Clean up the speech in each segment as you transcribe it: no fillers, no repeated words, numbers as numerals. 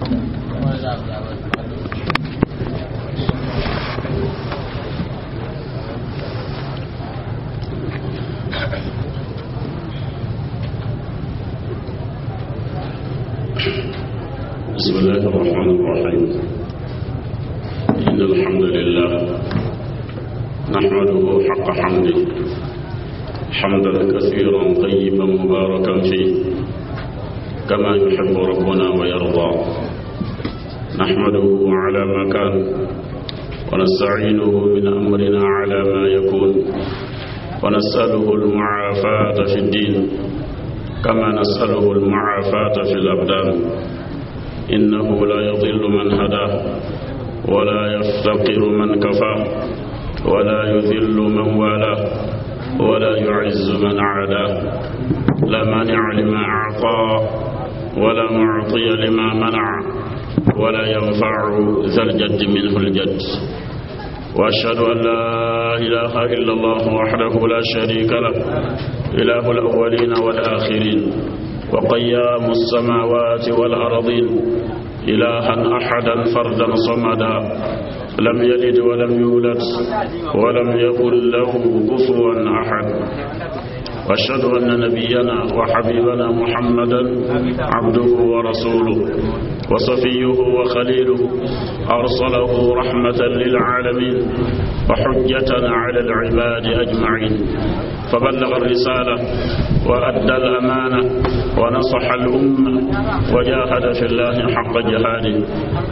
بسم الله الرحمن الرحيم. إن الحمد لله نحمده حق حمده، حمدا كثيرا طيبا مباركا فيه كما يحب ربنا ويرضى. نحمده على ما كان، ونستعينه من أمرنا على ما يكون، ونسأله المعافاة في الدين كما نسأله المعافاة في الأبدان. إنه لا يضل من هداه، ولا يفتقر من كفاه، ولا يذل من والاه، ولا يعز من عاداه. لا مانع لما أعطى، ولا معطي لما منع، ولا ينفع ذا الجد منه الجد. وأشهد أن لا إله إلا الله وحده لا شريك له، إله الأولين والآخرين، وقيام السماوات والأرضين، إلها أحدا فردا صمدا، لم يلد ولم يولد ولم يكن له كفوا أحد. وأشهد أن نبينا وحبيبنا محمدا عبده ورسوله وصفيه وخليله، أرسله رحمة للعالمين وحجة على العباد أجمعين، فبلغ الرسالة وأدى الأمانة ونصح الأمة وجاهد في الله حق جهاده.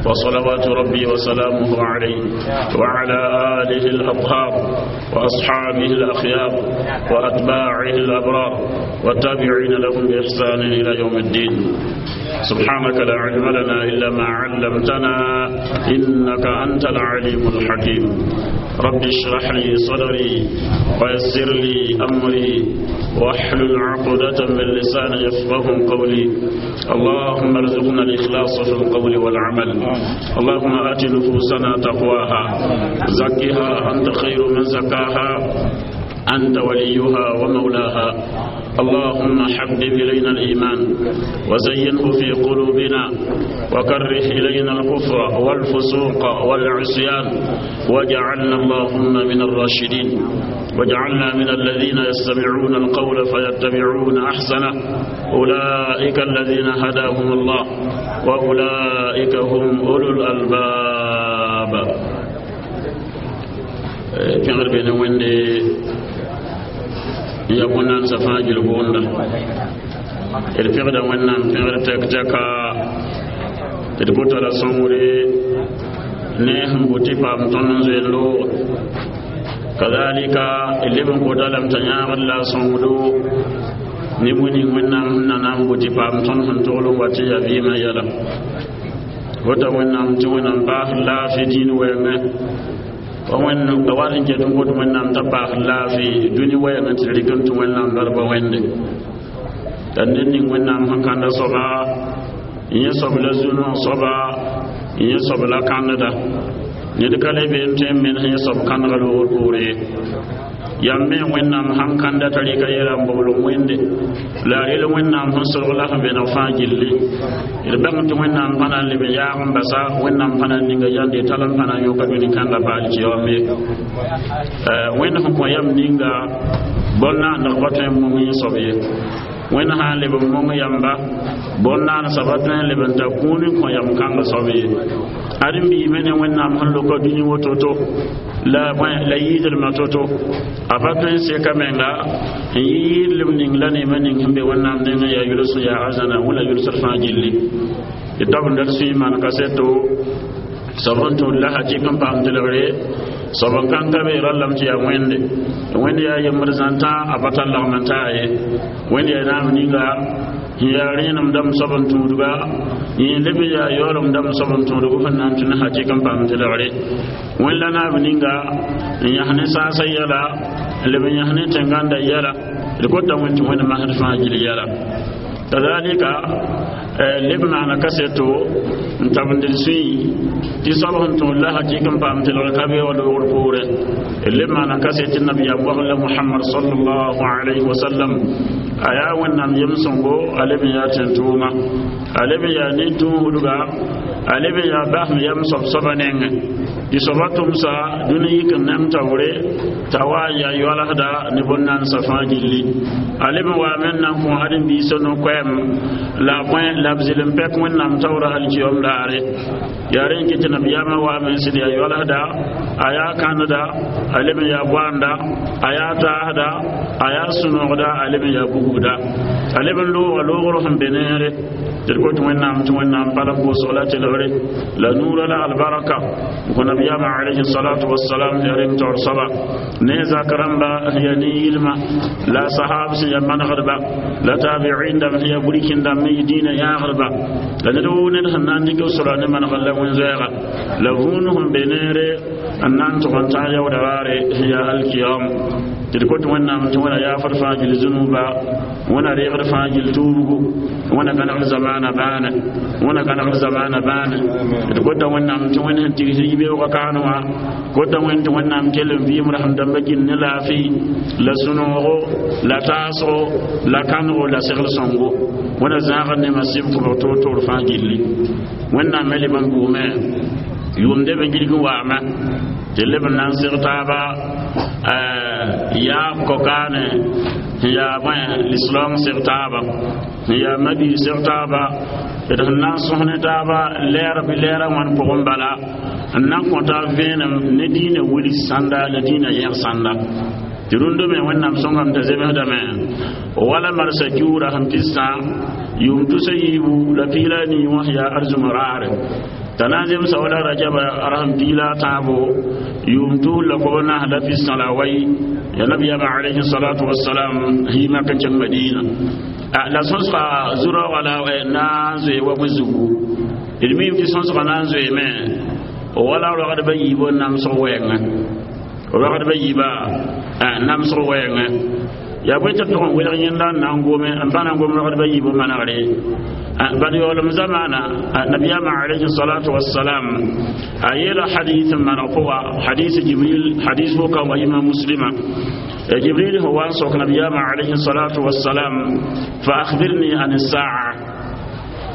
وصلوات ربي وسلامه عليه وعلى آله الأطهار وأصحابه الأخيار وأتباعه الأبرار والتابعين لهم بإحسان إلى يوم الدين. سبحانك لا علم لنا إلا ما علمتنا إنك أنت العليم الحكيم. رب اشرح لي صدري ويسر لي أمري واحلل عقدة من لساني يفقه قولي. اللهم ارزقنا الإخلاص في القول والعمل. اللهم آت نفوسنا تقواها، زكها أنت خير من زكاها، أنت وليها ومولاها. اللهم حبب إلينا الإيمان وزينه في قلوبنا، وكره إلينا الكفر والفسوق والعصيان، واجعلنا اللهم من الراشدين، واجعلنا من الذين يستمعون القول فيتبعون أحسنه، أولئك الذين هداهم الله وأولئك هم أولو الألباب. Pẽgr be ne Wẽnde ya bõn-naandsã fãa gil boonda. D pẽgda Wẽnnaam pẽgr tɛk tɛka, d gota la sõngre ne sẽn bʋ tɩ paam tõnd n zoe looge. Kazalika d leb n kota lame t'a yãagd la a sõngdo ne bũe ning Wẽnnaam sẽn na na n bʋ tɩ paam tõnd sẽn togl n wa tɩ yaa vɩɩmã yɛla. Gota Wẽnnaam tɩ Wẽnnaam paasd laafɩ dĩin wɛɛngẽ. Wẽnd a wat n ket n got Wẽnnaam t'a paasd laafɩ dũni wɛɛngẽ tɩ rɩk n tũ Wẽnnaam barka Wẽnde. La ned ning Wẽnnaam sẽn kãnda soaba, yẽ soab la zu-noog soaba, yẽ soab la kãndda. Ned ka le be n tõe n menes yẽ soab kãndga loogr poore ye. Yam me Wẽnnaam sãn kãnda t'a rɩka yɛla n bobl Wẽnde, la a rel Wẽnnaam sẽn solg la sẽn vẽneg fãa gilli. D bãng tɩ Wẽnnaam pa na n leb n yaag n basa, Wẽnnaam pa na n ninga yande tall n pa na n yõka dũni kãnga paal tɩ yaoom ye. Wẽnd sẽn kõ yam ninga bõn-naandg pa tõe n mong yẽ soab ye. Wẽnd sã n leb n mong yamba bõn-naandsã pa tõe n leb n ta kũun n kõ yam kãngã soab ye. Ad n biime ne Wẽnnaam sẽn loka dũni woto-to la la yɩɩdlmã to-to, a pa tõe n seka menga n yɩ yɩɩdlem ning la neemã ning sẽn be Wẽnnaam nengẽ yaa yʋls n yaa arzãna wẽla yʋlsd fãa gilli. Tɩ tabenda d sũyẽ maan kaseto soab n tũud la hakɩk n paam telgre soab n kãn ka be rallame tɩ yaa Wẽnde. Wẽnd yaa yembd zãntã a pa tar lagm n taa ye. Wẽnd yaa naam ninga n yaa rẽenem dãmb soab n tũudga, yẽ leb n yaa yaoolem dãmb soab n tũudg sẽn na n tũ ne hakɩk n paam telgre. Wẽnd la naab ninga n yãs ne saasã yɛla, n leb n yãs ne tẽnganda yɛla. D kota Wẽnd tɩ Wẽnd masd fãa gil yɛla. Kazalika Leb maana kaseto n tabend d sũy tɩ soab sẽn tõod la hakɩk n paam telgr ka be wa loogr poorẽ. Leb maana kaset tɩ nabiyaam wagl Mohamad sallallahu alayhi wa sallam, a yaa Wẽnnaam yem sõngo, a leb n yaa tẽn-tʋʋma, a leb n yaa nin-tũusdga, a leb n yaa basem yam soab soaba nengẽ tɩ soaba tʋmsa dũni yik n nem taoore t'a wa n yaa yoalsda ne bõn-nansã fãa gilli. A leb n waame n na n kõ ãdem-biisã no-koɛɛm la a bõe la b zɩl n pɛk Wẽnnaam taoora alkiyom daare. Yaa rẽ n kɩ tɩ nabiyaamã waame n sɩd yaa yoalsda, a yaa kãndda, a leb n yaa boanda, a yaa taasda, a yaa sũ-noogda, a leb n yaa bugda, a leb n looga loogr sẽn be neere tɩ d kot Wẽnnaam tɩ Wẽnnaam palg pʋʋsg la telgre la nuurã la albaraka n kõ nabiyaamã alayhi salatu wasalam. Ya reng taoor soaba ne zak rãmba sẽn yaa nin-yɩlma la sahab sẽn yaa manegdba la tabiin dãmb sẽn yaa burkin dãmb me yɩ dĩinã yãagdba la ned woo ned sẽn na n dɩk b sora ne manegr la wẽn-zoɛɛga la vũun sẽn be neere n na n tʋg n tãag yaooda raare sẽn yaa alkiyam. Tɩ d kot Wẽnnaam tɩ Wẽna yaafd fãa gil zũnuba, Wẽna reegd fãa gil tuubgu, Wẽna gãnegd zamaana bãane, Wẽna gãnegd zamaana bãane. D kota Wẽnnaam tɩ Wẽnd sẽn tigs yibeoogã kaan wã, kota Wẽnd tɩ Wẽnnaam kell n vɩɩm rasem dãmbã gil ne laafɩ la sũ-noogo la taasgo la kãnego la segl sõngo. Wẽna zãagd ne masɩb kʋbg toor-toor fãa gilli. Wẽnnaam me leb n buume yʋʋmde b gilg n waame tɩ leb n na n seg taaba yaab kokaane sẽn yaa bõe lislaam seg taaba sẽn yaa mabiig seg taaba d sẽn na n sõs ne taaba lɛɛr bɩ lɛɛrã wãn pʋgẽ bala n na n kõ taab vẽenem ne dĩinã wilg sãnda la dĩinã yẽg sãnda. Tɩ rũndã me Wẽnnaam sõngame t'a zemsdame wala marsã kiuura sẽn pistã yʋʋm 314 wã sẽn yaa arzũm raare t'a na n zemsa wala rajaba rasem 13 yʋʋm 2048 ya nabiyaamã alayhi salatu wasalam yɩ mak n kẽng Madina la sõsga zu-raoogã la na n zoe wa bõe zugu. D miime tɩ sõsgã na n zoeeme wala rogdbã yiibã namsg wɛɛngẽ, rogdbã yiibã namsg wɛɛngẽ. Yaa bõe tɩ b tʋg n welg yẽnda n na n gome n pa na n gom rogdbã yiibã manegre bad yaoolem zamaana. Nabiyaamã alayhi salatu wasalam a yeela hadith n maneg pʋga, hadis Jibril, hadis woka wa imam Muslima. Jibril sẽn wa n sok nabiyaamã alayhi salatu wasalam: "Fa akhbirni an saa."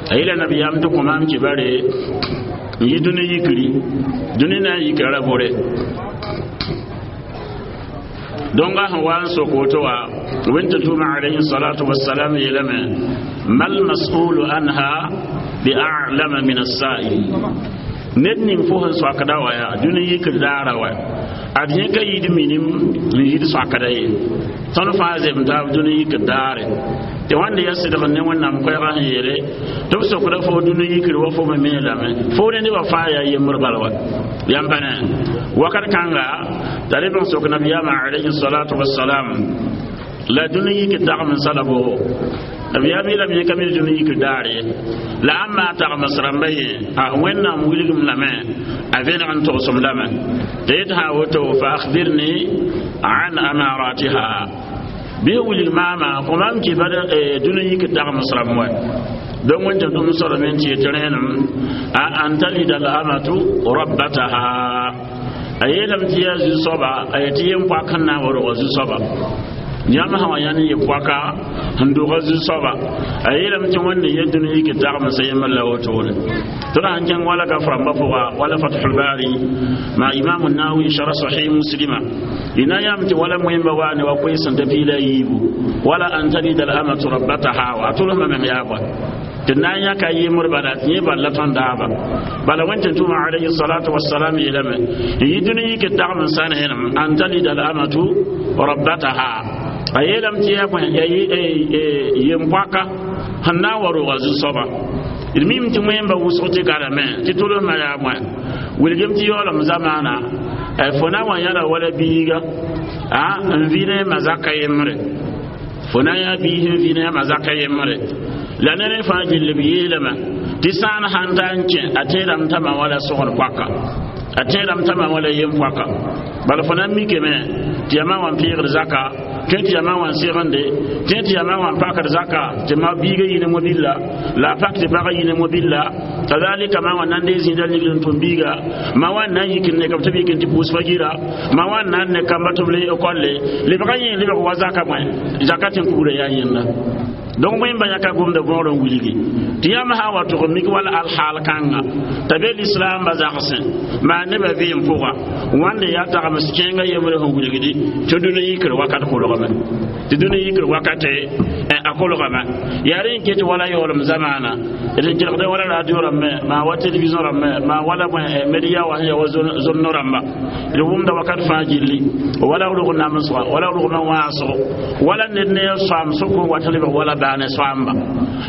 A yeela nabiyaam tɩ kõ maam kibare n yi dũni yikri, dũni na n yikra ra bore. Donc sẽn wa n sok woto wã, wẽn tɩ tʋʋma alayhi salatu wasalam yeelame: "Mal mas'ulu anha bi a'lama min as-sa'il." Ned ning fo sẽn soakda wa yaa dũni yikr daara wa ad yẽ ka yid minim n yid soakda ye. Tõnd fãa zem taab dũni yikr daare tɩ wãnda ya sɩdg ne Wẽnnaam koɛɛgã sẽn yeele tɩ b sokda fo dũni yikr wa fo me me lame fo ne nebã fãa yaa yembr bala wa yãmb pa ne wakat kãnga t'a leb n sok nabiyaamã alayhi salatu wasalam la dũni yikr tagm n sala boogo. Nabiyaam yeelame yẽ ka mi dũni yikr daare ye la ãmb maa tagms rãmba yẽ a Wẽnnaam wilgem lame a vẽneg n togsem lame tɩ yet sã woto: "Fa akhbirni an amaratiha." Bɩ wilg maama kõ maam kɩ bad dũni yikr tagms rãmb wa. Donc wẽn tɩ m soalame n tɩ yetɩ rẽenem a an talida al amatu rabbataha. A yeelame tɩ yaa zu-soaba a yetɩ yem poak sẽn na n wa rog zu-soaba yãmb sã wa yãnd yɩ poaka sẽn doga zu-soaba. A yeelame tɩ Wẽnde ye dũni yik tagmsã yembr la wotone. Tɩ d sãn kẽng wala gaf rãmbã pʋga wala Fathul Bari ma Imam Nawi shara Sahih Muslima ina yam tɩ wala moẽmba waa ne wa koe sẽn ta 17 wala an talida al amatu rabbataha wa a tʋlsmã meng yaa bõe tɩ na n yãka yembr bala tɩ yẽ bal la tõnd daaba bala. Wẽn tɩ tʋma alayhi salatu wasalam yeelame n yi dũni yik tagm sã neenem an talida al amatu rabbataha. A yeelame tɩ yaa bõe yem-poaka sẽn na n wa roga zu-soaba. D mim tɩ wẽmba wʋsg tɩ garame tɩ tʋlsmã yaa bõe wilgem tɩ yaoolem zamaana fo na wa yãla wala biiga a n vɩ ne ma zaka yembre, fo na yaa biis n vɩ ne ma zaka yembre la ne rẽ fãa gill b yeelame tɩ sãan sãn ta n kẽ a tẽedame t'a ma wala sogd poaka, a tẽedame t'a ma wala yem poaka. Bala fo na n mikame tɩ yamã wa n pɩɩgd zaka. Tõe tɩ yaa ma wã n segende, tõe tɩ yaa ma wã n pakd zaka tɩ ma biiga yɩ ne mobilla la a pak tɩ pagã yɩ ne mobilla. Kazalika ma wã na n dee zĩida ligd n tʋm biiga, ma wã n na n yik n ne ka b tɩ b yik n tɩ pʋʋs fagira, ma wã n na n ne kamba tɩ b le ekolle lebga yẽ lebg wa zaka bõe zaka tɩ n kugra yaa yẽnda. Donc wẽmba yãka gomda võor n wilgi tɩ yãmb sã n wa tʋg mik wala alhaal kãnga t'a be lislaambã zagsẽ maa nebã vɩɩm pʋga wãnde yaa tagms kẽengã yembre sẽn wilgdi tɩ dũni yikr wakat kolgame, tɩ dũni yikr wakate a kolgame. Yaa rẽ n ket wala yaoolem zamaana d n kelgda wala radio rãmbẽ, maa wa television rãmbẽ, maa wala bõe media wa sẽn ya wa zomno rãmba, d wʋmda wakat fãa gilli wala rog namsga wala rogmã wãasgo wala ned ne a soam sʋk n wat lebg wala baane soamba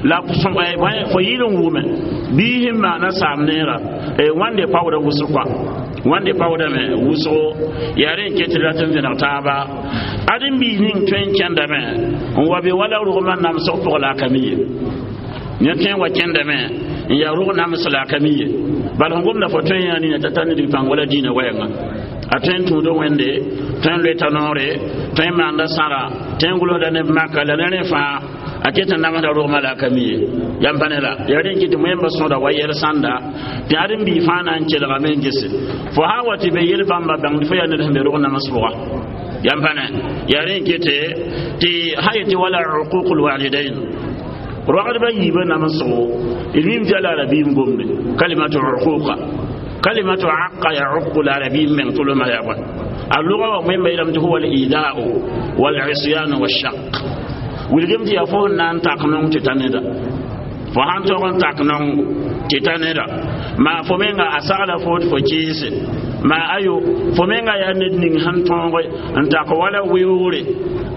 la fo yɩl n wʋme bii sẽn maana saam neera wãnde paoodã wʋsg kɔa wãnde paoodame wʋsgo. Yaa rẽ n ket rat n vẽneg taaba ãdem-biis ning tõe n kẽndame n wa be wala rogmã namsg pʋg la a ka mi ye. Yẽ tõe n wa kẽndame n yaa rog nams la a ka mi ye, bala sẽn gomda fo tõe n yaa nina t'a tar ned pãng wala dĩinã wɛɛnga a tõe n tũud Wẽnde, tõe n loeta noore, tõe n maanda sãra, tõe n gʋlsda neb maka la ne rẽ fãa a ket n namsda rogmã la a ka mi ye. Yam pa ne la yaa rẽ n kɩ tɩ wẽmba sõda wa yɛl sãnda tɩ ãdem-biig fãa na n kelgame n gese fo sã n wa tɩ be yel bãmba bãngd fo yaa ned sẽn be rog nams pʋga. Yam pa ne yaa rẽ n kete tɩ sã yetɩ wala uquq lwalidain rogdbã yiibã namsgo d mim tɩ yaa la arabiim gomde kalimatu uquqa kalimatu aqa yauqu la arabiim meng tʋlmã yaa bõe a lʋga wa wẽmba yeelame tɩ huwa alidau walisyan washaq wilgem tɩ yaa fo sẽn na n tak nong tɩ ta neda fo sãn tog n tak nong tɩ ta neda maa fo menga a sagla fo tɩ fo kɩɩse maa ayo fo menga yaa ned ning sẽn tõoge n tak wala weoogre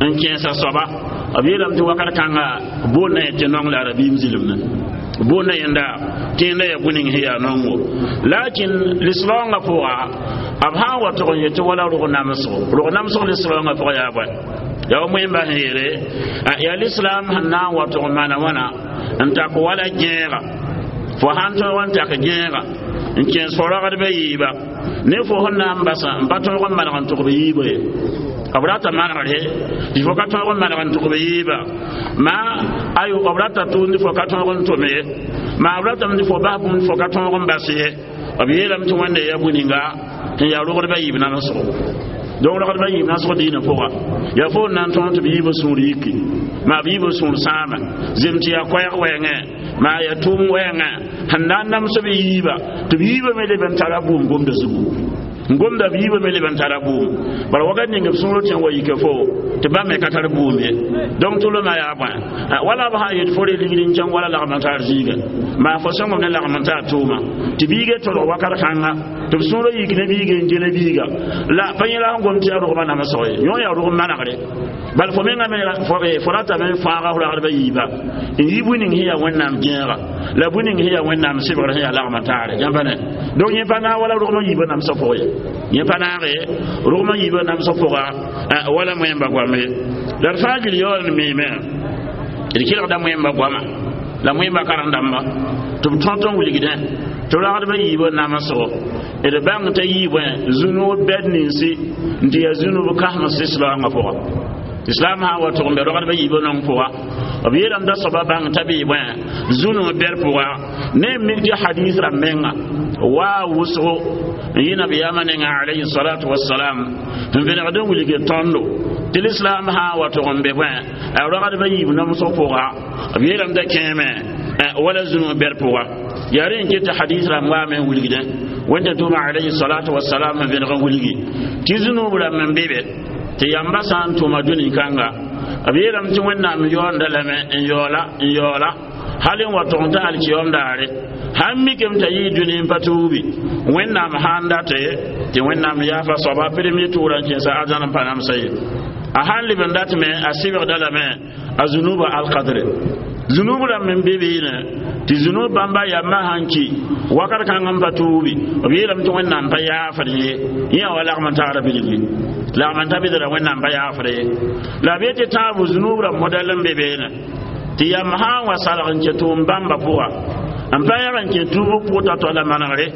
n kẽesa soaba. B yeelame tɩ wakat kãnga boondã yẽ tɩ nong la arabiim zɩlemdẽ boondã yẽnda tɩ yẽnda yaa bũ-ning sẽn yaa nongo, lakin lislaoongã pʋga b sã n wa tʋg n yetɩ wala rog namsgo, rog namsg lislaoongã pʋga yaa bõe yaa wa wẽmba sẽn yeele yaa lislaam sẽn na n wa tʋg n maana wãna n tak wala gẽega fo sãn tõog n tak gẽega n kẽes fo ragdbã yiiba ne fo sẽn na n basa n pa tõog n maneg n tʋg b yiibã ye b rata manegre tɩ fo ka tõog n maneg n tʋg b yiiba maa ayo b rata tʋʋmd fo ka tõog n tʋm ye maa b ratame tɩ fo bas bũmb fo ka tõog n bas ye. B yeelame tɩ Wẽnde yaa bũ-ninga sẽn yaa rogdbã yiib namsgo. Donc rogdbã yiib namsgo dĩinã pʋga yaa fo n na n tõog tɩ b yiibã sũur yiki maa b yiibã sũur sãama zem tɩ yaa koɛɛg wɛɛngẽ maa yaa tʋʋm wɛɛngẽ sẽn na n nams b yiiba tɩ b yiibã me leb n tara bʋʋm gomda zugu n gomda b yiibã me leb n tara bʋʋm bara wakat ning b sũurã tẽ n wa yike fo tɩ bãmb me ka tar bʋʋm ye. Donc tʋlmã yaa bõe wala b sã n yet fo re ligd n kẽng wala lagm n tar zĩigã maa fo sõngem ne lagm n tar tʋʋma tɩ biigã tolg wakat kãnga tɩ b sũurã yik ne biiga n gele biiga la pa yẽ la sẽn gom tɩ yaa rogmã namsg ye yõ yaa rogm manegre bal fo menga me fo ratame n fãaga f ragdbã yiiba n yi bũ-ning sẽn yaa Wẽnnaam gẽega la bũ-ning sẽn yaa Wẽnnaam sɩbgr sẽn yaa lagm n taare. Yãmb pa ne donc yẽ pa naag wala rogmã yiibã namsg pʋgẽ ye yẽ pa naage rogmã yiibã namsg pʋga wala wẽmba goam ye la d fãa gil yaool n miime d kelgda wẽmba goama la wẽmba karen-dãmba tɩ b tõt n wilgdẽ tɩ ragdbã yiibã namsgo d bãng t'a yii bõe zũnuub bɛd ninsi n tɩ yaa zũnub kãsems lislaoongã pʋga. Islam sã n wa tʋg n be rogdbã yiibã nong pʋga b yeelame t'a soaba bãng t'a bee bõe zũnug bɛd pʋga ne n mik tɩ hadis rãmb menga waa wʋsgo n yɩ nabiyaamã nenga alayhi salatu wasalam n vẽnegd n wilg tõndo tɩ lislaam sã n wa tʋg n be bõe a rogdbã yiib namsg pʋga b yeelame t'a kẽeme wala zũnug bɛd pʋga yaa rẽ n ket tɩ hadis rãmb waame n wilgdẽ Wẽnda tʋʋma alayhi salatu wasalam n vẽneg n wilgi tɩ zũnub rãmb n be be tɩ yamba sã n tʋma dũni kãnga b yeelame tɩ Wẽnnaam yaoonda lame n yaoola n yaoola hal n wa tʋg n t'a alkiyoom daare sãn mikame t'a yɩɩ dũni n pa tuubi Wẽnnaam sãn date tɩ Wẽnnaam yaafa soaba premier tʋʋra n kẽesa arzãn n pa namsa ye a sãn leb n datme a sɩbgda lame a zunuba alkadre zunub rãmb n be beene tɩ zunub bãmba yamba sãn ki wakat kãng n pa tuubi b yeelame tɩ Wẽnnaam pa yaafd ye yẽ wa lagm n tagra bilgi lagm n ta bɩdra Wẽnnaam pa yaafd ye la b yetɩ tãabo zunub rãmb modɛl n be beene tɩ yam sã n wa salg n kẽ tʋʋm bãmba pʋga n pa yãg n kẽ tuub pʋgta t'a manegre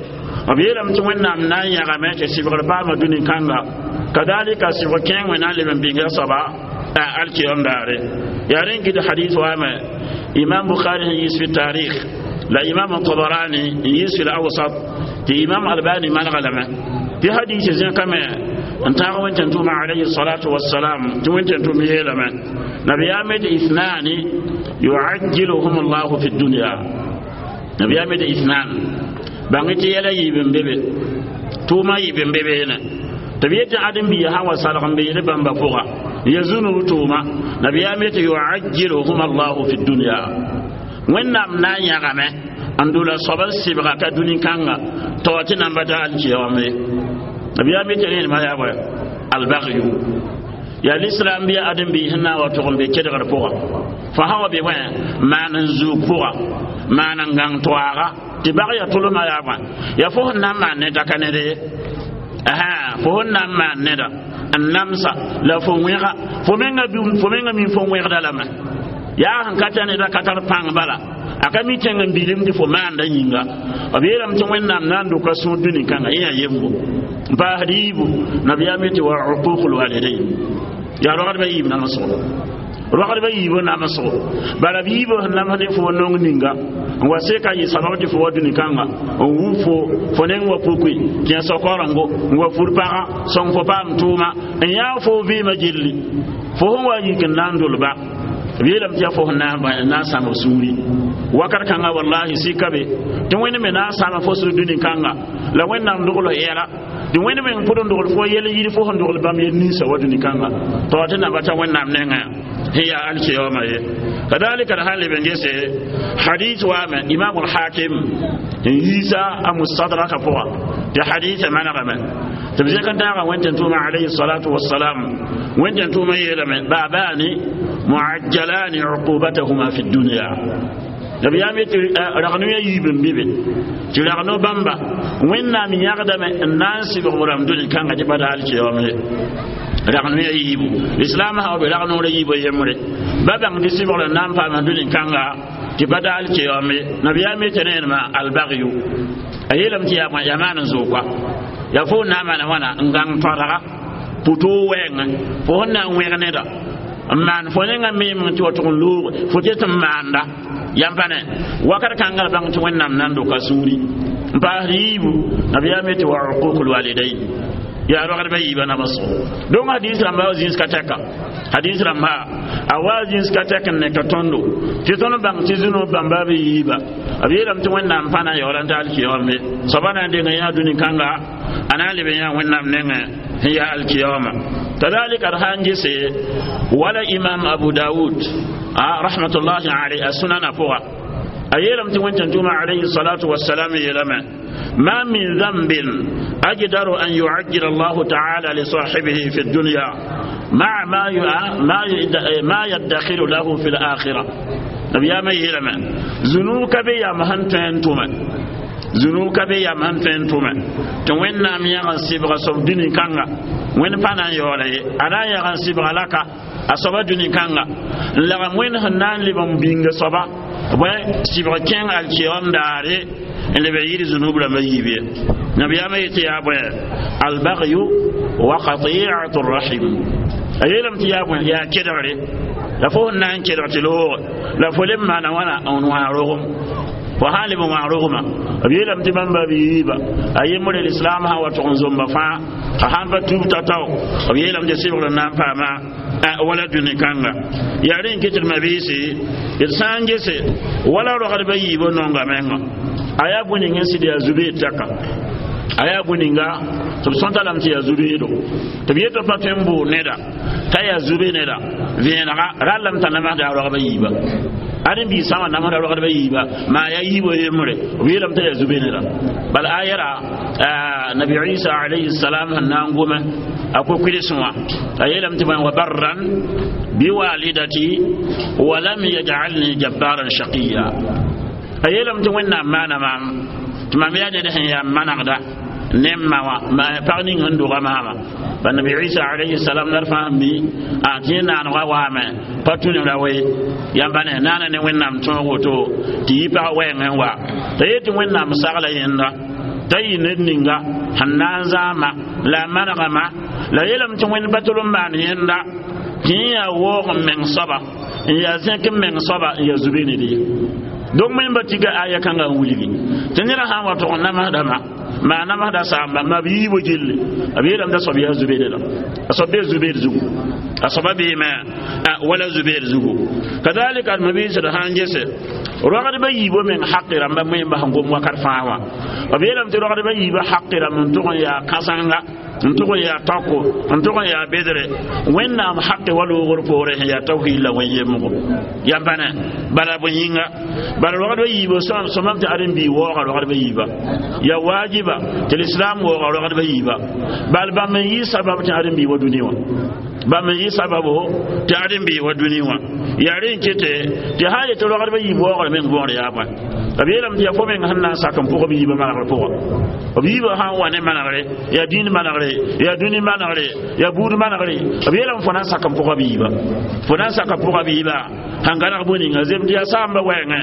b yeelame tɩ Wẽnnaam na n yãgame tɩ sɩbgr paama dũni kãnga kadalika sɩbg kẽeng wẽ na n leb n bĩnga soaba Alkiyom daare yaa rẽn kɩt hadis waame imam Bukhari sẽn yiis fi tarikh la imam Tabarani n yiis fi al-Awsat tɩ imam Albani manega lame tɩ hadis zẽkame n tãag wẽn-tẽn-tʋʋma alayhi salatu wassalam tɩ wẽn-tẽn-tʋʋm yeelame nabiyaame tɩ ithnani yuajjiluhum llahu fi dunya nabiyaame tɩ ithnan bãng tɩ yɛla yiib n be be tʋʋma yiib n be beene tɩ b yetɩ ãdem-biigã sã wa salg n beede bãmba pʋga ya zũnub tʋʋma nabiyaame tɩ yuajjiluhum allahu fi dunya wẽnnaam na n yãgame n dola soab n sɩbga ka dũni kãnga tɩ wa tɩ nan pa ta alkiyame nabiyaame tɩ rẽndmã yaa bõe albagyu yaa lislam bɩ ãdem-biis sẽn na n wa tʋg n be kedgr pʋga fo sã wa be bõe maan n zuug pʋga maan n gãng toaaga tɩ bag ya tʋlmã yaa bõe yaa fo sẽn na n maan neda ka ned ye fo sẽn na n maan neda n namsa la fo wẽga fo menga mi fo wẽgda lame yaa sẽn ka tar neda ka tar pãng bala a ka mi tẽng n bilim tɩ fo maanda yĩnga b yeelame tɩ wẽnnaam na n dʋka sũur dũni kãnga yẽ yaa yembo n paasd yiibu nabiyaam tɩ wa uququl walidain yaa rogdbã yiib namsgo rogdbã yiibã namsgo bala b yiibã sẽn namsd ne fo nong ninga n wa seka yɩ sabab tɩ fo wa dũni kãnga n wub fo fo neng wa pukui kẽ sokorengo n wa fur pagã sõng fo paam tʋʋma n yãag fo vɩɩmã gilli fo sẽn wa yik n na n dolba b yeelame tɩ yaa fo sẽn na n sãmb sũuri wakat kãnga wallahi sika be tɩ wẽnd me na n sãama fo sũ dũni kãnga la wẽnnaam dogl yɛla tɩ wẽnd meng pʋd n dogl fo yɛl yir fo sẽn dogl bãmb yel ninsã wa dũni kãnga tɩ wa tɩ namba t'a wẽnnaam nengã sẽn yaa alkiyaooma ye kadalika d sãn leb n gese hadith waame imam alhakim n yiisa a mustadraka pʋga tɩ haditha manegame tɩ b zẽk n tãaga wẽn-tẽn-tʋʋma alayhi salatu wassalam wẽn-tẽn-tʋʋma yeelame baabani muajjalani uqubatahuma fi dunya nabiyaam yetɩ ragno ya yiib n be be tɩ ragno bãmba wẽnnaam yãgdame n na n sɩbg b rãmb dũni kãnga tɩ pa da alkiyaoom ye ragno ya yiibu islam sã wa be ragnoorã yiibã yembre ba bãng tɩ sɩbgr n na n paam dũni kãnga tɩ pa da alkiyaoom ye nabiyaam yetɩ rẽenema albagyu a yeelame tɩ yaa maan n zoog yaa fo na n maana wãna n gãng tõadga pʋtoo wɛɛngẽ fo sẽn na n wẽg neda n maan fo nengã meemeng tɩ wa tʋg n loog fo ket n maanda yãmb pa ne wakat kãnga la bãng tɩ wẽnnaam na n doka sũuri n paasd yiibu nabiyaam yetɩ wa uququl walidain yaa rogdbã yiibã namsgo donc hadis rãmba wa zĩns ka tɛka hadis rãmba a wa zĩns ka tɛk n ne ka tõndo tɩ tõnd bãng tɩ zũnub bãmba b yiiba b yeelame tɩ wẽnnaam pa na n yaoola n ta alkiyaoome soaba na n deng yã dũni kãnga a na n leb yã wẽnnaam nengẽ sẽn yaa alkiyaooma kadalika d sã n gese wala imam Abu Dawud rahmatullahi alayhi a sunana pʋga a yeelame tɩ wẽn-tẽn-tʋʋma alayhi salatu wassalam yeelame ما من ذنب أجدر أن يعجل الله تعالى لصاحبه في الدنيا مع ما يدخر له في الآخرة نبي ما يلما ذنوب بي يا مهن تنتوما ذنوب بي يا مهن تنتوما توين نام يغن سيبغ سوف دني كانغا وين فانا يولي أنا يغن سيبغ لك أصبا دني كانغا لغم وين هنان لبن بينغ صبا وين سيبغ كين الكيوم داري n leb n yɩɩd zũnub rãmbã yiib ye nabiyaamã yetɩ yaa bõe albagyu wa qati'atu rahim a yeelame tɩ yaa bõe yaa kedgre la fo sẽn na n kedg tɩ looge la fo leb maana wãna n wã rogem fo sã n leb n wã rogmã b yeelame tɩ bãmba b yiiba a yembre lislam sã wa tʋg n zomba fãa a sãn pa tub tatao b yeelame tɩ sɩbgr n na n paama wala dũni kãnga yaa rẽ n ket d mabiisi d sã n gese wala rogdbã yiibã nonga menga a yaa bõe ning n sɩd yaa zubeed tɛka a yaa bõe ninga tɩ b sõta lame tɩ yaa zubeedo tɩ b yetɩ pa tõe n bʋʋ neda t'a yaa zube neda vẽenega rallame t'a namsda a rogba yiiba ãdem-biig sã n wa namsda rogdbã yiiba maa yaa yiibã yembre b yeelame t'a yaa zube neda bala a yɛra nabi Isa alayhi salam sẽn na n gome a ko-kʋɩlsẽ wã a yeelame tɩ bõe wa barran biwalidati wa lam yaj'alni jabbaran shaqiya a yeelame tɩ wẽnnaam maana maam tɩ mam yaa ned sẽn yaa manegda ne m ma wã pag ning sẽn doga maama ba nabi Isa alayhi salam nar fãa mi a tɩ yẽ naanegã waame pa tũ ne ra we yãmba ne naana ne wẽnnaam tõog woto tɩ yɩ pag wɛɛngẽ wa t'a yet tɩ wẽnnaam sagla yẽnda t'a yɩ ned ninga sẽn na n zãama la a manegame la yeelame tɩ wẽnd pa tol n maan yẽnda Tɩ yẽ yaa waoog n meng soaba n yaa zẽk n meng soaba n yaa zube ned ye. Donc wẽmba tika aya kãngã n wilgi tɩ ned sã n wa tʋg n namsdame maa namsda saamba ma b yiibo gilli b yeelame t'a soab yaa zubeede la a soab bee zubeed zugu a soaba beeme wala zubeed zugu. Kadalika d mabiisd sã n gese rogdba yiibo meng haqi rãmba wẽmba sẽn gom wakat fãa wã b yeelame tɩ rogdba yiibã haqi rãmb n tʋg n yaa kãsenga n tʋg n yaa taoko n tʋg n yaa bedre wẽnnaam haqi wa loogr poore sẽn yaa tawhid la wẽn yemgo yãmba ne bala bõe yĩnga bala rogdba yiibã sõmam tɩ ãdem-bii waooga rogdba yiiba ya waajiba tɩ lislam waooga rogdba yiiba bal bãmb n yɩ sabab tɩ ãdem-bii wa dũni wã bãmb n yɩ sababo tɩ ãdem-bii wa dũni wã yaa rẽ n kete tɩ sã n yetɩ rogdba yiib waoogr meng võor yaa bõe b yeelame tɩ yaa fo meng sẽn na n sak n pʋg b yiibã manegr pʋgã b yiibã sã n wa ne manegre yaa dĩin manegre yaa dũni manegre yaa buud manegre b yeelame fo na n sak n pʋga b yiibã fo na n sak n pʋga b yiibã sẽn gãneg bõe ninga zem tɩ yaa saamba wɛɛngẽ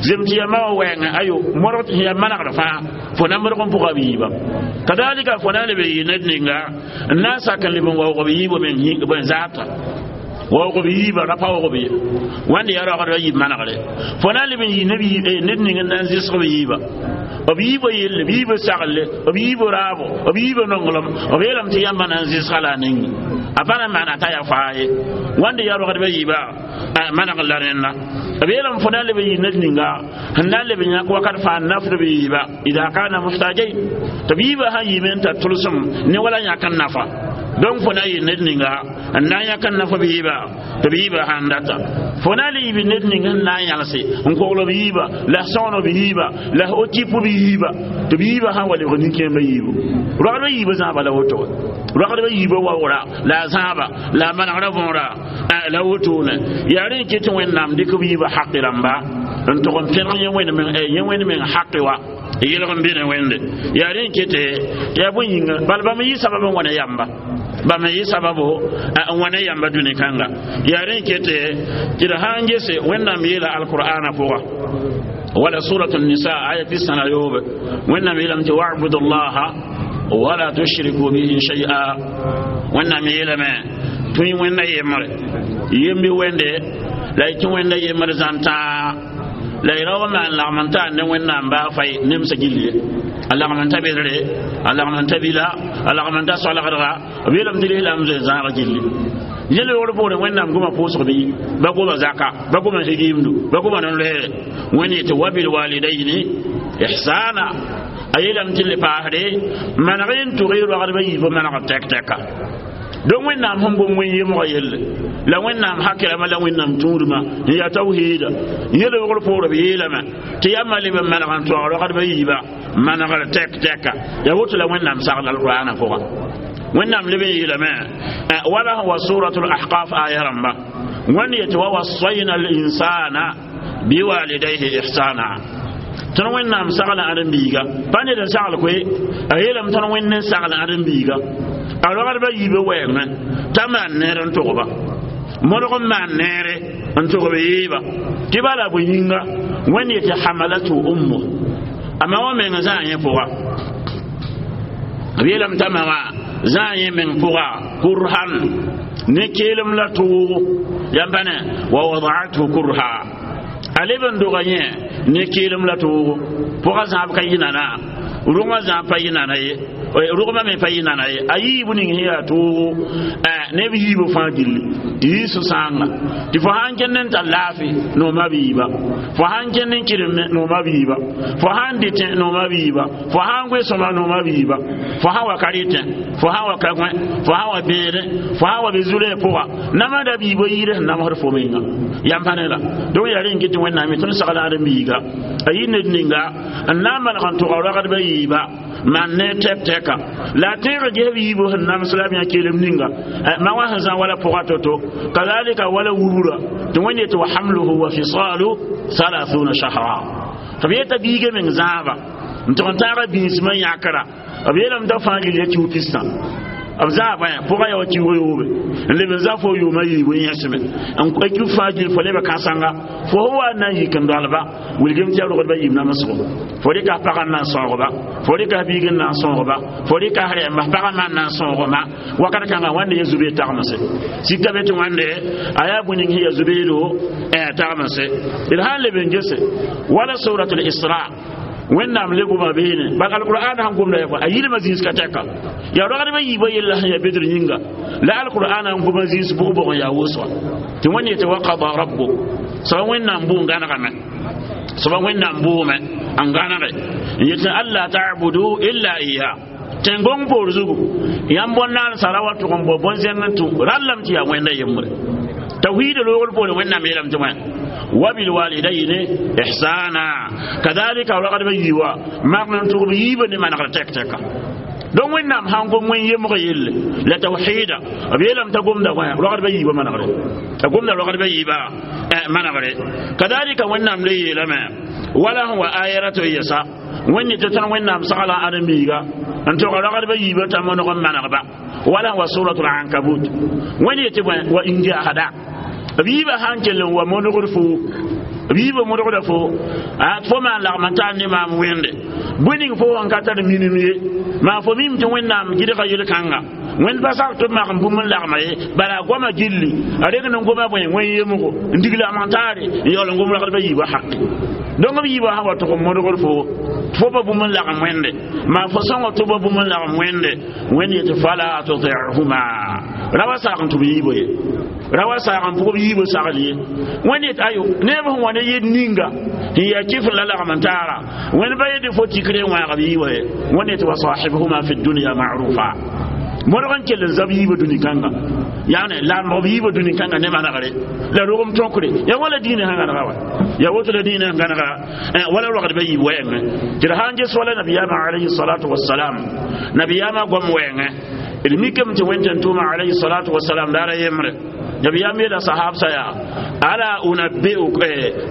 zem tɩ yaa ma wã wɛɛngẽ ayo modg tɩ yaa manegr fãa fo na modg n pʋga b yiibã kadalika fo na n leb n yɩ ned ninga n na n sak n leb n waoog b yiibã meng bõe zaata waoog b yiibã ra pa waoog ye wãnd yaa rogdba yiib manegre fo na n leb n yɩ ned ning n na n zɩsg b yiibã b yiibã yelle b yiibã saglle b yiibã raabo b yiibã nonglem b yeelame tɩ yãmba na n zɩsga la a ninga a pa na n maana t'a yaa faa ye wãnd yaa rogdba yiibã maneg la rẽnda b yeelame fo na n leb n yɩ ned ninga sẽn na n leb n yãk wakat fãa n nafd b yiibã ida kana muhtajain tɩ b yiibã sã n yiime n tar tʋlsem ne wala yãk n nafa donc fo na yɩ ned ninga n na n yãk n naf b yiibã tɩ b yiibã sãn data fo na n le yɩ ned ning sẽn na n yãlse n kogl b yiibã la sõgen b yiibã la f tɩp b yiibã tɩ b yiibã sã n wa lebg nin-kẽembã yiibu rogdbã yiibã zãaba la woto rogdbã yiibã waoora la a zãaba la a manegrã võora la wotone yaa rẽ n ket tɩ wẽnnaam dɩk b yiibã haqi rãmba n tʋg n pẽneg yẽ wẽnd meng haqi wa yelg n be ne wẽnde yaa rẽ n kete tɩ yaa bõe yĩnga bala bãmb n yɩ sabab n wa ne yamba bãmb n yɩ sababo n wa ne yamba dũni kãnga yaa rẽ n kete tɩ d sã n gese wẽnnaam yeela alqur'ana pʋga wala surat nisa aya 63 wẽnnaam yeelame tɩ wabudu llaha wala tushriku bihi shay'a wẽnnaam yeelame tũi wẽnda yembre yembi wẽnde la y tɩ wẽnda yembr zãn-tãa la y raoog n maan lagm n taa ne wẽnnaam baa fay nemsã gill ye a lagm n ta bedre a lagm n ta bila a lagm n ta soalgdga b yeelame tɩ lislaam zoe zãag gilli yẽl yoogr poorẽ wẽnnaam goma pʋʋsg bɩ ba goma zaka ba goma higiimdu ba goma nen-loɛɛre wẽnd yetɩ wabilwalidayni ihsana a yeelame tɩ le paasde maneg n tʋg y rogdbã yiibã manegr tɛk-tɛka donc wẽnnaam sẽn gom wẽn yemgã yelle la wẽnnaam hakirame la wẽnnaam tũudmã n yaa tawhiida yel wogr poor b yeelame tɩ yãmba leb n maneg n toag rogdbã yiibã manegr tɛk-tɛka yaa woto la wẽnnaam sagl alqur'ana pʋga wẽnnaam leb n yeelame wala wa suratul ahqaf aya rãmba wẽnd yetɩ wa wasayna linsana biwalidayhi ihsana tõnd wẽnnaam sagla ãdem-biiga pa ned n sagl koe a yeelame tõnd wẽnd n sagl ãdem-biiga a rogdbã yiibã wɛɛngẽ t'a maan neer n tʋgba modg n maan neere n tʋg b yiiba tɩ bala bõe yĩnga wẽnd yetɩ hamalatu ummu a ma wã meng zãa yẽ pʋga b yeelame t'a ma wã zãa yẽ meng pʋga kurhan ne keelem la tʋʋgo yãmb pa ne wa wadaathu kurha a leb n doga yẽ ne keelem la tʋʋgo pʋga zãab ka yɩ nana rʋngã zãab pa yɩ nana ye rʋgmã me pa yɩ nana ye a yiibu ning sẽn yaa toogo neb yiibã fãa gilli tɩ yɩ sũ-sãanga tɩ fo sãn kẽnd n tar laafɩ nooma b yiiba fo sãn kẽnd n kɩremẽ nooma b yiiba fo sãn dɩtẽ nooma b yiiba fo sãn goe sõma nooma b yiiba fo sãn wa ka rɩtẽ fo sãn wa ka gõe fo sãn wa bẽedẽ fo sãn wa be zu-rɛɛ pʋga namsda b yiibã yɩɩd sẽn namsd fo menga yãmb pa ne la donc yaa rẽ n ket tɩ wẽnnaam tõnd sagl ãdem-biiga a yɩ ned ninga n na n maneg n tʋga rogdbã yiiba maan ne tɛk-tɛka la a tẽeg ges b yiibã sẽn nams la b yã kelem ninga ma wã sẽn zã wala pʋga to-to kazalika wala wubra tɩ wẽnd yetɩ wa hamluhu wa fisalu 30 shahra tɩ b yeta biiga meng zãaba n tʋg n taaga bĩnsmã yãkra b yeelame t'a fãa gil ya kiu pistã B zaaba pʋga yaa wa kiuug yoobe n leb n za fo yʋʋma yiibu n yẽsme n kiug fãa gil fo leba kãsanga fo sẽn wa n na n yik n dolba wilgem tɩ yaa rogdba yiib namsgo fo rɩka f pagã n na n sãoogba fo rɩka f biig n na n sõogba fo rɩka f rɛɛmba f pagã maan na n sõogma wakat kãngã wãnde ya zubeed tagmse sika be tɩ wãnde a yaa bõe ning sẽn ya zubeedo tagmse d sã n leb n gese wala surat al-isra wẽnnaam le goma beene bal alqur'an sãn gomda yaa a yilmã zĩis ka tɛka yaa rogdbã yiibã yella sẽn yaa bedr yĩnga la alqur'an n goma zĩis bʋg-bʋg n yaa wʋsga tɩ wẽnd yetɩ waqada rabbuk soaba wẽnnaam bʋ n gãnegame soaba wẽnnaam bʋʋme n gãnege n yetɩ alla ta'budu illa iya tẽn-gõng poor zugu yãmb bõn-naandsã ra wa tʋg n bao bõn-zẽng n tũ rallame tɩ yaa wẽnda yembre tawhid loogr poore wẽnnaam yeelame tɩ wã وبالوالدين إحسانا كذلك ولقد بيوا ما نتوب بيبن ما نقدر تك تك دون وين نام هانكم وين يمغيل لا توحيدا أبي لم تقوم ده وين ولقد بيوا ما نقدر تقوم ده ولقد بيوا ما نقدر كذلك وين نام لي لما ولا هو آيرة يسا وين تتن وين نام سقلا أرميغا أنت ولقد بيوا تمنو ما نقدر ولا هو سورة العنكبوت وين يتبع وإن جاء هذا b yiibã sãn kell n wa modgd fo b yiibã modgda fo fo maan lagm n tar ne maam wẽnde bõe ning fo sẽn ka tar minim ye maa fo mim tɩ wẽnnaam gɩdga yel-kãnga wẽnd pa sak tɩ b mak n bũmb n lagma ye bala a goama gilli a reng n goma bõe wẽn yemgo n dig lagm n taare n yaool n gom ragdbã yiibã haqi donc b yiibã sã wa tʋg n modgd fo fo pa bũmb n lagm wẽnde maa fo sõngo tɩ pa bũmb n lagm wẽnde wẽnd yetɩ fala tutihuma ra wa sak n tʋ b yiibã ye ra wa saag n pʋgb yiibã sagl ye wẽnd yet ayo neb sẽn wa ne yed ninga n yaa kɩf la lagm n taara wẽnd ba yetɩ fo tikre n wãag b yiibã ye wẽnd yetɩ wa sahibhuma fi dunya ma'rufa modg n kell n zab yiibã dũni kãnga yaane lamg b yiibã dũni kãnga ne manegre la rogem tõkre ya wala diinã sẽn gãnega wa ya woto la diinã sẽn gãnega wala rogdbã yiib wɛɛngẽ tɩ d sã n ges wala nabiyaamã alayhi salatu wasalam nabiyaamã goam wɛɛngẽ d mikame tɩ wẽn-tẽn-tʋʋmã alayhi salatu wasalam daara yembre nabiyam yela sahab saya ala unabbi'uk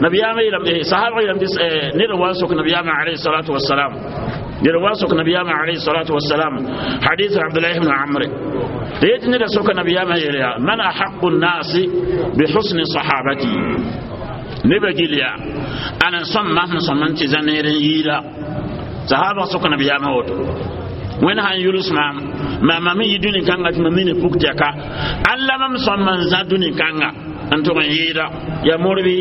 nabiyam yela sahab yela ned wa sok nabiyam alayhi salatu wassalam ned wa sok nabiyam alayhi salatu wassalam hadith abdullah ibn amr yet ned sok nabiyam yela man ahaqqu an-nas bi husni sahabati neba giliya ana somma somman ti zaneren yila sahaba sok nabiyam woto wẽnd sãn yʋls maam maama me yɩ dũni kãnga tɩ mam mi ne puk tɛka alla mam sõm n zã dũni kãnga n tʋg n yɩɩda ya morbi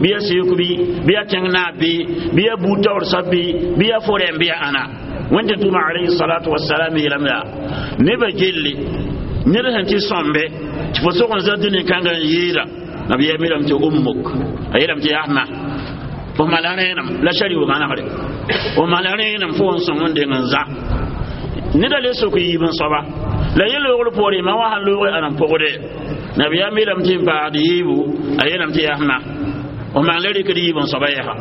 bɩ ya seek bɩ bɩ ya tẽng naab bɩ bɩ ya buud taoor soab bɩ bɩ ya fo rɛm bɩ ya ãna wẽnd tɩ tʋʋma alayhi salatu wasalam yeelame yaa nebã gelle ned sẽn tɩ sõmbe tɩ fo sog n zã dũni kãnga n yɩɩda nabiyaam yeelame tɩ ummuk a yeelame tɩ yaa ma fo mala rẽenem la shari wa manegre fo mala rẽenem fo n sõng n deng n zã neda le sok yiib n soaba la yẽ loogr poore ma wa sãn loog a n pʋgde nabiyaam yeelame tɩ n paagd yiibu a yeelame tɩ yaa f maan la rɩkd yiib n soaba yɛsa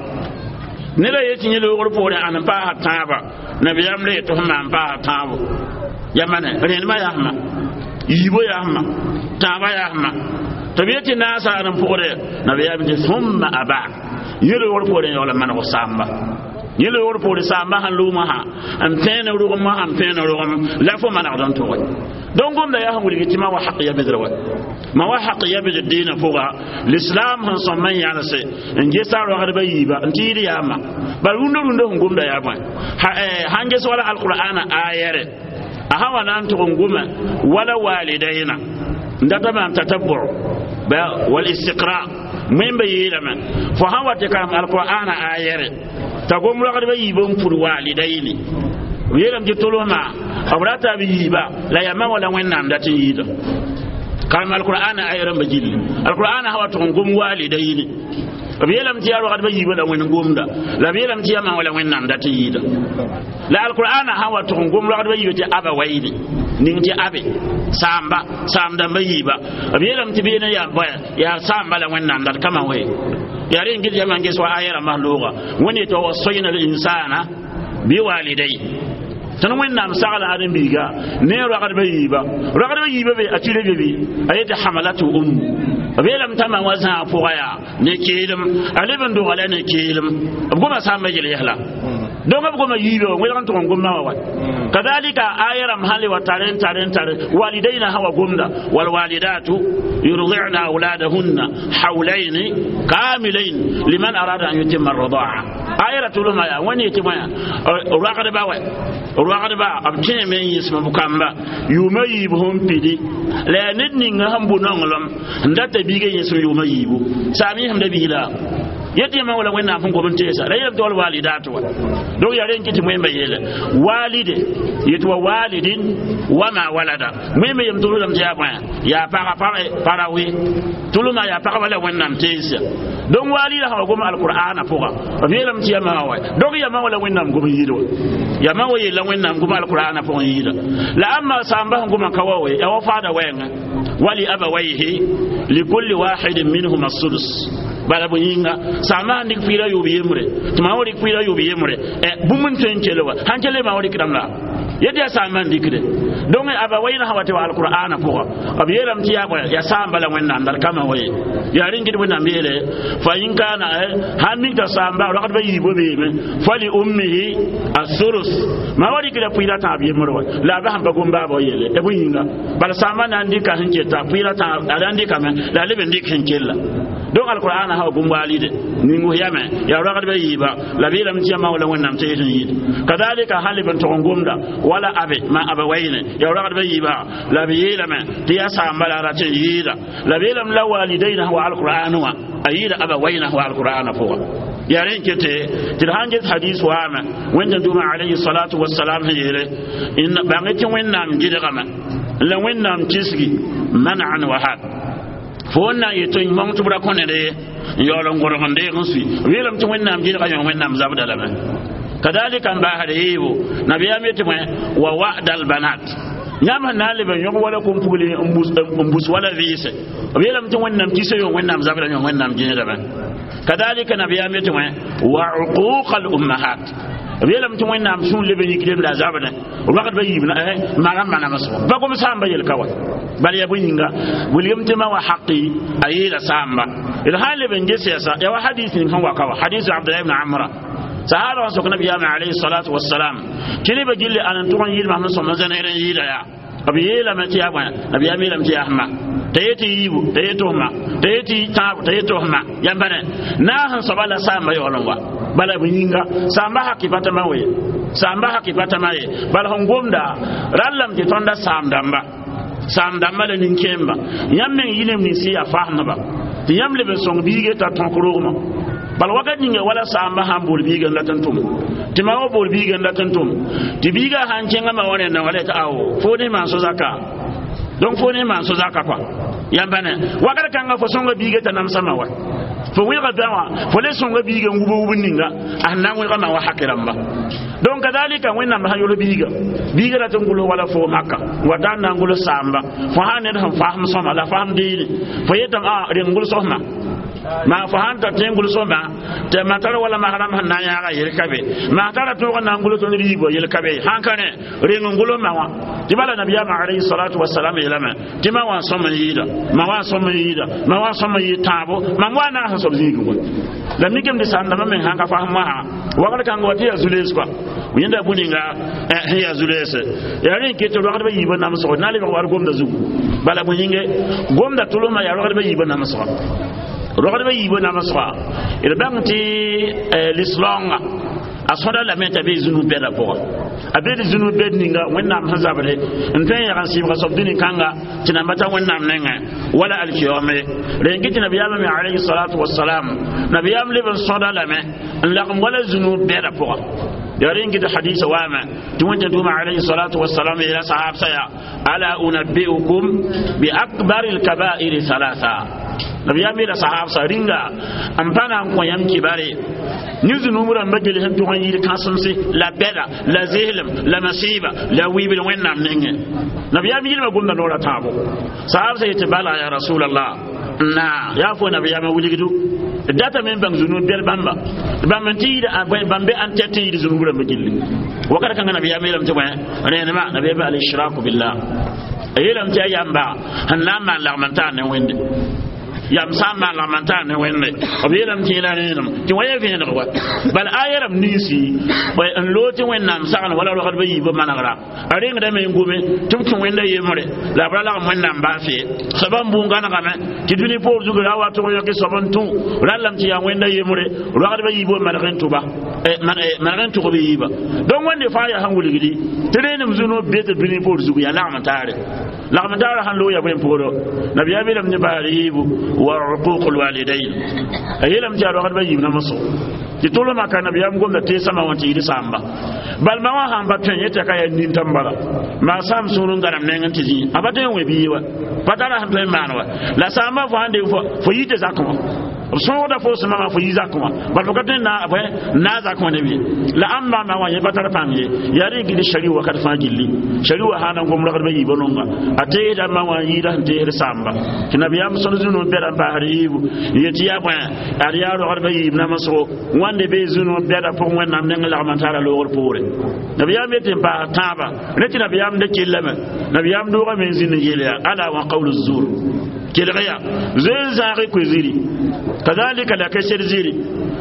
neda ye tɩ yẽ loogr poore ãn n paasa tãaba nabiyaam le yetɩ f maan paasa tãabo ya mane rẽndmã yaa f ma yiibo yaa f ma tãabã yaa f ma tɩ b yetɩ naasa ãn n pʋgde nabiyaam tɩ thumma abak yẽ loogr poore n yaool n maneg saamba yẽ loogr poore saamba sãn lʋʋmã sã n pẽen rʋgemã sãn pẽen rʋgem la fo manegd n tʋge donc gomda yaa sẽn wilg tɩ ma wa haq yabdr wa ma wa haq yabdr diinã pʋga l'islam sẽn sõm n yãlse n gesa rogdbã yiiba n tɩ yɩɩd yaama bala rũndã rũndã sẽn gomda yaa bõe sãn ges wala alqur'ana ayɛrɛ a sã wa na n tʋg n goma wala walidayna n data maam tatabur wal istiqra wẽmba yeelame fo sã wa tɩ karem alqur'ana ayɛrɛ t'a gom rogdbã yiibã n pud walidayni b yeelame tɩ tolsmã b rata b yiiba la yaa wala wẽnnaam dat n yɩɩda karem alqur'ana ayɛrãmba gilli alqur'ana sã wa tʋg n gom walidayni b yeelame tɩ yaa rogdbã yiibã la wẽnd gomda la b yeelame tɩ yaa ma wala wẽnnaam dat n yɩɩda la alqur'ana sã wa tʋg n gom rogdbã yiibã tɩ abawayni ning tɩ abe saamba saam dãmbã yiiba b yeelame tɩ beene yaa yaa saamba la wẽnnaam dat kama we yaa rẽ n yãmb n ges wa aya rãmbã looga wẽnd yetɩ wa wasoyna linsana biwalidai tõnd wẽnnaam sagla ãdem-biiga ne rogdbã yiiba rogdbã yiibã be a tire be bɩ a yetɩ hamalatu ummu b yeelame t'a ma wa zãag pʋga yaa ne keelem a leb n dogla ne keelem b goma saamba yel yɛsla Donc b goma yiibe wa welg n tʋg n gom wa wa kadalika aya rãmb sãn le wa tare n tare n tare walidaina sã wa gomda walwalidatu yurdi'na auladahunna hawlaini kamilain liman arada an yutimma arridaa aya ra tʋlsma yaa wẽnd yetɩ bõe ragdba wa ragdba b kẽeme n yĩsem b kamba yʋʋma yiib sẽn pidi la yaa ned ninga sẽn bʋ nonglem n data biiga yẽsem yʋʋma yiibu saam yẽsemda biig la yetɩ yãmba wala wẽnnaam sẽn gom n teesa la yeelame tɩ wal walidat wa donc yaa rẽn kɩ tɩ wẽmba yeele walide yetɩ wa walidin wama walada wẽmba yem tʋlsdame tɩ yaa bõe yaa paga para we tʋlsma yaa pagba la wẽnnaam teesa donc walida sã wa gom alqur'ana pʋga b yeelame tɩ yama wa donc yama wala wẽnnaam gom n yɩɩd wa yama wa yeela wẽnnaam gom alqur'ana pʋgẽ yɩɩda la ãmba sãamba sẽn goma ka wa we yaa wa faada wɛɛngã wali abawayhi likulli wahidin minhuma sudus bala bõ yĩnga sãambã sãn dɩk pʋɩɩra yʋʋb yembre tɩ maa wa dɩk pʋɩɩra yʋʋb yembre bũmb n tõe n kell wa sãn kell maa wa dɩkdame la yetɩ yaa sãambã n dɩkde donc abawayna sã wa tɩ wa alqur'ana pʋga b yeelame tɩ yaa bõe yaa sãamba la wẽnnaam la d kama wa ye yaa rẽn gɩd wẽnnaam yeele fa in kana sãn mik t'a sãamba ragdbã yiibã beeme fa li ummihi asurus maa wa dɩkda pʋɩɩra tãab yembre wa la a bas n pa gom baaba wa yeele bõ yĩnga bala sãambã na n dɩka sẽn keta pʋɩɩra tãab a na n dɩkame la a leb n dɩk sẽn kella donc alqur'an ha gum walide ningu yame ya ragd be yiba la bi lam tiyama wala wẽnnaam tɩ yetɩ yɩɩd kadalika sãn leb n tʋg n gomda wala abe ma abawayne ya ragd be yiba la b yeelame tɩ yaa saamba la a rat n yɩɩda la b yeelame la walidaina wa alqur'an wã a yɩɩda abawayna wa alqur'ana pʋga yaa rẽn kete tɩ d sãn get hadis waame wẽnd dũma alayhi salatu wasalam sẽn yeele bãng tɩ wẽnnaam gɩdgame la wẽnnaam kisgi manan wa had fo n na n yetɩ mong tɩ b ra kõ ned ye n yaool n gõdg n deeg n sui b yeelame tɩ wẽnnaam gɩdga yõ wẽnnaam zabda lame kadalika n baasd yeebo nabiyaam yetɩ bõe wa wa'da albanat yãmb sẽn na n leb n yõg wala kom-pugl n bus wala vɩɩse b yeelame tɩ wẽnnaam kisa yõ wẽnnaam zabda yõ wẽnnaam gẽedame kadalika nabiyaam yetɩ bõe wa uquq al ummahat b yeelame tɩ wẽnnaam sũur leb n yikdem la a zabdẽ ragdbã yiib magam manamsgo pa gom sãamba yel-ka wa bala yaa bõe yĩnga wilgem tɩ ma wa haqi a yeela sãamba d sã n leb n ges yɛsa yaa wa hadis ning sẽn wa ka wa hadis abdullah ibn amra sahaba sẽn sok nabiyaamã alayhi salatu wasalam tɩ nebã gilli ãn n tʋg n yɩɩd masem sõm n zẽnegd n yɩɩda yaa b yeelame tɩ yaa bõe nabiyaam yeelame tɩ yaa sẽma t'a yetɩ yiibu t'a yetɩ fma t'a yetɩ tãabo t'a yetɩ fma yãmba ne naag sẽn soaba la sãamba yaool n wa bala bõ yĩnga sãamba haki pa tãma we sãamba haki pa tãma ye bala sẽn gomda rallame tɩ tõnda saam dãmba saam dãmba la nin-kẽemba yãmb meng yɩ neb nins sẽn yaa fasmdba tɩ yãmb leb n sõng biige t'a tõk rogmã bala wakat ninga wala sãamba sãn bool biiga n dat n tʋm tɩ ma wa bool biiga n dat n tʋm tɩ biiga sãn kẽngã ma wa rẽndã wala tɩ ao fo ne maan so-zaka donc fo ne maan so-zaka kɔa yãmba ne wakat kãngã fo sõnga biiga t'a namsãma wa fo wẽlga bã wã fo le sõnga biiga n wub wub ninga a sẽn na n wẽlga ma wa haki rãmba donc kadalika wẽnnaam sãn yol biiga biiga rat n gʋls wala fo maka wa daan na n gʋls saamba fo sãn ned sẽn fasem sõma la fasem deene fo yetame a reng gʋls fma maa fo sãn tar tẽ n gʋls fma tɩ ma tar wala masrãmb sẽn na n yãaga yel ka be maa tara tõog n na n gʋls tõnd riibã yel ka be sãn ka rẽ reng n gʋls ma wã tɩ bala nabiyaamã alayhi salatu wasalam yeelame tɩ ma wã n sõm n yɩɩda ma wã n sõm n yɩɩda ma wã n sõm n yɩɩd tãabo mam wa naag sẽn soab zĩigẽ wã la mikame tɩ sãndãmbã meng sãn ka fasem wãsã wagr kãng wa tɩ yaa zu-lees kɔa yẽnda bũ-ninga sẽn yaa zu-leese yaa rẽ n ket tɩ ragdbã yiibã namsgo na n lebg war gomda zugu bala bõe yĩnge gomda tʋlsmã yaa ragdbã yiibã namsga ragdbã yiibã namsga d bãng tɩ lislaoongã a sõda lame t'a bee zũnug bɛda pʋga a be d zũnug bɛd ninga wẽnnaam sẽn zabde n tõe n yag n sɩbga soab dũni-kãnga tɩ namba ta wẽnnaam nengẽ wala alkiyome rẽn kɩ tɩ nabiyaamã me alayhi salatu wasalam nabiyaam leb n sõda lame n lagem wala zũnug bɛda pʋga yaa rẽn kɩ tɩ hadisa waame tɩ wẽnta dũma alayhi salatu wasalam yeela sahab saya ala unabbiukum bi akbari lkabairi thalatha nabiyaam yeela sahab sa rĩnga n pa na n kõ yãmb kibare ne zũnub rãmbã gel sẽn tʋg n yɩɩd kãsemse la bɛda la zeslem la masiiba la wiibd wẽnnaam nengẽ nabiyaam yɩlmã gomda noorã tãabo sahab sa yetɩ bala ya rasulallah na yaa fo nabiyaamã wilgdu data me n bãng zũnub bɛl bãmba bãmb n tɩ yɩɩd bãmb be an tɛt n yɩɩd zũnub rãmbã gilli wakat kãngã nabiyaam yeelame tɩ bõe rẽenema nabiyaam alishraku billah a yeelame tɩ yaa yamba sẽn na n maan lagm n taar ne wẽnde Yam sã n maan lagm n taar ne wẽnde b yeelame tɩ yẽla rẽenem tɩ wã ya vẽeneg wa bala a yɛrame ninsi n loog tɩ wẽnnaam sagn wala rogdbã yiibã manegra a rengdame n gome tɩ b kẽ wẽnda yembre la b ra lagm wẽnnaam baa fee soaba n bũn gãnegame tɩ dũni poor zug ra wa tʋg yõke soab n tũ rallame tɩ yaa wẽnda yembre rogdbã yiibã maneg n tʋba maneg n tʋg b yiiba donc wẽnde fãa yaa sẽn wilgdi tɩ rẽenem zũno be tɩ dũni poor zug yaa lagm n taare lagm taara sãn loog ya bõe pʋgdo nabiyaam yeelame tɩ baar yiibu wa uquq lwalidain a yeelame tɩ yaa rogdbã yiib namsgo tɩ tʋlmã ka nabiyaam gomda teesãmã wã tɩ yɩd sãamba bal ma wã sãn pa tõe yẽ tɩ ka yaa nintam bala maa sãam sũur n gãnem neng n tɩ zĩ a pa tõe n wẽ bii wa pa tara sẽn tõe n maan wa la sãamba fo sãn de fo yi tɩ zakẽ wã b sõogda fo sẽn mama fo yi zakẽ wã bal fo ka tõe n naa zakẽ wã ne bɩ la ãmb maama wã yẽ pa tar pãng ye yaa rẽ gil shari wakat fãa gilli shari wa sãn na n gom ragdbã yiibã nonga a teesda ma wã n yɩɩda sẽn teesd sãamba tɩ nabiyaam sõd zũnu bɛda n paasd yiibu n yet tɩ yaa bõe ad yaa rogdbã yiib namsgo wãnde bee zũnu bɛda pʋgẽ wẽnnaam neng lagm n tara loogr poore nabiyaam yet n paas tãaba rẽ tɩ nabiyaam da kellame nabiyaam doogame n zĩnd n yeel yaa ala wa qawlu zur kelg yaa zoe zãag koe ziri kazalika la ka sed ziri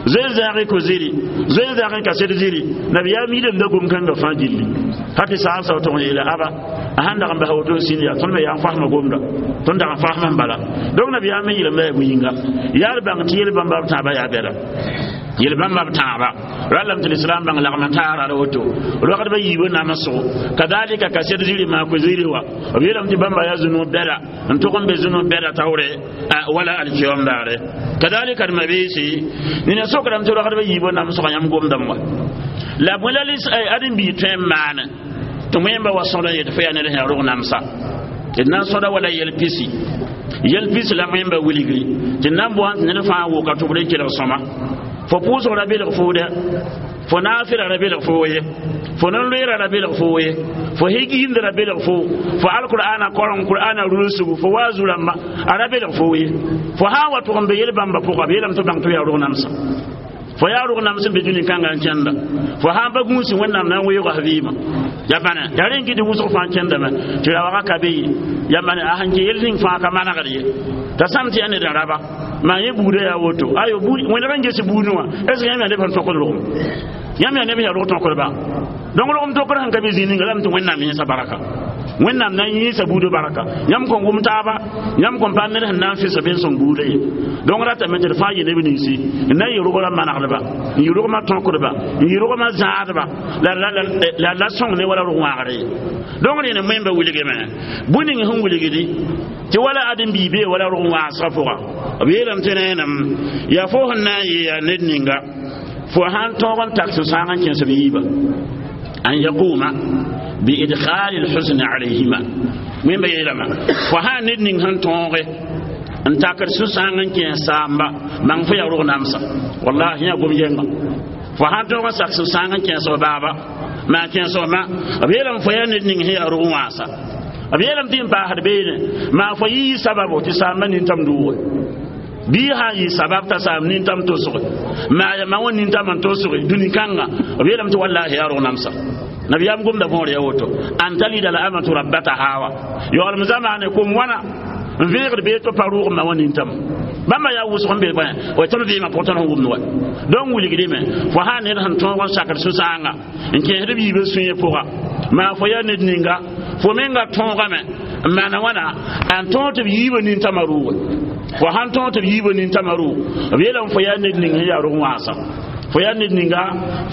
zoe zãag ko ziri zoe zãag ka sed ziri nabiyaam yidem da gom kãngã fãa gilli ha tɩ saab sao tʋg n yeela aba a sãn dag n basa woto n sĩnd yaa tõnd me yaa n fasma gomda tõnd dag n fasma n bala donc nabiyaam me yeelame yaa bu-yĩnga yaa d bãng tɩ yel bãmba b tãabã yaa bɛda yel bãmba b tãaba rallame tɩ lislaam bãng lagm n taara ra woto rogdbã yiibã namsgo kadalika ka sed ziri maa ko ziri wa b yeelame tɩ bãmba yaa zũnu bɛda n tʋg n be zũnu bɛda taoore wala alkiyom daare kadalika d mabiisi nina sokrame tɩ rogdbã yiibã namsgã yãmb gomdame wa la bõe la ãdem-biig tõe n maane tɩ wẽmba wa sõd n yet fo yaa ned sẽn rog namsa tɩ d na n sõda wala yɛl pisi yɛl pisi la wẽmba wilgri tɩ d na n boan tɩ ned fãa wʋka tʋbd n kelg sõma fo pʋʋsg ra belg foo dɛ fo naafɩra ra belg foo ye fo nin-loeera ra belg foo ye fo higiimd ra belg foo fo alqur'ana koreng qur'ana rulsgu fo wa zu-rãmba a ra belg foo ye fo sã n wa tʋg n be yel-bãmba pʋga b yeelame tɩ bãng tɩ yaa rog namsa fo yaa rog nams n be dũni kãngã n kẽnda fo sã n pa gũusi wẽnnaam na n weoog vɩɩmã ya bãna yaa rẽ n kɩ tɩ wʋsg fãa kẽndame tɩ rawagã ka be ye ya bãna a sẽn kẽ yel ning fãa ka manegd ye t'a sãm tɩ yaa ned n raba maa yẽ buudã yaa woto ayo wẽneg n ges buudẽ wã est ce que yãmb yaa neb sẽn tõkd rogem yãmb yaa neb sẽn yaa rog tõkdba donc rogem tokr sẽn ka be zĩig ninga lame tɩ wẽnnaam yẽsa baraka wẽnnaam na n yẽesa buudã baraka yãmb kõn wʋm taaba yãmb kõn paam ned sẽn na n fɩsa ben sõng buudã ye donc ratame tɩ d fãa yɩ neb ninsi n na n yɩ rogrã manegdba n yɩ rogmã tõkdba n yɩ rogmã zãadba la la sõng ne wala rog wãagre ye donc rẽnd wẽmba wilgame bũn ning sẽn wilgdi tɩ wala ãdem-bii bee wala rog wãasgã pʋga b yeelame tɩ rẽenem yaa fo sẽn na n yɩ yaa ned ninga fo sãn tõog n tak sũ-sãang n kẽes b yiiba an yaquma biidkhali lhusn alayhima wẽmba yeelame fo sã ned ning sẽn tõoge n takd sũ-sãang n kẽes saamba bãng fo yaa rog namsa wallahi yã gom yɛnga fo sãn tõog n sak sũ-sãang n kẽes b baaba maa kẽes b ma b yeelame fo yaa ned ning sẽn yaa rog wãasa b yeelame tɩ n paasd beene maa fo yɩ sababo tɩ saamba nintam dʋʋge bii sã n yɩ sabab t'a saam nintam tosge maa ya ma wã nintam n tosge dũni kãnga b yeelame tɩ wallahi yaa rog namsa nabiyaam gomda võor ya woto an talida la amatu rabbataha wa yaoolem zamaane kom wãna n vẽegd bee tɩ pa rʋʋg ma wã nintam bãmba yaa wʋsg n be bõe wa tõnd vɩɩmã pʋgẽ tõnd sẽn wʋmd wa donc wilgdime fo sã ned sẽn tõog n sakd sũ-sãanga n kẽesd b yiibã sũyẽ pʋga maa fo yaa ned ninga fo menga tõogame n maana wãna n tõog tɩ b yiibã nintãmã rʋʋge fo sãn tõog tɩ b yiibã nintãmã rʋʋg b yeelame fo yaa ned ning sẽn yaa rog wãasã fo yaa ned ninga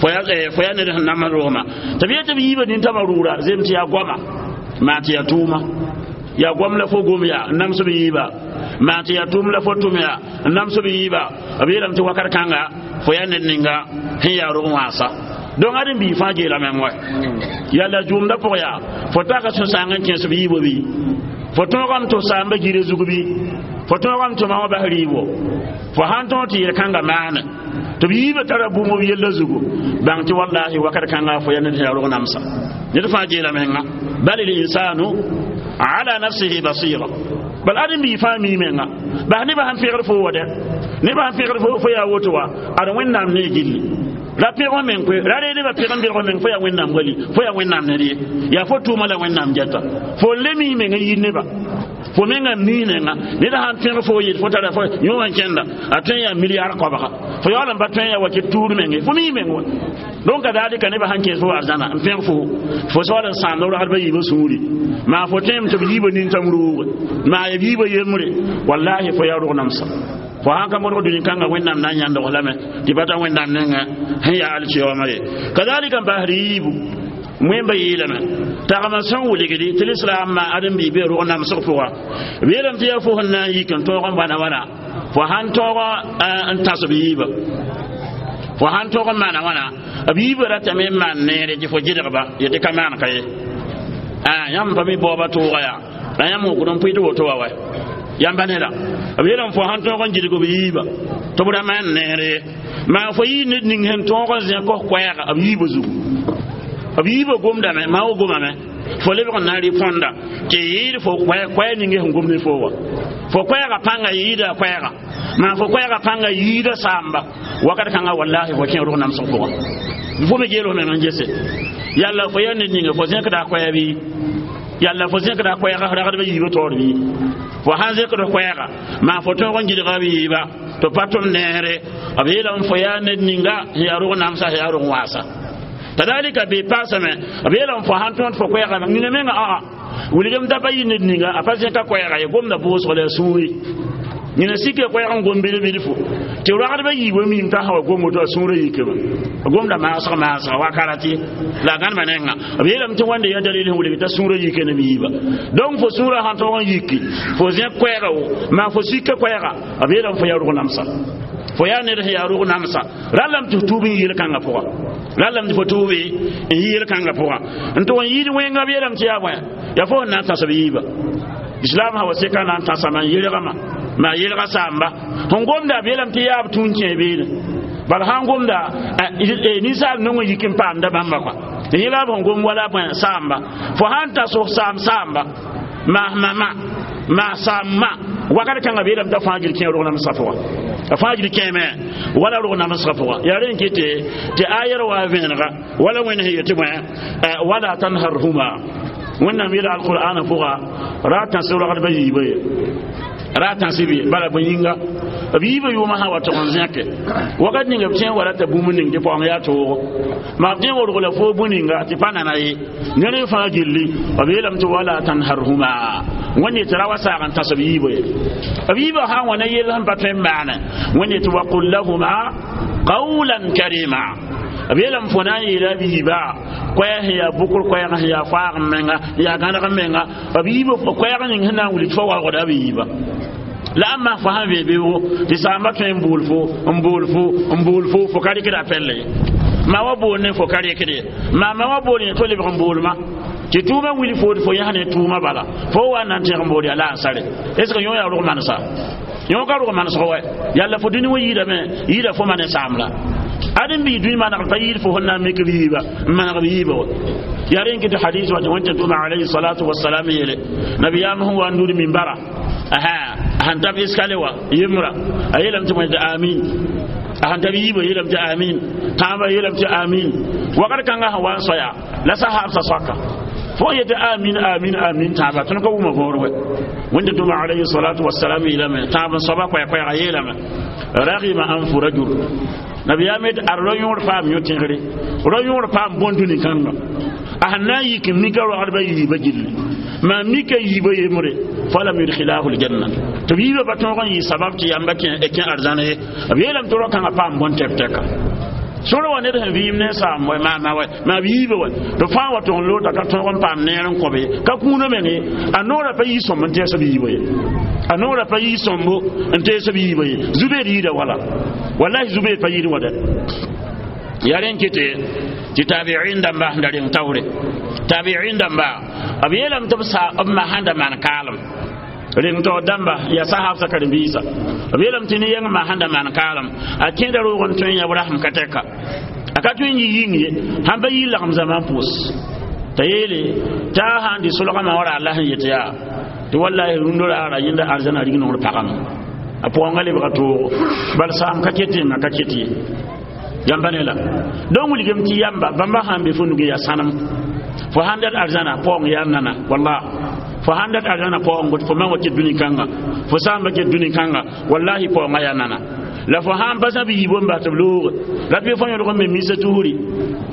fo yaa ned sẽn nam rogmã tɩ b yet tɩ b yiibã nintãmã rʋʋra zem tɩ yaa goama maa tɩ yaa tʋʋma yaa goam la fo gom yaa n nams b yiiba maa tɩ yaa tʋʋm la fo tʋm yaa n nams b yiiba b yeelame tɩ wakat kãnga fo yaa ned ninga sẽn yaa rog wãasa donc ãdem-biig fãa geelame wa yaa la zʋʋmda pʋg yaa fo taka sũ-sãang n kẽes b yiibã bɩ fo tõogame tɩ f saamba gire zug bɩ fo tõogame tɩ ma wã bas rɩɩbo fo sãn tõog tɩ yel-kãngã maane tɩ b yiibã tara bũmb b yella zugu bãng tɩ wallahi wakat kãnga fo yaa ned sẽn yaa rog namsa ned fãa geela menga bal linsanu ala nafsihi basira bal ãdem-biig fãa mi menga bas nebã sẽn pẽgd fo wa dɛ nebã sẽn pẽgd fo yaa woto wa ad wẽnnaam ne gilli Ra pẽg f meng koe, ra reeg nebã pẽg n belg f meng, fo yaa Wẽnnaam wali, fo yaa Wẽnnaam ned ye, yaa fo tʋʋma la Wẽnnaam gɛta. Fo n le mii meng n yir nebã, fo menga n mii nenga. Ned sãn pẽg fo yet fo tara fo yõ wã n kẽnda, a tõe n yaa milliard koabga, fo yaool n pa tõe n yaa wakɩ tuur menge, fo mii meng wa. Donc kadalika nebã sãn kẽes fo arzãna n pẽg fo, fo soaal n sãamd ragdbã yiibã sũuri, maa fo tõeme tɩ b yiibã nintam rooge, maa ya b yiibã yembre, wallahi fo yaa rog namsa. Fo sãn ka modg dũni kãnga, Wẽnnaam na n yãndg lame tɩ pa ta Wẽnnaam nengã sẽn yaa alkiyooma ye. Kadalika n paasd yiibu, wẽmba yeelame tagma sẽn wilgdi tɩ lislaambã ãdem-biig be rog namsg pʋga. B yeelame tɩ yaa fo sẽn na n yik n tõog n bãna wãna, fo sãn tõog n tãs b yiibã, fo sãn tõog n maana wãna, b yiibã ratame n maan neere tɩ fo gɩdgba yetɩ ka maan ka ye. Yãmb pa mi baooba tʋʋga yaa la yãmb wokd n pʋɩ tɩ woto wa wa yãmba neda. B yeelame fo sãn tõog n gɩdg b yiibã tɩ b ra maan neere ye, maa fo yɩ ned ning sẽn tõog n zẽ kos koɛɛga b yiibã zugu, b yiibã gomdame, maa wo gomame, fo lebg n na n rɩ põnda tɩ yɩɩd fo koɛɛ ninge sẽn gom ne fo wa. Fo koɛɛga pãnga yɩɩda koɛɛga, maa fo koɛɛga pãnga yɩɩda saamba wakat kãnga, wallahi fo kẽ rog namsg pʋga. Fo me geel f meng n gese, yalla fo yaa ned ninga fo zẽkda a koɛɛ bɩ, yalla fo zẽkda koɛɛga ragdbã yiibã taoor bɩ. Fo sãn zẽkd koɛɛga, maa fo tõog n gɩdga b yiiba tɩ pa tʋm neere, b yeelame fo yaa ned ninga sẽn yaa rog namsa, sẽn yaa rog wãasa. Kadalika be paasame, b yeelame fo sãn tõod fo koɛɛga nina menga aa wilgem da pa yɩ ned ninga a pa zẽka koɛɛga ye, gomda bʋʋsg la a sũuri yẽna sike koɛɛg n gom bilb-bilfu tɩ ragdbã yiibã miim t'a sã wa gom woto, a sũurã yikame, gomda maasg maasga wakarati la a gãnema nenga. B yeelame tɩ wãnde yaa dalil sẽn wilg t'a sũurã yike ne b yiiba. Donc fo sũurã sãn tõog n yiki, fo zẽk koɛɛga wo, maa fo sika koɛɛga, b yeelame fo yaa rog namsa, fo yaa ned sẽn yaa rog namsa. Rallame tɩ f tuub n yɩɩl kãngã pʋga, rallame tɩ fo tuubi n yɩɩl kãngã pʋga n tʋg n yɩɩd wẽnga. B yeelame tɩ yaa bõe, yaa fo sẽn na n tãs b yiiba. Islam sã wa seka na n tãsame n yelgame, maa yelga saamba sẽn gomda, b yeelame tɩ yaa b tũun kẽ beene. Bala sãn gomda, ninsaal nong n yik n paamda bãmba kɔa, yẽ la b sẽn gom wala bõe saamba. Fo sãn tas f saam saamba, maas mama, maa saamma, wakat kãngã b yeelame t'a fãa gil kẽ rog namsgã pʋga, a fãa gil kẽeme wala rog namsgã pʋga. Yaa rẽ n kɩte tɩ ayɛr wa vẽenega wala Wẽnd sẽn yetɩ bõe, wala tanharhuma. Wẽnnaam yeela alqur'ana pʋga ra tãs ragdbã yiibã ye, ra tãs b ye bala bõe yĩnga, b yiibã yʋʋmã sã wa tʋg n zẽke wakat ninga b tẽ wa rata bũmb ning tɩ paoong yaa toogo, maa b tẽ wa rogla fo bũ ninga tɩ pa nana ye, ned fãa gilli. B yeelame tɩ wala tanharhuma, Wẽnd tɩ ra wa saag n tãs b yiibã ye, b yiibã sã n wa ne yell sẽn pa tõe n maane. Wẽnd tɩ waqul lahuma qawlan karima, b yeelame fo na n yeela b yiibã koɛɛ sẽn yaa bʋkr, koɛɛg sẽn yaa faag n menga, n yaa gãneg n menga, b yiibã koɛɛg ning sẽn na n wilg fo waoogda b yiibã la ãmba fo sãn vee beoogo tɩ saamba tõe n bool fo, n bool fo, n bool fo, fo ka rɩkda a pɛlle ye, maa wa bool ne fo ka rɩkd ye, maa ma wa bool yẽ to lebg n boolma tɩ tʋʋmã wil fo tɩ fo yãs ne tʋʋmã bala, fo wa n na n tẽg n bool yaa la a n sare. Est ce que yõ yaa rog manesa? Yõ ka rog manesg wɛ. Yalla fo dũni wã yiidame, yiida fo ma ne saamla ãdem-biig dũni manegd pa yɩɩd fo sẽn na n mik b yiiba n maneg b yiiba wa. Yaa rẽ n kɩ tɩ hadis wa tɩ Wẽnta tʋma alayhi salatu wasalam yeele nabiyaam sẽn wa n nud minbara, a sãn tab iskale wa yembrã, a yeelame tɩ bõe tɩ amin, a sãn tab yiibã yeelame tɩ amin, tãabã yeelame tɩ amin. Wakat kãngã sẽn wa n soaya la sahaabsa soaka fo yetɩ amin, amin, amin tãaba, tõnd ka wʋma võor wɛ. Wẽnda tʋma alayhi salatu wasalam yeelame tãab n soaba koɛɛ-koɛɛga yeelame ragima anfu rajul, nabiyaam yetɩ ad ra-yõor paam yõ-tẽgre, ra-yõor paam bõn-dũni kãnga, a sẽn na n yik n mika ragdbã yiibã gilli, maa mika yiibã yembre, falam yudkhilahu ljanna, tɩ b yiibã pa tõog n yɩ sabab tɩ yamba kẽ arzãna ye. B yeelame tɩ rao-kãngã paam bõn-tɛp-tɛka sõr wa ned sẽn vɩɩm ne saam wɛ, maama wɛ, maa b yiibã wɛ, tɩ fãa wa tʋg n loota ka tõog n paam neer n kõbe ka kũuna meng ye. A noorã pa yɩ sõmb n tɛɛs b yiibã ye, a noorã pa yɩ sõmbo n tees b yiibã ye. Zubeer yɩɩda wala, wallahi Zubeer pa yɩɩd wa dɛ. Yaa rẽ n kɩte tɩ tabiin dãmba sẽn da reng taoore, tabiin dãmba b yeelame tɩ b sa b ma sãn da maan kaalem reng taoor dãmba yaa sahabsã karen-biisã, b yeelame tɩ ne-yɛng ma sãn da maan kaalem, a kẽeda roog n tõe n yã rasem ka tɛka, a ka tõe n yɩ yĩng ye, sãn pa yɩ lagem zãma n pʋʋs t'a yeele t'a sãn dɩ solgmã wa ra Allah sẽn yet yaa tɩ wallahi rũndã raara yẽnda arzãna rig nongr pagame, a pʋgãngã lebga toogo bal saam ka ket ye, ma ka ket ye. Yãmba ne la donc wilgem tɩ yamba bãmba sãn be fo nuge yaa sãnem fo sãn dat arzãna paoong yaa nana walla fo sãn dat arzãna paoong fo man wa ket dũni kãnga fo sãamba ket dũni kãnga wallahi paoongã yaa nana la fo sãn pa sã b yiib n bas tɩ b looge la tɩ fo yõdg n me misa tusri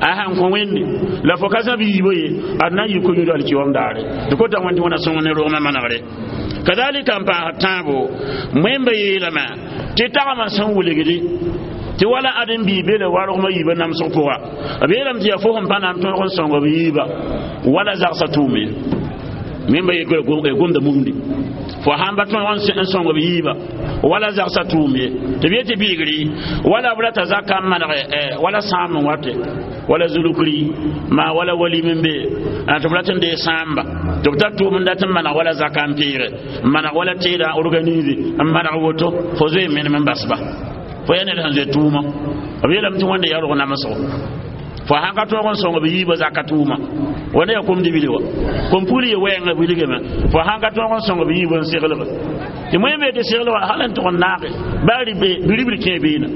a sãn kõ wẽnde la fo ka sã b yiibã ye ad na n yɩ ko-yũud alkiyoom daare tɩ kota wẽnd tɩ wẽna sõng ne rogmã manegre kadalika n paasd tãabo wẽmba yeelame tɩ tagmã sẽn wilgdi tɩ wala ãdem bii be la wargmã yiibã namsg pʋga b yeelame tɩ yaa fo sẽn pa na n tõog n sõng b yiiba wala zagsã tʋʋm ye wẽmba gomda mumdi fo sãn pa tõog n sõng b yiiba wala zagsã tʋʋm ye tɩ b yetɩ biigri wala b rata zaka n maneg wala sãam n wate wala zulukri ma wala walim n be tɩ b rat n dee sãamba tɩ b tar tʋʋm n dat n maneg wala zaka n peere n maneg wala teeda organise n maneg woto fo zoe menem n basba fo yaa ned sẽn zoe tʋʋma b yeelame tɩ wẽnde yaa rog namsgo fo sãn ka tõog n sõng b yiibã zaka tʋʋma wẽnda yaa kom-dibli wa kom-pugl ye wɛɛngã wilgame fo sãn ka tõog n sõng b yiibã n seglge tɩ moẽ bee tɩ seglga hal n tʋg n naage baa biribl kẽe beena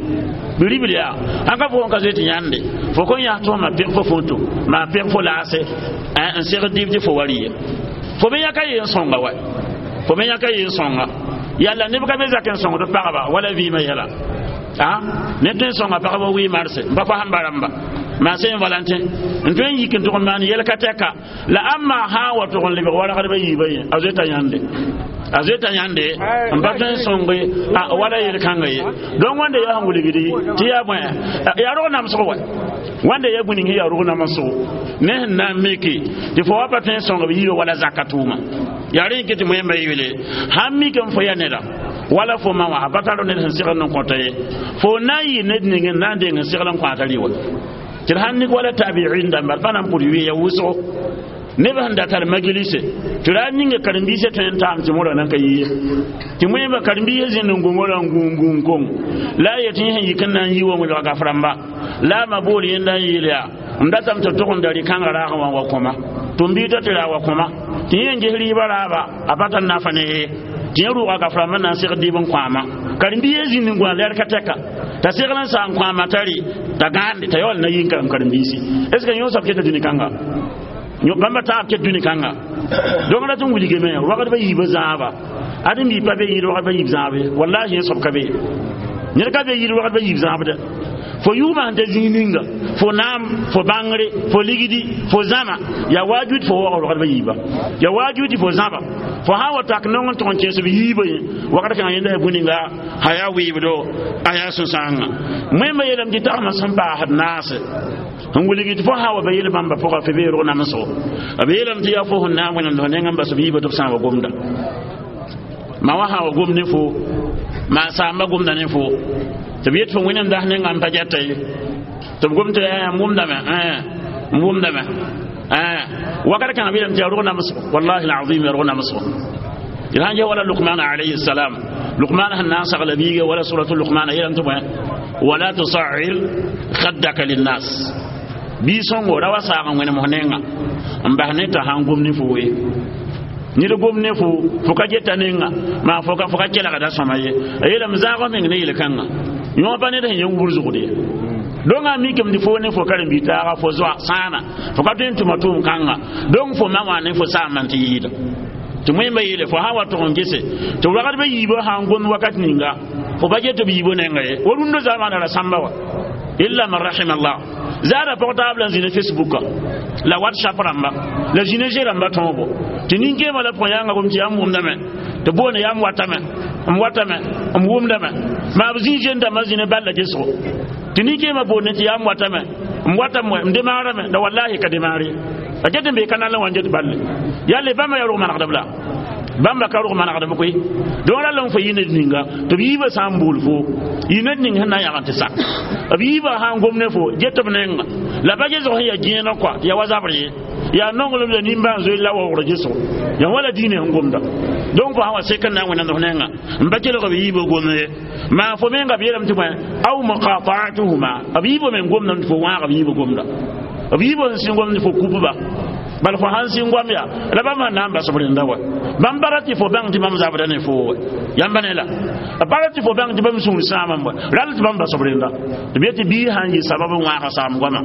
biribl yaa sãn ka fo n ka zoe tɩ yãnde fo kõn yas tʋg ma peg fo foto maa peg fo laase n segd dɩb tɩ fo wa rɩye fo me yãka ye n sõnga wa fo me yãka ye n sõnga yalla neb ka be zak n sõngd pagba wala vɩɩmã yɛla a ne tõe n sõnga pagba wɩ marse n pa fo sãn ba rãmba maa sẽn valentin n tõe n yik n tʋg n maan yɛl ka tɛka la ãmba sã n wa tʋg n lebg wargdbã yiibã yẽ a zoeta yãnde a zoeta yãnde n pa tõe n sõnge wala yel-kãnga ye donc wãnda yaa sẽn wilgdi tɩ yaa bõe yaa rog namsg wa wãnda yaa bũni yaa rog namsgo ne sẽn na n miki tɩ fo wa pa tõe n sõng b yiibã wala zaka tʋʋma yaa rẽ yike tɩ moẽmba yeele sãn mik n fo yaa neda wala fo ma wã a pa tar ned sẽn segl n kõta ye fo na n yɩ ned ning n na n deng n segl n kõata rɩ wa tɩ d sãn nig wala tabiin dãmba d pa na n pʋd wɩ ya wʋsgo neb sẽn da tar majlise tɩ ra ninga karen-biisã tõe n taam tɩ morã nan ka yɩ tɩ moẽmba karen-biisã zĩnd n gũngorã n gũung kong la a yet yẽ sẽn yik n na n yi wa welga gaf-rãmba la a ma bool yẽnda n yeel yaa m datame tɩ tʋg n da rɩ-kãngã raagẽ wã wa kõma tɩ m biita tɩ raa wa kõma tɩ yẽ n ges rɩɩbã raaba a pa tar nafa ne ye tɩ yẽ rʋʋga gaf-rãmbã na n segd dɩɩb n kãama karen-biisã zĩnd n gũa lɛr ka tɛka t'a segl n saa n kãama t'a rɩ t'a gãande t'a yaool na yɩ n karem karen-biisi est ce que yõ soab keta dũni kãnga bãmba taab ket dũni kãnga donc rat n wilgame wagdbã yiibã zãaba ãdem bi pa be yɩɩd wagdbã yiib zãab ye wallahi yẽ soab ka be ned ka be yɩɩd wagdbã yiib zãabda fo yʋʋmã sẽn ta zĩig ninga fo naam fo bãngre fo ligdi fo zãma yaa waajud fo waoog wagdbã yiiba yaa waajud fo zãba fo sã n wa tak nong n tʋg n kẽes b yiibã yẽ wagd kãngã yẽnda yaa bũninga a yaa wɩɩbdo a yaa sũ-sãanga wẽmba yeelame tɩ tagmã sẽn paasd naase n wilg tɩ fo sã wa ba yel bãmba pʋga fo bee rog namsgo b yeelame tɩ yaa fo sẽn na n wẽnemd fo nengã n bas b yiibã tɩ b sã n wa gomda ma wa sã wa gom ne fo maa saamba gomda ne fo tɩ b yet fo wẽnem das nengã n pa gɛta ye tɩ b gom tɩ n wʋmdame n wʋmdame wakat kãngã b yeelame tɩ yaa rog namsgo wallahi alazim yaa rog namsgo d sãn ges wala Luqman alayhi salam Luqman sẽn na n sagla biiga wala suratu Luqman a yeelame tɩ bõe wala tusair khaddaka linnas bii sõngo ra wa saag n wẽnem f nenga n bas ne t'a sãn gom ne fo ye ned gom ne fo fo ka geta nenga maa fo ka kelgda sõma ye a yeelame zãag meng ne yel-kãnga yõ pa ned sẽn yẽ wubr zʋgd ye donc a mikame tɩ fo ne fo karen-biig taaga fo zoa sãana fo ka tõe n tʋma tʋʋm kãnga donc fo ma wã ne fo saambã tɩ yɩɩda tɩ wẽmba yeele fo sã wa tʋg n gese tɩ wagdbã yiibã sã n gomd wakat ninga fo pa get b yiibã nenga ye wa rũndã zamaana ra sãmba wa illa man rahima Allah zaada pʋg taab la n zĩ ne Facebooka la WhatsApp rãmba la zĩ ne ze rãmba tõobo tɩ nin-kẽemã la pʋgẽ yãnga gom tɩ yaa n wʋmdame tɩ boone yaa m watame m watame m wʋmdame maa b zĩ zen dãmbã zĩ ne balla gesgo tɩ nin-kẽemã boonde tɩ yaa m watame m watame m demaarame la wallahi ka demaar ye a get n bee ka nan la wã n get balle yalle bãmba yaa rog manegdb la bãmba ka rog manegdb koe donc rall n fo yɩ ned ninga tɩ b yiibã sã n bool fo yɩ ned ning sẽn na n yãg n tɩ sak b yiibã sã n gom ne fo get b nenga la pa gesg sẽn yaa gẽeneg kɔa yaa wa zabr ye yaa nonglem la nimbãan zoe la waoogr gesgo yaa wala diinã sẽn gomda donc fo sã wa sek n na n wẽnemd f nenga n pa kelg b yiibã gomd ye maa fo menga b yeelame tɩ bõe aw muqataatuhuma b yiibã meng gomdame tɩ fo wãag b yiibã gomda B yiibã sẽn sĩng goamd fo kupba bal fo sãn sĩng goam yaa la bãmb sẽn na n bas b rẽnda wa. Bãmb bara tɩ fo bãng tɩ bãmb zabda ne foo wa. Yãmba ne la b bara tɩ fo bãng tɩ bãmb sũur sãamame wa, rall tɩ bãmb bas b rẽnda. Tɩ b yetɩ bii sãn yɩ sabab n wãaga saam goama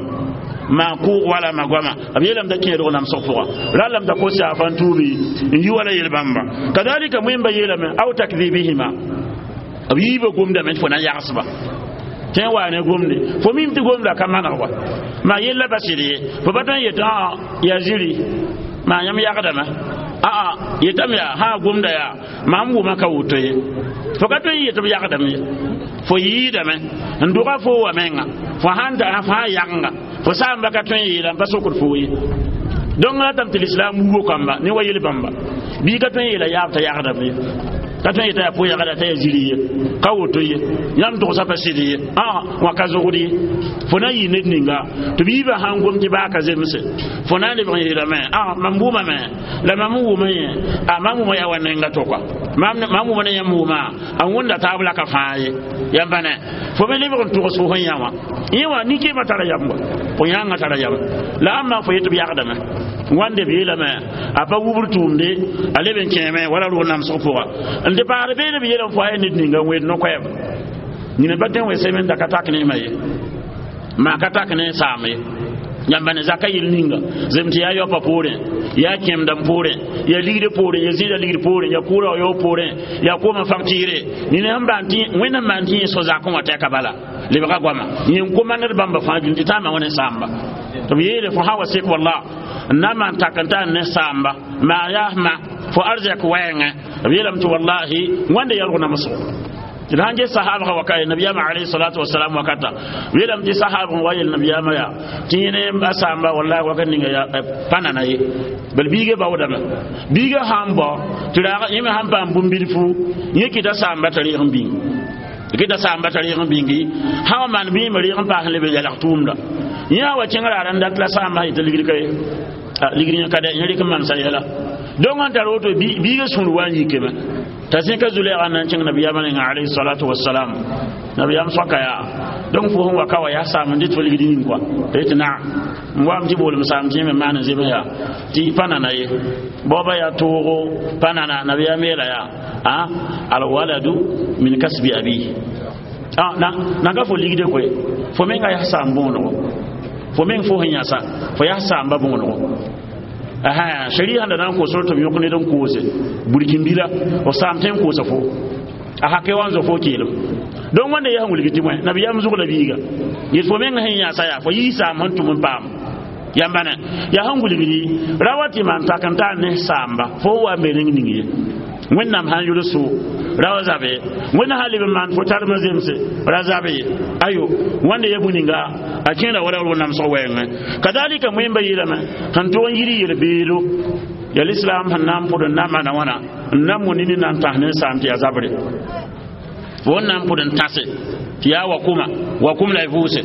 maa kʋʋg wala ma goama, b yeelame t'a kẽedg namsg pʋga, rallame t'a kos yaafa n tuubi n yi wala yel bãmba. Kadalika wẽmba yeelame aw takdibihima, b yiibã gomdame tɩ fo na n yagsba tẽ n waa ne gomde fo mim tɩ gomda ka maneg wa maa yella pa sɩd ye. Fo pa tõe n yetɩ ã yaa ziri maa yãmb yagdame, aa yetame yaa sã gomda yaa mam wʋma ka woto ye. Fo ka tõe n yetɩ b yagdame ye, fo yɩɩdame n dʋga fo wa menga fo sãn da fo sã yagenga fo saamba ka tõe n yeela n pa sokd fo ye. Donc la tame tɩ lislaam wugo kamba ne wa yel bãmba bii ka tõe n yeela yaab t'a yagdame ye, ka tõe n yetã yaa po-yagda t'a yaa ziri ye, ka woto ye, yãmb togsã pa sɩd ye, ã wã ka zogd ye. Fo na n yɩ ned ninga tɩ b yiibã sãn gom tɩ baa ka zemse, fo na n lebg n yeelame a mam wʋmame la mam n wʋma yẽ, a mam wʋma yaa wa nenga to-koa, mam wʋma ne yãmb wʋma a wẽnda taab la ka fãa ye. Yãmba ne fo me lebg n togs fo sẽn yã wã, yẽ wã nin-kẽemã tara yam wa, fo yãngã tara yam la ãmba fo yetɩ b yagdame wãnde b yeelame a pa wubr tʋʋmde a leb n kẽeme wala rʋg namsg pʋga n tɩ paasd beene. B yeelame fo a yaa ned ninga n wed no-koɛɛb nina pa tõe n we semen da ka tak ne ma ye, maa ka tak ne saam ye. Yãmba ne zaka yel ninga zem tɩ yaa yaopa poorẽ, yaa kẽemdãmb poorẽ, yaa ligd poorẽ, yaa zĩida ligd poorẽ, yaa kʋʋra wa yaoog poorẽ, yaa koomã facture. Nina sẽn maan tɩ Wẽnnaam maan tɩ yẽ so-zakẽ wã tɛka bala lebga goama yẽ n komandd bãmba fãa dũni tɩ taama wã ne saamba tɩ b yeele fo sã wa sek walla n na n maan tak n tar ne saamba maa yaa ma fo arzɛk wɛɛngẽ. B yeelame tɩ wallahi wãnde yalg namsgo tɩ d sãn ges sahabga waka nabiyaamã alayhi salatu wasalam wakata, b yeelame tɩ sahabg n wa yel nabiyaamã yaa tɩ yẽ ne a saamba wallahi wakat ninga yaa pa nana ye, bal biigã baoodame. Biigã sãn bao tɩ raag yẽ me sãn paam bũmb-bilfu, yẽ kɩta saamba t'a reeg n bĩng, kɩta saamba t'a reeg n bĩngi sã wa maan bɩ yẽ me reeg n paas n leb n yalg tʋʋmda. Yẽ a wa kẽng raar n dat la saamba yetɩ ligd ka ye, ligd yẽ ka dɛ, yẽ rɩk n mansa yɛla. Donc n tar woto biigã sũur wa n yikame t'a zẽka zulɛɛga n na n kẽng nabiyaamã ninga alayhi salatu wasalam. Nabiyaam soaka yaa donc fo sẽn wa ka wa yaa saam n dɩt fo ligd yĩng kɔa t'a yetɩ naam n waam tɩ boolem saam tɩ yẽ me maan n zems yaa tɩ pa nana ye, baoobã yaa toogo pa nana. Nabiyaam yeela yaa a alwaladu min kasbi abi na na ka fo ligde koe, fo menga yaa saam bõonego, fo meng fo sẽn yãsa fo yaa saamba bõonego. Aha sharia sẽn da na n koos tɩ b yõk ned n koose burkĩmbila f saam tõe n koosa fo a hake wa n zo fo keelem. Donc wãnda yaa sẽn wilg tɩ bõe nabiyaam zug la biiga yet fo meng sẽn yãsa yaa fo yɩ saam sẽn tʋm n paam. Yãmba ne yaa sẽn wilgdi ra wa tɩ maan tak n tar ne saamba fo n wa n be rẽng ning ye. Wẽnnaam sãn yʋl sʋʋ ra wa zabe, Wẽnnaam sãn leb n maan fo tarmã zemse ra zabe ye. Ayo wãnda ya bũ-ninga a kẽeda wala rʋg namsg wɛɛngẽ. Kadalika wẽmba yeelame sẽn tʋg n yir yel-beedo yaa lislaam sẽn na n pʋd n na n maana wãna n na n mo nini na n tãs ne n saam tɩ yaa zabre fo n na n pʋd n tãse tɩ yaa wa kʋma wa kʋm la y vʋʋse.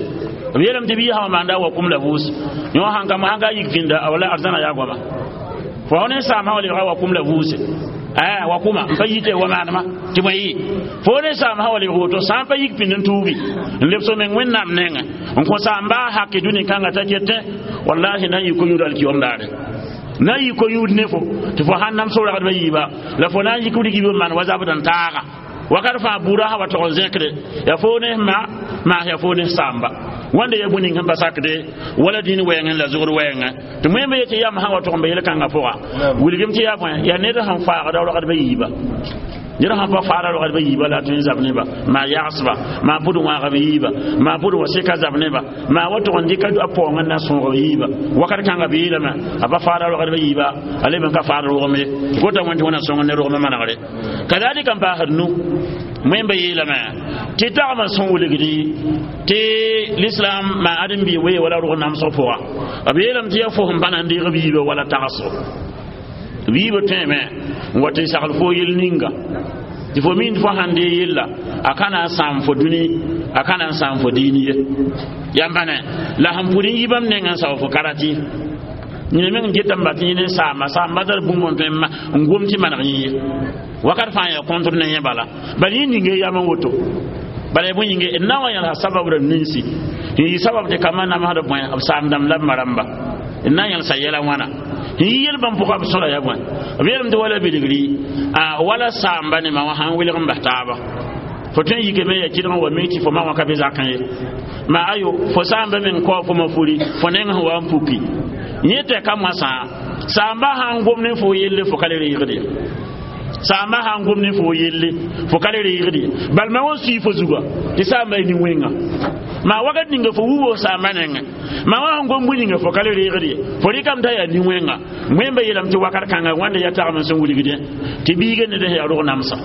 B yeelame tɩ bɩ sã wa maanda wa kʋm la vʋʋse yõ sãn ka sãn ka yik vĩnda a wala arzãna yaa goama fo ne saam sã wa lebga wa kʋm la vʋʋse a wa kʋma n pa yite wa maanema tɩ bõe yɩ fo ne saam sã wa lebg woto sã n pa yik pĩnd n tuugi n leb so meng Wẽnnaam nengẽ n kõ saam baa hake dũni kãngã t'a ketẽ wallahi na n yɩ ko-yũud alkiyom daare na n yɩ ko-yũud ne fo tɩ fo sãn nam so-ragdbã yiiba la fo na n yik rigib n maan wa zabd n taaga wakat fãa buudã sã wa tog n zẽkde yaa fo ne ma maas yaa fo ne saamba wãnda ya bũ-ning sẽn pa sakde wala dĩn wɛɛngẽ la zugr wɛɛngẽ tɩ wẽmba yetɩ yam sã wa tog n ba yel-kãngã pʋga wilgem tɩ yaa bõe yaa ned sẽn faagda rogdbã yiiba. Ned sãn pa faada rogdbã yiiba la a tõe n zab neba maa yagsba maa pʋd wãagb yiiba maa pʋd wa seka zab neba maa wa tog n dɩka a paoong n na sõog yiiba wakat kãngã b yeelame a pa faada rogdbã yiiba a leb n ka faad rogem ye gota wẽn tɩ wẽna sõng ne rogmã manegre. Kadalika n paasd nu wẽmba yeelame tɩ tagmã sẽn wilgdi tɩ lislaam maa ãdem-bi wee wala rog namsg pʋga, b yeelame tɩ yaa fo sẽn pa na n deeg b yiibã wala tagsgo b yiibã tõeme n wa tɩ sagl fo yel ninga tɩ fo mind fo sãn dee yella a ka na n sãam fo dũni a ka na n sãam fo diini ye. Yãmba ne la sẽn pʋd n yi bãmb nengã n sao fo karati yẽ meng n getame ba tɩ yẽ ne saama saamba tar bũmb n tõe n gom tɩ maneg yẽ ye wakat fãa yaa kõntr ne yẽ bala bal yẽ ninga yam n woto. Bala bõe yĩnge d na n wa yẽlsa sabab rãmb ninsi n yɩ sabab tɩ kambã namsd bõe b saam-dãmb la b ma-rãmba d na n yẽlsa yɛla wãna n yɩ yel-bãmb pʋga b sõda ya bõe b yeelame tɩ wala bilgri wala saamba ne ma wã sãn wilg n bas taaba fo tõe n yikame ya kɩdg n wa mi tɩ fo ma wã ka be zakẽ ye ma ayo fo saamba meng kao fo ma furi fo neng sẽn wa n puki yẽ tɩ ka moasã saamba sãn gom ne fo yelle fo ka le reegd ye saamba sãn gom ne fo yelle fo ka le reegd ye bal ma wã sui fo zuga tɩ saamba y nin-wẽnga ma wakat ninga fo wubo saamba nengẽ ma wã sẽn gom bũi ninga fo ka le reegd ye fo rɩkame t'a yaa nin-wẽnga wẽmba yeelame tɩ wakat kãnga wãnda ya tagem n sẽn wilgdẽ tɩ biiga ned sẽn yaa rog namsã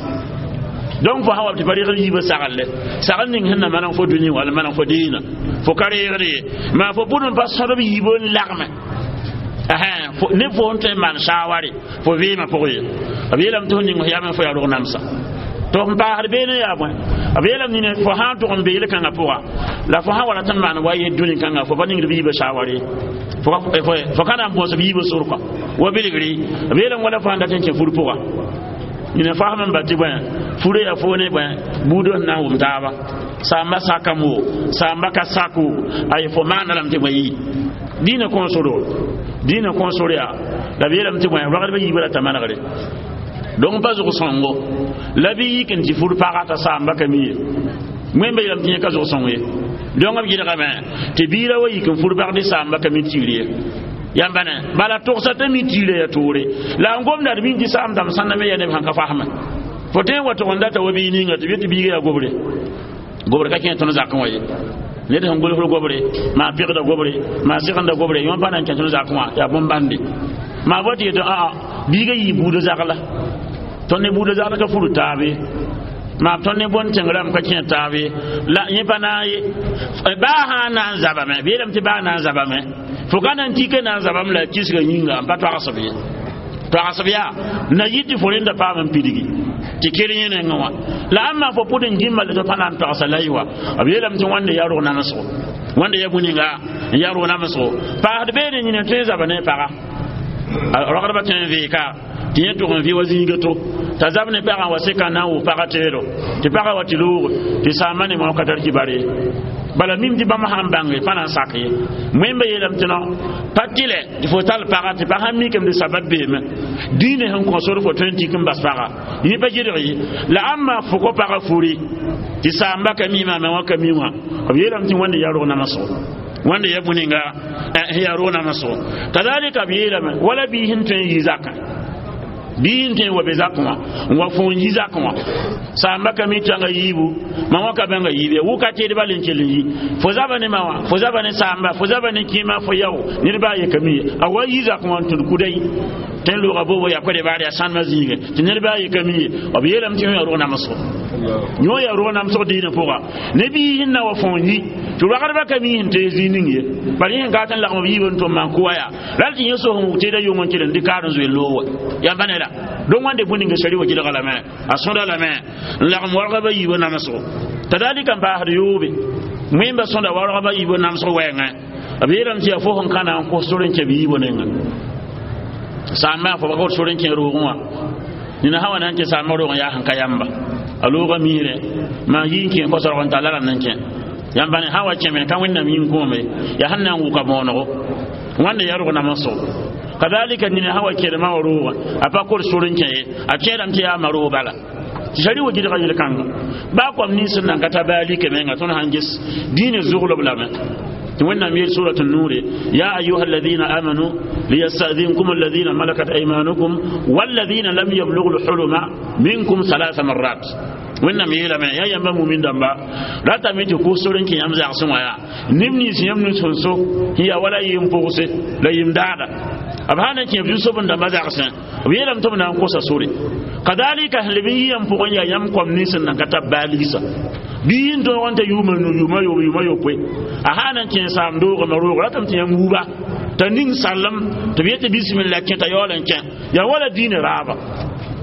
donc fo sã wa tɩ pa reegd yiibã saglle sagl ning sẽn na maneg fo dũni wall maneg fo diinã fo ka reegd ye maa fo pʋd n pa sõdb yiibã n lagme ne fo n tõe n maan saaware fo vɩɩmã pʋgẽ ye b yeelame tɩ fo ning fo yam fo yaa rog namsã tɩ f paasd beene yaa bõe b yeelame nina fo sã n tʋg n be yel-kãngã pʋga la fo sã wa rat n maan wa yel dũni kãnga fo pa ningd b yiibã saaware fo ka na n bõos b yiibã sor kɔ wa bilgri b yeelame wala fo sãn dat n kẽ fur pʋga nina fasem n ba tɩ bõe fure yaa fo ne bõe buudã sẽn na n wʋm taaba saamba sakam wo saamba ka sak wo ay fo maana lame tɩ bõe yɩ dĩinã kõosoro dĩinã kõosor yaa la b yeelame tɩ bõe ragdbã yiibã rata manegre donc pa zʋg sõngo la bɩ yik n tɩ fur paga t'a saamba ka mi ye wẽmba yeelame tɩ yẽ ka zʋg sõng ye donc b gɩdgame tɩ biirã wa yik n fur pag tɩ saamba ka mi tiir ye yãmba ne bala togsa t'a mi tiirã ya toore la n gomda d min tɩ saam dãmb sãnda me ya neb sãn ka fasme fo tõe n wa tʋg n data wa bii ninga tɩ b yet tɩ biiga yaa gobre gobre ka kẽ tõnd zakẽ wã ye ned sẽn gʋlsd gobre maa pɩgda gobre maa sɩgenda gobre yõ pa na n kẽ tõnd zakẽ wã yaa bõn-bãnde maa bɔ tɩ yetɩ aa biiga yɩ buudã zagla tõnd ne buudã zagl ka fur taabe maa tõnd ne bõn tẽng rãmb ka kẽ taabe la yẽ pa na n ye baa sã n na n zabame b yeelame tɩ baa na n zabame fo ka na n tika na n zabame la a kisga yĩnga n pa toagsb ye toagsb yaa na yɩ tɩ fo rẽnda paam n pidgi tɩ kell yẽ nengẽ wã la ãmba fo pʋd n gĩmba la tɩ pa na n toagsa la y wa b yeelame tɩ wãnda yaa rog namsgo wãnda ya bũ-ninga n yaa rog namsgo paasd beene yĩna tõe n zaba ne paga ragdbã tõe n vɩɩka tɩ yẽ tʋg n vɩ wa zĩiga to t'a zab ne pagã wa seka na n wʋ pagã teedo tɩ pagã wa tɩ loog tɩ saamba ne mao ka tar kibar ye bala mim tɩ bãmb sãn bãnge pa na n sak ye wẽmba yeelame tɩ no pa tɩlɛ tɩ fo tall pagã tɩ pa sãn mikame tɩ sabat beeme dĩinã sẽn kõ sor fo tõe n tik n bas pagã yẽ pa gɩdg ye la ãmba fo kõ pagã furi tɩ saamba ka mi maama wã ka mi wã b yeelame tɩ wãnda yaa rog namsgo wãnda ya bũ-ninga yaa rog namsgo kazalika b yeelame wala bii sẽn tõe n yɩ zakã bii n tõe n wa be zakẽ wã n wa fo n yi zakẽ wã saamba ka mi tãnga yiibu ma wã ka bãnga yiib ya wʋka teedba le n kell n yi fo zaba ne ma wã fo zaba ne saamba fo zaba ne kẽema fo yao ned baa ye ka mi ye a wa yi zakẽ wã n tũd kudai tɩ n looga boobo yaa koe-de-baar yaa sãndmã zĩigẽ tɩ ned baa ye ka mi ye b yeelame tɩ yõ yaa rog namsgo yõ yaa rog namsg dĩinã pʋga ne bii sẽn na wa fo n yi tɩ ragdbã ka mi sẽn tees zĩig ning ye bala yẽ sẽn ka tɩ n lagm b yiib n tʋm maan kʋwa yaa ral tɩ yẽ sos n wʋg teeda yʋng n kell n dɩk kaar n zoe loog wa yãmba ne la donc wãnde bũ-ninga sari wa gɩdga lame a sõda lame n lagm wargba yiibã namsgo kadalika n paasd yoobe wẽmba sõda wargba yiibã namsg wɛɛngẽ b yeelame tɩ yaa fo sẽn ka na n kos sor n kẽ b yiibã nengẽ saamba fo pa kot sor n kẽ roogẽ wã nina sã wa na n kẽ saamba roogẽ yaa sẽn ka yãmba a looga miirẽ maa yi n kẽ kosorg n talla rãmb n kẽ yãmba ne sã wa kẽme ka wẽnnaam yĩn-kõome yaa sẽn na n wʋka bõonego wãnda yaa rog namsgo kadalika nina sã wa kẽdmã wa roogã a pa kor sor n kẽ ye a kẽedame tɩ yaa ma roog bala tɩ sari wa gɩdga yel-kãnga baa koam nins sẽn nan ka ta baa like menga tõnd sãn ges dĩinã zʋglb lame wẽnnaam yeel surat النور يا أيها الذين آمنوا ليستأذنكم الذين ملكت أيمانكم والذين لم يبلغوا الحلم منكم ثلاث مرات wẽnnaam yeelame yaa yãmba mumin dãmba ratame tɩ kʋs sor n kẽ yãmb zagsẽ wã yaa neb nins yãmb nus sẽn so sẽn yaa wala yem pʋgse la yem daada b sã na n kẽ b zu-soab n dãmba zagsẽ b yeelame tɩ b na n kosa sore kadalika sẽn leb n yɩ yãmb pʋgẽ yaa yãmb koam nins sẽn nan ka tar baa ligsa bii n tõog n ta yʋʋma nu yʋʋma yoob yʋʋma yopoe a sã na n kẽ saam doogame roog ratame tɩ yãmb wuba t'a ning sallem tɩ b yetɩ bisimilla kẽ t'a yaool n kẽ yaa wala diinã raaba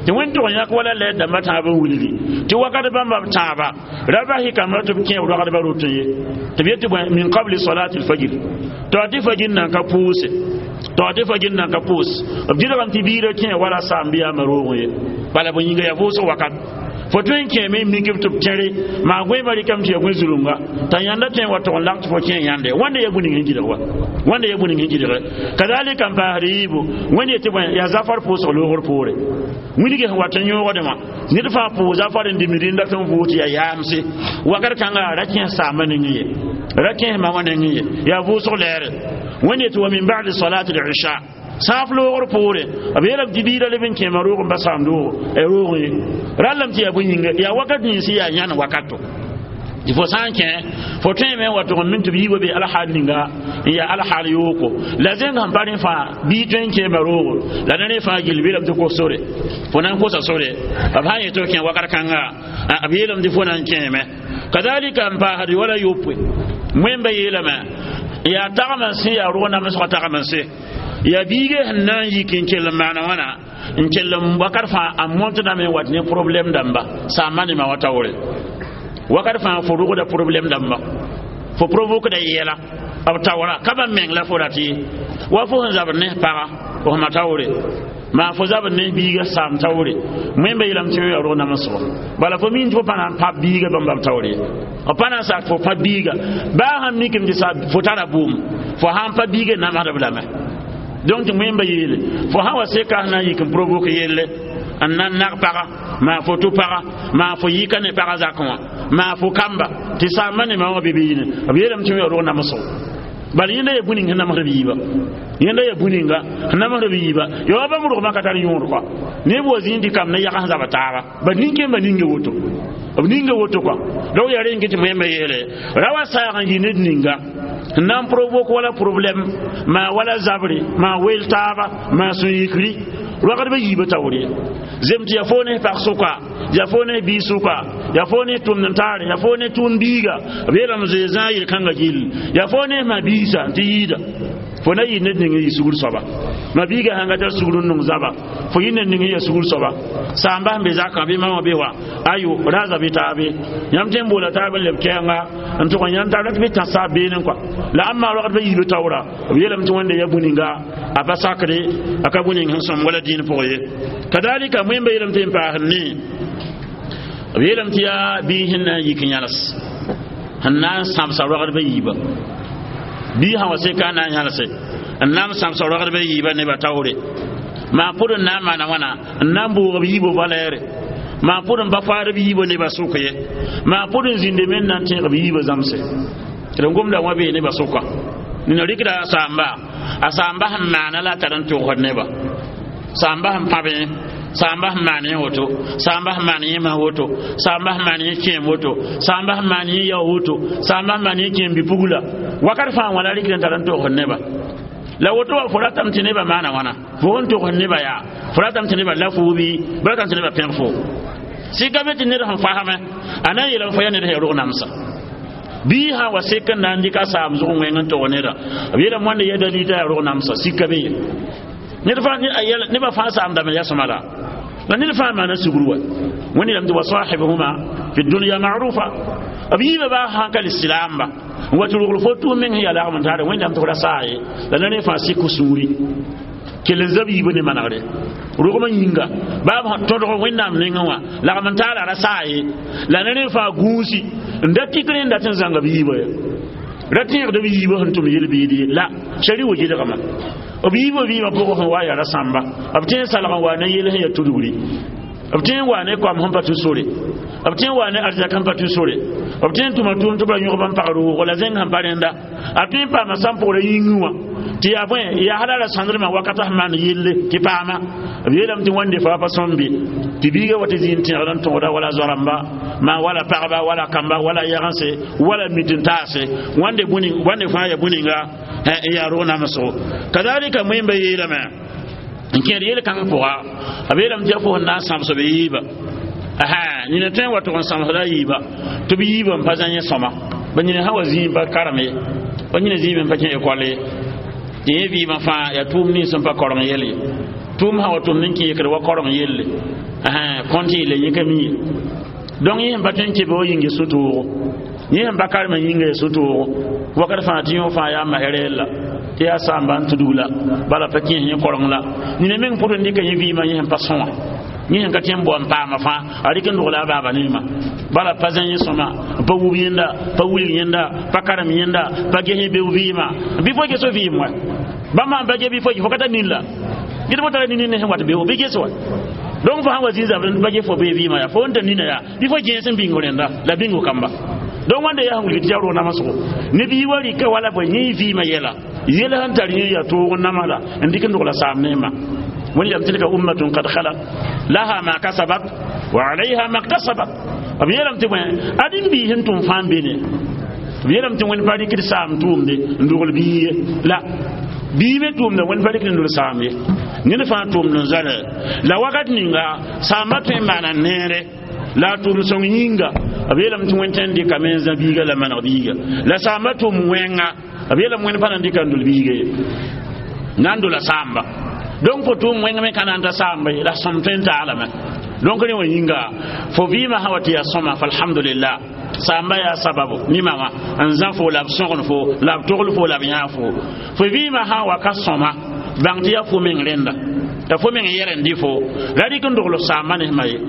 tɩ wẽn tʋg n yãk wala lɛɛr dãmbã tãab n wilgi tɩ wakat bãmba b tãaba ra bas y kambra tɩ b kẽ b ragdbã rotẽ ye tɩ b yetɩ bõe min qabli salati lfajir tɩ tɩ fajir nan ka pʋʋse tɩ tɩ fajir nan ka pʋʋs b gɩdgame tɩ biirã kẽ wala saam bɩ yaama roogẽ ye bala bõe yĩnga yaa vʋʋsg wakat Fo tõe n kẽeme n mik tɩ b tẽre maa goeemã rɩkame tɩ ya gõe zulunga t'a yãnda tõe n wa tog n lag tɩ fo kẽ yãnde wãnda ya bũni sẽn gɩdg wa wãnda ya bũni sẽn gɩdge kazalika n paasd yiibu wẽnd yetɩ bõe yaa zafar pʋʋsg loogr poore wilg sẽn wat n yõogdẽ wã ned fãa pʋʋs zafar n dimd rẽnda tɩ n vʋʋs tɩ yaa yaamse wakat kãnga ra kẽes saambã nengẽ ye ra kẽes ma wã nengẽ ye yaa vʋʋsg lɛɛre wẽnd yetɩ wa min ba'di salati al-isha sãaf loogr poore b yeelame tɩ biida leb n kẽema roog n pa saam roog ye rallame tɩ yaa bõe yĩnga yaa wakat nins yaa yãn wakato tɩ fo sã n kẽ fo tõeme n wa tʋg n min tɩ b yiibã be alhaal ninga n yaa alhaal yooko la zẽng sẽn pa rẽ fãa bii tõe n kẽema roogo la ne rẽ fãa gill beelame tɩ kos sore fo na n kosa sore b sã n yetɩ f kẽ wakat kãnga b yeelame tɩ fo na n kẽeme kazalika n paasd wala yopoe wẽmba yeelame yaa tagm n sẽ yaa rog namsgã tagm n sẽ yaa biiga sẽn na n yik n kell n maana wãna n kell n wakat fãa a mõntdame n wat ne problɛm dãmba saamba nemã wã taoore wakat fãa fo rogda problɛm dãmba fo provokda yɛla b taoora ka ba meng la fo rat ye wa fo sẽn zabd ne paga fo sẽma taoore maa fo zabd ne biiga saam taoore wẽmba yeelame tɩ yaa rog namsgo bala fo min tɩ fo pa na n pa biiga bãmba b taoore ye b pa na n sak fo pa biiga baa sãn mikame tɩ sa fo tara bʋʋm fo sãn pa biiga namsdb lame donc tɩ wẽmba yeele fo sã wa seka sẽn na n yik n provoke yelle n na n nag paga maa fo tʋ paga maa fo yika ne paga zakẽ wã maa fo kamba tɩ saamba nemã wã be-biine b yeelame tɩ yaa rog namsgo bala yẽnda yaa bũni sẽn namsd b yiiba yẽnda yaa bũninga sẽn namsd b yiiba ya wa bãmb rogmã ka tar yõod kɔa neb wa zĩig tɩ kam ne yags zaba taaba ba nin-kẽembã ninga woto b ninga woto kɔa donc yaa rẽ n tɩ wẽmba yeele ra wa saag n yɩ ned ninga n na n provoke wala problɛm maa wala zabre maa wel taaba maa sũ-yikri rogdbã yiibã taoor ye zem tɩ yaa fo ne pag sʋka yaa fo ne biig sʋka yaa fo ne tʋmd n taare yaa fo ne tʋʋm biiga b yeelame zoe zãa yel-kãngã gill yaa fo ne ma biisa tɩ yiida fo na yɩ ned ning n yɩ sugr soaba ma biiga sãn ka tar sugr n nong zaba fo yɩ ned ning n yaa sugr soaba saamba sẽn be zakã bɩ mama be wa ayo raza bɩ taabe yãmb tõe n boola taab n leb kɛɛnga n tʋg n yãnd taab la tɩ bɩ tãsa beene kɔa la ãmb maa rogdbã yiibã taoora b yeelame tɩ wẽnda yaa bũninga a pa sakre a ka bũning sẽn sõm wala dĩin pʋgẽ ye kadalika wẽmba yeelame tɩ n paasd ne b yeelame tɩ yaa biis sẽn na n yik yãls sẽn na n sãbsa rogdbã yiibã bii sã wa seka n na n yãlse n na n sãbsa rogdbã yiibã nebã taoore maa pʋd n na n maana wãna n na n bʋʋg b yiibã valɛɛre maa pʋd n pa faad b yiibã nebã sʋk ye maa pʋd n zĩnde me n na n tẽeg b yiibã zãmse tɩ d gomda wã bee nebã sʋka nina rɩkda a saamba a saamba sẽn maana la a tar n tʋgsd neba saamba sẽn pãbẽ saamba sẽn maan yẽ woto saamba sẽn maan yẽ mas woto saamba sẽn maan yẽ kẽem woto saamba sẽn maan yẽ yao woto saamba sẽn maan yẽ kẽem bi-pugla wakat fãa wã la rɩkd n tar n togsd neba la woto wa fo ratame tɩ nebã maana wãna fo sẽn togsd nebã yaa fo ratame tɩ nebã la foo bɩ b ratame tɩ nebã pẽg fo sɩka be tɩ ned sẽn fasame a na n yeelame fo yaa ned sẽn yaa rog namsa bii sã wa sek n na n dɩk a saam zʋg wẽng n tog neda b yeelame wãnda yaa dalil t'a yaa rog namsa sika be ye ned fãa nebã fãa saamdame yaa sõma la la ned fãa maana sugr wa wẽnd yeelame tɩ wa sahibhuma fi dunya ma'rufa b yiibã baa sãn ka lislaamba n wa tɩ rogl fo tʋʋm meng sẽn yaa lagm n taare wẽnnaam tɩ f ra saa ye la na rẽ fãa sɩk sũuri kell n zab yiibã ne manegre rogmã yĩnga baa b tõdg wẽnnaam nengẽ wã lagm n taara ra saa ye la na rẽ fãa gũusi n da tik rẽ n dat n zãnga b yiibã ya ra tẽegd b yiibã sẽn tʋm yel-biid ye la shari wa gɩdgmã b yiibã vɩɩmã pʋgẽ sẽn wa yaa ra sãmba b tõe n salg n wa ne yel sẽn yaa tudgri b tõe n wa ne koam sẽn pa tũ sore b tõe n wa ne arzɛk sẽn pa tũ sore b tõe n tʋma tʋʋm tɩ b ra yõgb n pagd wʋgo la zẽng sẽn pa rẽnda a tõe n paama sãn pʋgra yĩngẽ wã tɩ yaa bõe yaa hala ra sãndrmã wakata sẽn maan yelle tɩ paama b yeelame tɩ wãnde fa pa sõm be tɩ biiga wa tɩ zĩig n tẽegd n tõgda wala zoarãmba maa wala pagba wala kamba wala yagense wala mit n taase wãnde wãnde fãa ya bũninga n yaa rog namsgo kazalika wẽmba yeelame n kẽed yel-kãng pʋga b yeelame tɩ yaa fo sẽn na n sãbs b yiiba nina tõe n wa tʋg n sãmsda a yiiba tɩ b yiibã n pa zã yẽ sõma ba nina sã wa zĩig pa karem ye ba nina zĩig n pa kẽ ekɔl ye tɩ yẽ vɩɩmã fãa yaa tʋʋm nins n pa koreng yel ye tʋʋm sã wa tʋmd n kẽ yekd wa koreng yelle kõnt yelle yẽ ka mi ye donc yẽ sẽn pa tõe n kebe wa yĩnga sũ-toogo yẽ sẽn pa karem yĩnga ya sũ-toogo wakat fãa tɩ yõ fãa yaa masr yella tɩ yaa saamba n tudg la bala pa kẽes yẽ koreng la nina meng pʋd n dɩka yẽ vɩɩmã yẽ sẽn pa sõa Yẽ sẽn ka tẽ n bao n paama fãa a rɩk n dogla a baaba ne ma bala pa zã yẽ sõma, pa wub yẽnda, pa wilg yẽnda, pa karem yẽnda, pa ges yẽ beo vɩɩmã bɩ fo ges vɩɩm wa bãmb sãn pa ge bɩ fo fo ka tar nin la gɩd fo tara nin ne sẽn wat beo bɩ ges wa. Donc fo sãn wa zĩ zabr pa ge fo bee vɩɩmã yaa fo n tar nina yaa bɩ fo gẽes n bĩng rẽnda la bĩngo kamba. Donc wãnda yaa sẽn wilg tɩ yaa rog namsgo ne bii wa rɩka wala bõe yẽ vɩɩmã yɛla yɛl sẽn tar yẽ yaa toog n nama la n dɩk n dogla saam neema. Wẽnd yam tilka ummatun kad khalat laha ma kasabat wa alayha ma iktasabat. B yeelame tɩ bõe ad-m biis n tʋm fãa n be ne b yeelame tɩ wẽnd pa rɩkd saam tʋʋmde n dogl bii ye la bii me tʋʋmda wẽnd pa rɩkd n dol saam ye ned fãa tʋʋmd n zoale la wakat ninga saamba tõe n maana neere la a tʋʋm sõng yĩnga. B yeelame tɩ wẽnd tõe n dɩkame n zã biiga la maneg biiga la saamba tʋʋm wẽnga. B yeelame wẽnd pa na n dɩka n dol biiga ye na n dola saamba. Donc fo tʋʋm wẽng me ka na n ta saamba ye la sõm tõe n taalame. Donc rẽ wã yĩnga fo vɩɩmã sã wa tɩ yaa sõma fa alhamdulillah saamba yaa sababu nima wã n zã fo la b sõgen fo la b togl fo la b yãag fo. Fo vɩɩmã sã wa ka sõma bãng tɩ yaa fo meng rẽnda ya fo meng yɛl n dɩ fo ra rɩk n dogl saamba nesmã ye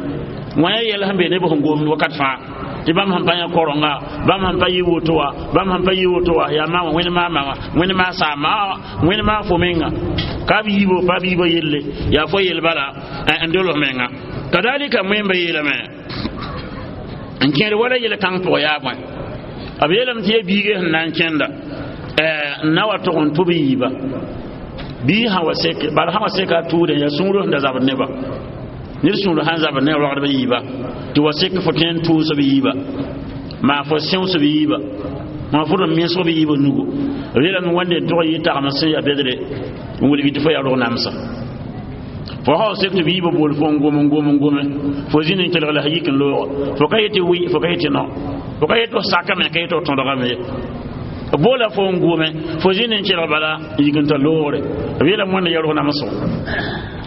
wã yaa yɛl sẽn be neb sẽn gomd wakat fãa tɩ bãmb sẽn pa yã korenga, bãmb sẽn pa yɩ woto wã, bãmb sẽn pa yɩ woto wã yaa maa wã wẽnd maama wã wẽnd maa saama wẽnd maa fo menga ka b yiibo pa b yiibã yelle yaa fo yel bala n dolg menga. Kadalika wẽmba yeelame n kẽed wala yel kãng pʋgã yaa bõe b yeelame tɩ ya biiga sẽn na n kẽnda n na wa tog n tʋ b yiiba bii sã wa seke bala sã wa seka a tʋʋdẽ yaa sũurã sẽn da zabd neba ned sũur sãn zabd ne rogdb yiiba tɩ wa sek fo tõe n tʋʋs b yiiba maa fo sẽos b yiiba maa fo d mesg b yiiba nugu. B yeelame wẽnde n tog yɩ tagem sẽn yaa bedre n wilg tɩ fo yaa rog namsa fo sã wa sek tɩ b yiibã bool fo n gom n gom n gome fo zĩnd n kelg la sã yik n looga fo ka yetɩ wɩ fo ka yetɩ no fo ka yetɩ f sakame ka yetɩ f tõdgame ye boola fo n gome fo zĩnd n kelg bala n yik n ta loogre. B yeelame wẽnde yaa rog namsgo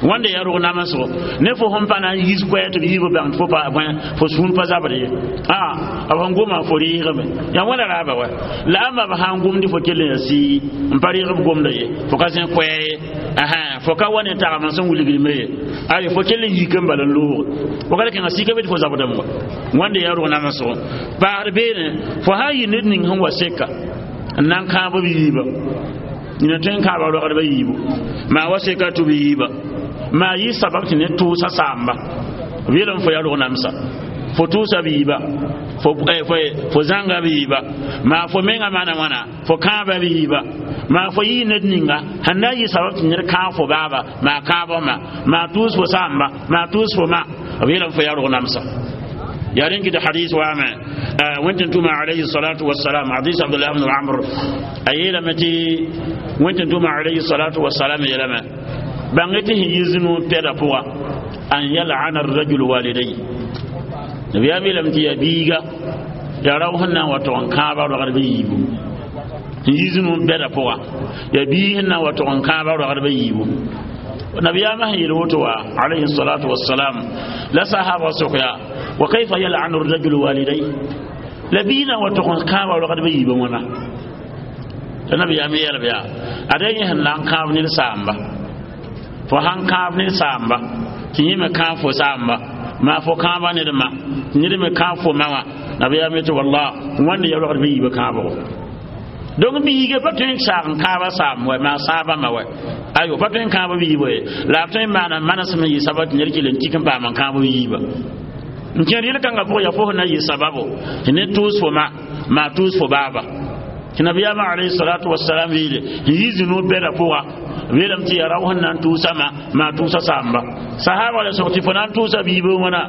wãnde yaa rog namsgo ne fo sẽn pa na n yiis koɛɛ tɩ b yiibã bãng tɩ fo pa bõe fo sũur pa zabd ye a b sẽn goma fo rɩɩgame yaa wãna raaba wa la ãmba b sã n gomd fo kell n yaa sii n pa rɩɩg b gomda ye fo ka zẽ koɛɛ ye fo ka wa ne tagem sẽn wilgdme ye ayo fo kell n yik n bala n looge wakat kẽnga sika be tɩ fo zabdame wa wãnde yaa rog namsgo paasd beene fo sã n yɩ ned ning sẽn wa seka n na n kãab b yiiba nina tõe n kãaba rogdba yiibu maa wa seka tʋ b yiiba maa yɩ sabab tɩ ne tʋʋsa saamba b yeelame fo yaa rog namsa fo tʋʋsa b yiiba fo zãnga b yiiba maa fo menga maana wãna fo kãaba b yiiba maa fo yɩ ned ninga sẽn na n yɩ sabab tɩ ned kãag fo baaba maa kãabg ma maa tʋʋs fo saamba maa tʋʋs fo ma b yeelame fo yaa rog namsa. Ya rẽn kɩt hadis waame wẽn tʋma alayhi salatu wassalam hadis Abdullah ibn Amr a yeelame tɩ wẽn tʋma alayhi salatu wassalam yeelame bãng tɩ sẽn yi zĩnu pɛda pʋga an yal'ana arrajulu walidai nabiyaam yeelame tɩ yaa biiga yaa rao sẽn na n wa tog n kãaba rogdbã yiibu sẽn yi zĩnu bɛda pʋga yaa biig sẽn na n wa tog n kãaba rogdbã yiibu. Nabiyaamã sẽn yeel woto wa alayhi salatu wassalam la sahaba sokya wa kayfa yal'anu arrajulu walidai la biig na n wa tog n kãaba rogdbã yiibã wãna la nabiyaam yeelb yaa ada yẽ sẽn na n kãab ned saamba fo sãn kãab ned saamba tɩ yẽ me kãab fo saamba maa fo kãaba ned ma tɩ ned me kãab fo ma wã nabiyaam yetɩ wallah wãnde ya rogdbã yiibã kãabgo. Donc biiga pa tõe n saag n kãaba saam wɛ maa saabã ma wɛ ayo pa tõe n kãab b yiibã ye la b tõe n maana manesem n yɩ sabab tɩ ned kell n tik n paam n kãab b yiibã n kẽer yel-kãngã pʋgã yaa fo sẽn na n yɩ sababo tɩ ned tʋʋs fo ma maa tʋʋs fo baaba tɩ nabiyaamã alayhi salatu wassalam yeele n yi zĩnu bɛda pʋga b yeelame tɩ yaa rao sẽn na n tʋʋsa ma maa tʋʋsa saamba sahaba la sog tɩ fo na n tʋʋsa biibã wãna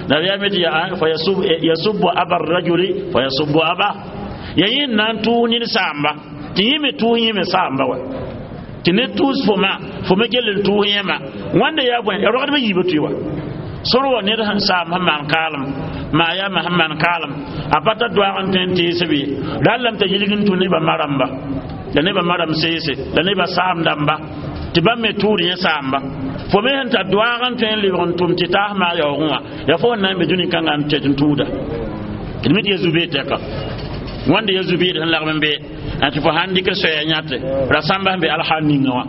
nabiyaam tɩ fa yasubbu aba rajuli fa yasubbu aba ya yẽ na n tʋʋs ned saamba tɩ yẽ me tʋʋs yẽ me saamba wa tɩ ned tʋʋs fo ma fo me kell n tʋʋs yẽma wãnda yaa bõe ya rogdbã yiibã tʋɩ wa sor wa ned sẽn saam sẽn maan kaalem maa yaa ma sẽn maan kaalem a pa tar doaag n tõe n teesb ye rallame t'a yilg n tũ nebã ma rãmba la nebã ma rãmb seese la nebã saam dãmba tɩ bãmb me tʋʋd yẽ saamba fo me sẽn tar doaag n tõe n lebg n tʋm tɩ taas maa yaoogẽ wã yaa fo sẽn na n be dũni kãngã n tɛt n tũuda d mi tɩ ya zu-beed tɛka wãnda ya zu-beed sẽn lagm n be tɩ fo sãn dɩk soɛɛ yãte rasãmba sẽn be alhaal ninga wã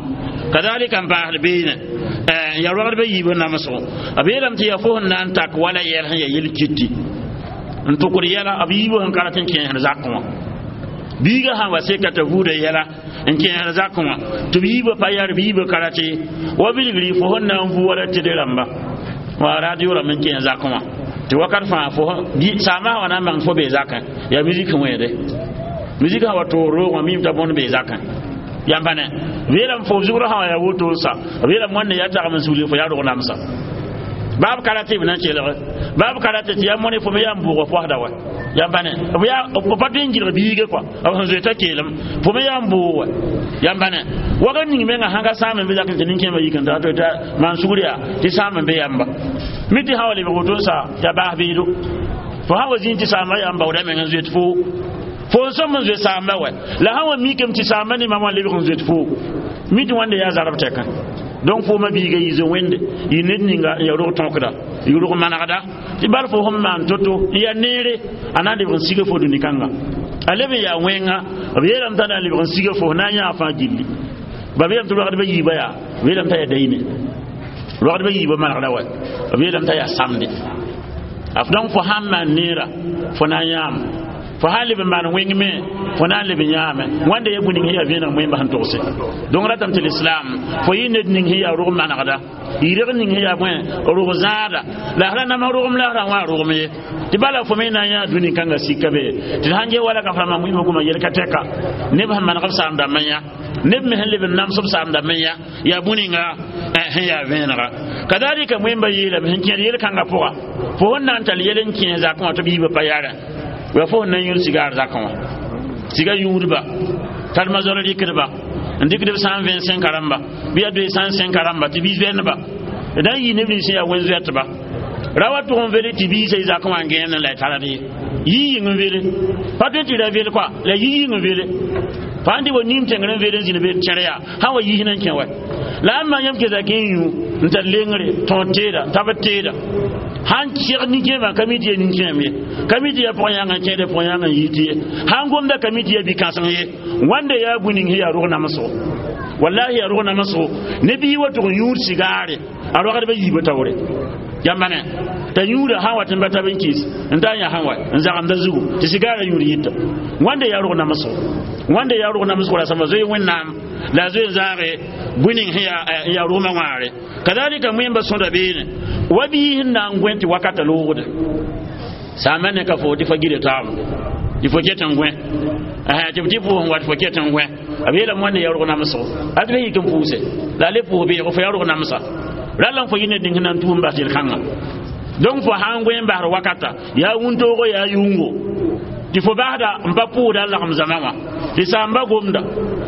Kadalika n paasd beene ya rogdbã yiibã namsgo b yeelame tɩ yaa fo sẽn na n tak wala yɛl sẽn ya yel-kiti n tʋkd yɛla b yiibã sẽn ka rat n kẽesd zakẽ wã biiga sã wa seka t'a vuuda yɛla n kẽesd zakẽ wã tɩ b yiibã pa yar b yiibã ka rate wa bilgri fo sẽn na n vu wala tɩd rãmba wa radio rãmb n kẽes zakẽ wã tɩ wakat fãa fo saamã sã wa na n bãng fo bee zakẽ yaa musique wẽede musique sã wa toog roog wã miime t'a bõnd bee zakẽ yãmba ne yeelame fo zugrã sã wa yaa woto n sa b yeelame wãnde yaa tagem n sugl fo yaa rog namsa baab ka rate b na n kelge baab ka rate tɩ yaa mõne fo me yaa n bʋʋga poasda wa yãmba ne b yaa b pa tõe n gɩlg biige kɔa b sẽn zoe t'a keelem fo me yaa n bʋʋg wa yãmba ne wakat ning menga sãn ka sãam n be zak tɩ nin-kẽemã yik n ta tɩ maan sugr yaa tɩ sãam n be yãmba mi tɩ sã wa lebg woto n sa t'a baas beedo fo sã wa zĩig tɩ saamba yaa n baooda meng n zoet foo fo n sõm n zoe saamba wa la sã wa mikame tɩ saamba ne mam wã lebg n zoet foo mi tɩ wãnde yaa zarb tɛkã donc fo ma biiga yi zoe wẽnde yɩ ned ninga n ya rog tõkda yɩ rog manegda tɩ bal fo sẽn maan to-to n yaa neere a na n lebg n siga fo dũni kãnga a leb n yaa wẽnga b yeelame t'a na n lebg n siga fo na n yãag fãa gilli ba b yeelame tɩ rogdbã yiibã yaa b yeelame t'a yaa dayne rogdbã yiibã manegda wa b yeelame t'a yaa samde donc fo sãn maan neera fo na n yãame fo sã n leb n maan wẽng me fo na n leb n yãame wãnda ya bũ ning sẽn yaa vẽeneg wẽmba sẽn togse donc ratame tɩ l'islam fo yɩ ned ning sẽn yaa rog manegda yɩrg ning sẽn yaa bõe rog zãada la sra nama rogem la sra wã rogem ye tɩ bala fo me na n yãa dũni kãnga sika be tɩ sãn ge wala ka frama wĩmã goma yel ka tɛka neb sẽn maneg b saam dãmb n yã neb me sẽn leb n nams b saam dãmb n yã yaa bũ ninga sẽn yaa vẽenega kadalika wẽmba yeelame sẽn kẽed yel-kãngã pʋga fo sẽn na n tall yel n kẽes zakẽ wã tɩ b yiibã pa yarẽ wa fo sẽn na n yũud sigaar zakẽ wã siga yũudba tar mazor rɩkdba n dɩkd b 125 rãmba bɩ yaa 205 rãmba tɩ biis vɛnba d na n yɩ neb nins sẽn yaa wẽn-zoɛtba ra wa tʋg n vele tɩ biisã y zakẽ wã n gẽene la y tard ye yɩ yĩng n vele pa tõe tɩ ra vel kɔa la yɩ yĩng n vele fa n dɩ wa nim tẽngr n vele n zĩnd be tẽr yaa sã wa yis n kẽ wa la ãmb maa yãmb kesa kẽ n yũ n tar lengre tõod teeda tabd teeda sãn segd nin-kẽemã ka mi tɩ yaa nin-kẽem ye ka mi tɩ yaa pʋg-yãng n kẽede pʋg-yãng n yit ye sãn gomda ka mi tɩ yaa bi-kãseng ye wãnda yaa bũ ning sẽn yaa rog namsgo wallahi yaa rog namsgo ne bii wa tʋg n yũud sigaare a rogdbã yiibã taoore yãmba ne t'a yũuda sã n wat n ba tab n kɩs n ta n yã sã wa n zagemda zugu tɩ sigaarã yũud yita wãnda yaa rog namsgo wãnda yaa rog namsgo rasamba zoe wẽnnaam la a zoe n zãage bũ ning sẽn yaa rogmã wãagre kadalika wẽmba sõda beene wa bii sẽn na n gõe tɩ wakata loogde saambã ne ka fo tɩ fa gida taaba tɩ fo ket n gõe tɩ b tɩ pʋʋs n wat fo ket n gõe b yeelame wãnda yaa rog namsgo a tɩ b yik n pʋʋse la a le pʋʋs beego fo yaa rog namsa ralla n fo yɩ ned ning sẽn na n tuum bas yel-kãngã donc fo sã n gõe n basd wakata yaa wũntoogo yaa yʋngo tɩ fo basda n pa pʋʋsda a lagem zãma wã tɩ saamba gomda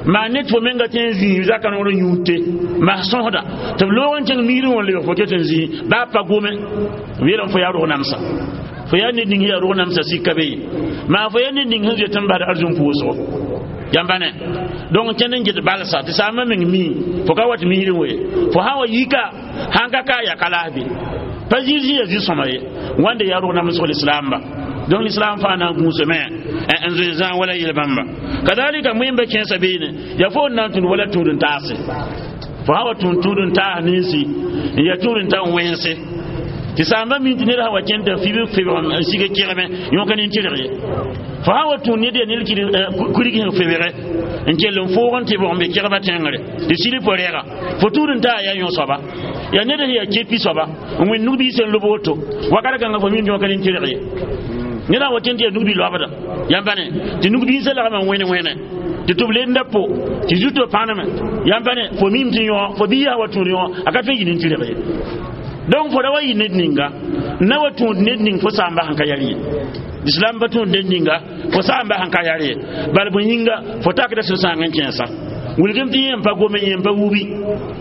maa ned fo menga tẽ n zĩig zaka noor n yũud te mas sõsda tɩ b loog n kẽng miirẽ wã lebg fo ket n zĩig baa pa gome b yeelame fo yaa rog namsa fo yaa ned ning sẽn yaa rog namsa sika be ye maa fo yaa ned ning sẽn zoet n basd arzũm pʋʋsgo yãmba ne donc kẽnd n get balsa tɩ saambã meng mii fo ka wat miirẽ we fo sã wa yika sãn ka ka ya ka laas be pa zĩig sẽn yaa zĩ-sõma ye wãnda yaa rog namsg lislaamba donc l'islam fãa na n gũusame n zoe zãag wala yel-bãmba kadalika wẽmba kẽesã beene yaa fo n na n tũud wala tũud n taase fo sã wa tũud tũud n taas ninsi n yaa tũud n ta n wẽnse tɩ saamba min tɩ ned sã wa kẽnd t'a fib febg n sig kegme yõka nin-tɩrg ye fo sã wa tũud ned yaa ned kurig sẽn febge n kell n foog n tɩ bg n be kegba tẽngre tɩ sili fo rɛga fo tũud n taa yaa yõ soaba yaa ned sẽn yaa kepi soaba n wẽnd nug-biis n lob woto wakat kãngã fo min yõka nin-tɩrg ye ned sã wa kẽnd tɩ yaa nug-bi loabda yãmba ne tɩ nug-biisã lagma n wẽne wẽne tɩ tɩ b lenda po tɩ zuto pãneme yãmba ne fo mim tɩ yõ fo biisã wa tũud yõ a ka tõe n yɩ nin-tɩrg ye donc fo ra wa yɩ ned ninga n na wa tũud ned ning fo saamba sẽn ka yar ye islam pa tũud ned ninga fo saamba sẽn ka yar ye bal bõe yĩnga fo takda sũ-sãang n kẽesa wilgem tɩ yẽ n pa gome yẽ n pa wubi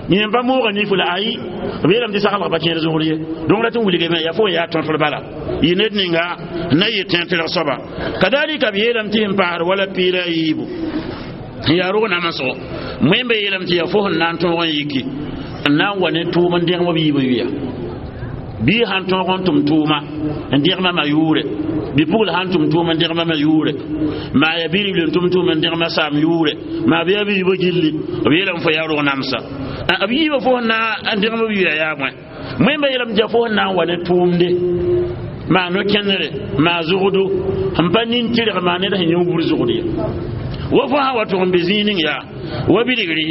yẽ n pa mooga nifo la ayi b yeelame tɩ saglg pa kẽed zʋgr ye donc rat n wilgame yaa fo n yaa tõtr bala yɩ ned ninga n na yɩ tẽn-tɩrg soaba kadalika b yeelame tɩ sẽn paasd wala piira a yiibu n yaa rog namsgo wẽmba yeelame tɩ yaa fo sẽn na n tõog n yiki n na n wa ne tʋʋm n dẽgem b yiibã yʋya bii sãn tõog n tʋm tʋʋma n dẽgma ma yʋʋre bɩ-pugl sãn tʋm tʋʋm n dẽgma ma yʋʋre maa yaa bi-ribl n tʋm tʋʋm n dẽgma saam yʋʋre maa bɩ yaa bi-ribã gilli b yeelame fo yaa rog namsa B yiibã fo sẽn na n dẽgem b yʋya yaa bõe? Wẽmba yeelame tɩ yaa fo sẽn na n wa ne tʋʋmde, maa no-kẽnere, maa zʋgdo sẽn pa nin tɩrg, maa ned sẽn yẽ wubr zʋgd ye. Wa fo sã wa tʋg n be zĩig ning yaa wa bilgri,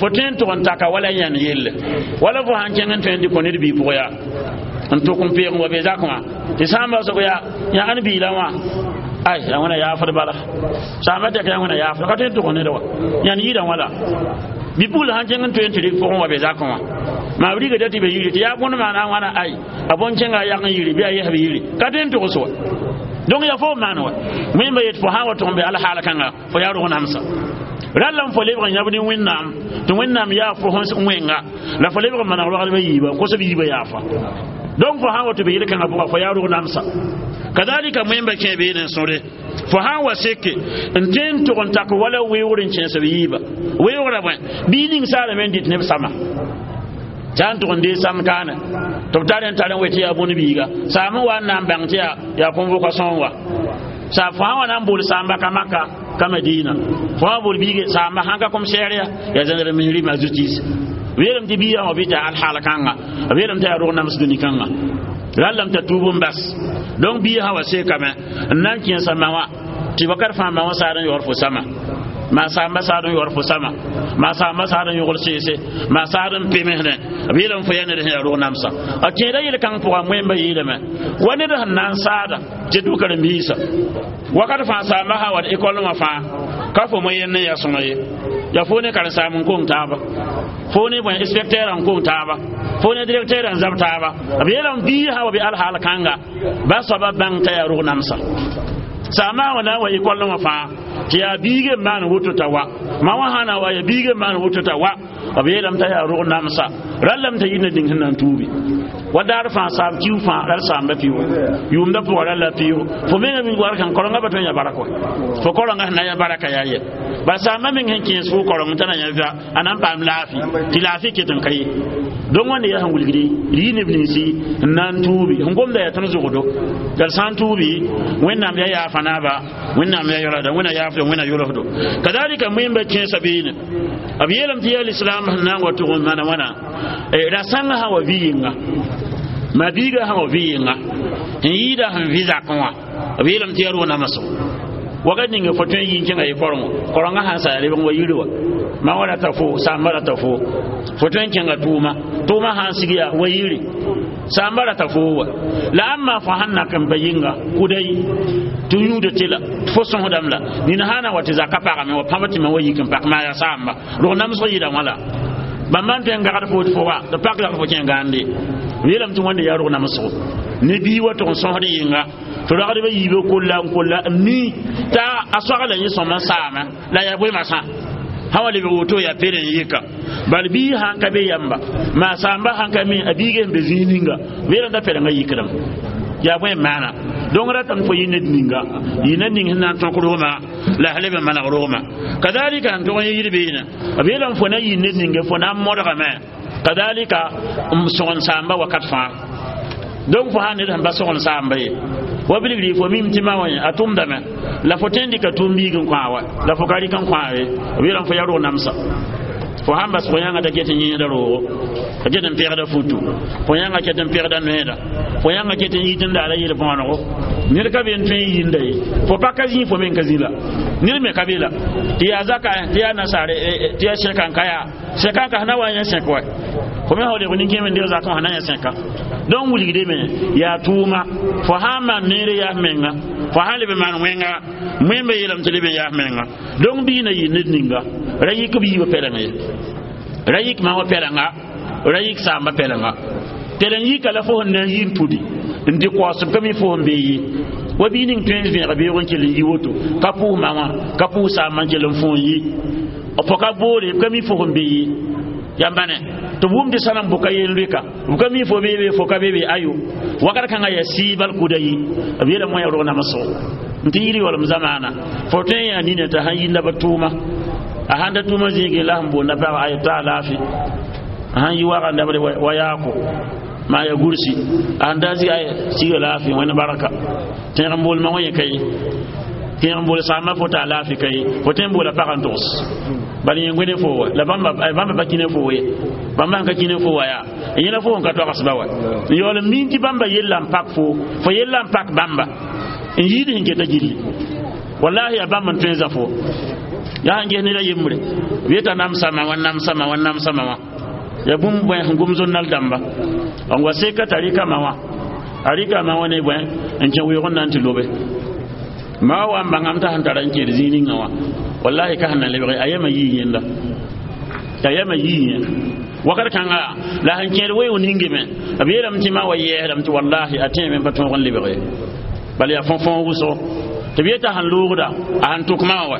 fo tõe n tʋg n taka wala yãnd yelle, wala fo sãn kẽng n tõe n dɩ kõ ned bii pʋgã yaa n tʋk n peeg n wa be zakẽ wã tɩ sãamba sog yaa yã ãn biilã wã, ay ya wẽna yaafd bala, saamba tɛka ya wẽna yaafd ka tõe n tʋg ned wa yãnd yɩɩda wã la bi-pugl sãn kẽng n tõe n tɩ rɩk pʋgẽ wa be zakẽ wã maa b rigda tɩ be yiri tɩ yaa bõnd maana wãna, ay a bõn-kẽnga a yag n yiri bɩ a yɛsb yiri ka tõe n togs wa. Donc yaa fo maan wa wẽmba yet fo sã wa tʋg n be alhaal kãnga fo yaa rog namsa ralla n fo lebg n yãb ne Wẽnnaam tɩ Wẽnnaam yaa fo sẽn wẽnga la fo lebg n maneg roagdbã yiiba n kos b yiibã yaafa. Donc fo sã wa tɩ be yel-kãngã pʋga fo yaa rog namsa. Kadalika wẽmba kẽ beene n sõre fo sã n wa seke n tõe n tʋg n tak wala weoogr n kẽes b yiiba weoogrã bõe bii ning saarame n dɩt neb sama tɩ n tʋg n dee sam kaane tɩ b tar n tar n we tɩ yaa bõn biiga saam n wa n na n bãng tɩ yaa convocation wa sa fo sã wa na n bool saamba ka Maka ka Madina, fo sã bool biige saamba sãn ka commissaire ya gendarmerie ma justice b yeelame tɩ biigã wã bɩ tɩ alhaal kãnga b yeelame tɩ yaa rog nams dũni kãnga rallame t'a tuub n bas. Donc biigã sã wa sekame n na n kẽesa ma wã tɩ wakat fãa ma wã saad n yaoor fo sama, maa saamba saad n yaoor fo sama, maa saamba saad n yogl seese, maa saad n pemsdẽ b yeelame fo yaa ned sẽn yaa rog namsa. A kẽeda yel-kãng pʋga wẽmba yeelame wa ned sẽn na n saada tɩ dʋ karen-biisã wakat fãa saamba sã wa ekɔl wã fãa ka fo mo yend n yaa sõma ye, yaa fo ne karen-saam n kong taaba, fo ne bõe inspecteur n kong taaba, fo ne directeur n zab taaba. B yeelame biig sã wa bɩ alhaal kãnga ba soaba bãng t'a yaa rog namsa saama wã na n wa ekɔl wã fãa tɩ yaa biig n maan woto t'a wa ma wã sã na wa yaa biig n maan woto t'a wa b yeelame t'a yaa rog namsa rallame t'a yir na dĩng sẽn na n tuubi wa daar fãa saam kiu fãa ral saamba piʋ yʋʋmda pʋgã rall la piʋ fo menga war kan korenga pa tõe n ya baraka wa fo korenga sẽn na n yã baraka yaa yɛ ba saamba meng sẽn kẽes fo koreng t'a na yã vɩa a na n paam laafɩ tɩ laafɩ ket n ka ye. Donc wãnde yaa sẽn wilgdi d yɩ neb ninsi n na n tuubi sẽn gomda yaa tõnd zʋgdo la d sã n tuubi Wẽnnaam yaa yaafa naaba, Wẽnnaam yaa yolsda, Wẽnna yaafdo, Wẽnna yolsdo. Kadalika wẽmba kẽesa beene b yeelame tɩ yaa lislaam sẽn na n wa tʋg n maana wãna ra sãngã sã wa vɩ yɩnga ma biiga sã wa vɩ yɩnga n yɩɩda sẽn vɩ zakẽ wã b yeelame tɩ yaa rog namsgo wakat ninga fo tõe n yɩ n kẽnga ye korengo korengã sãn sa yaa lebg n wa yiri wa ma wa rata fo saamba rata fo fo tõe n kẽnga tʋʋma tʋʋma sãn sig yaa wa yiri saamba rata fo wa la ãmba fo sãn nak n pa yɩnga kʋda yi tɩ yũuda tɩ la fo sõsdame la nina sã na wa tɩ zaka pagame wa pãb tɩ ma wa yik n pak maa yaa saamba rog namsg yɩɩda wã la bãmba n tõe n gagd fo tɩ fo wa tɩ pak la fo kẽ gãande b yeelame tɩ wãnde yaa rog namsgo ne bii wa tʋg n sõsd yɩnga tɩ ragdbã yiibã kolla n kolla n mi t'a a soagla yẽ sõm n saama la yaa bõe masã sã wa lebg woto yaa peer n yɩka bal bii sãn ka be yamba maa saamba sãn ka mi a biigã sẽn be zĩig ninga b yeelame t'a pɛlengã yikdame yaa bõe n maana. Donc ratame fo yɩ ned ninga yɩ ned ning sẽn na n tõk rogma la sã leb n maneg rogma. Kadalika sẽn tʋg n yɩɩd beene b yeelame fo na yɩ ned ninga fo na n modgame kadalika n sõgen saamba wakat fãa. Donc fo sã ned sẽn pa sõgen saamba ye wa bilgri fo mim tɩ ma wã a tʋmdame la fo tõe n dɩka tʋʋm biig n kõ wa la fo ka rɩk n kõ ye b yeelame fo yaa rog namsa fo sãn bas fo yãnga t'a ket n yẽesda roogo t'a ket n pegda futu fo yãnga ket n pegda noeeda fo yãnga ket n yit n daara yel bõonego ned ka be n tõe n yĩnda ye fo pa ka zĩ fo meng ka zĩ la ned me ka be la tɩ yaa zaka tɩ yaa nasaare tɩ yaa sẽka n ka yaa sẽka n ka sẽn na wa n yã sẽk wa fo me sã lebg nin-kẽem n deg zakẽ wã na yã sẽka. Donc wilgdame yaa tʋʋma fo sã n maan neere yaas menga fo sãn leb n maan wẽnga wẽmba yeelame tɩ leb n yaas menga. Donc bii na yɩ ned ninga ra yik b yiibã pɛleng ye ra yik ma wã pɛlenga ra yik saamba pɛlenga pɛleng yika la fo sẽn na n yi n pudi n dɩ kaoosem ka mi fo sẽn bee ye wa bii ning tõe n vẽeg beoog n kell n yi woto ka pʋʋs ma wã ka pʋʋs saamba n kell n fõ n yi fo ka boore ka mi fo sẽn bee ye yãmba ne tɩ b wʋm tɩ sãnem bʋka yen loeka b ka mi fo beebe fo ka beebe ayo wakat kãngã yaa sɩɩbal kʋda yi b yeelame wã yaa rog namsgo n tɩ yir yaoolem zamaana fo tõe n yaa nina t'a sãn yinda ba tʋʋma a sãn ta tʋʋma zĩigẽ la sẽn boonda pagã ay t'a alaafɩ a sãn yi waga dabde wa yaako maa ya gursi a sãn da zɩ ay siga laafɩ wẽnd barka tẽeg n boolmã wã yẽ ka ye. Kẽeg n bool saamba fo t'a laafɩ ka ye fo tõe n boola pag n togs bala yẽ wẽne fo wa la bãmba pa kĩ ne fo ye bãmba sẽn ka kĩ ne fo wa yaa yẽla fo n ka toagsba wa n yaool n miin tɩ bãmba yella n pak fo fo yella n pak bãmba n yɩɩd sẽn keta gilli wallahi yaa bãmb n tõe n zã fo yaa sẽn ges ned a yembre b yeta namsama wã namsama wã namsama wã ya bũmb bõe sẽn gom zonnal dãmba n wa seka t'a rɩka ma wã a rɩka ma wã ne bõe n kẽ weoog n na n tɩ lobe ma wa n bãngame t'a sẽn tara n kẽed zĩig ninga wã wallahi ka sẽn na lebge a yɛma yii yẽnda a yɛma yii yẽ wakat kãnga la sẽn kẽed weoog ningame b yeelame tɩ ma wa yɛɛsdame tɩ wallahi a tẽeme n pa tõog n lebge bala yaa fõ-fõog wʋsgo tɩ b yeta sẽn loogda a sẽn tʋk ma wã wa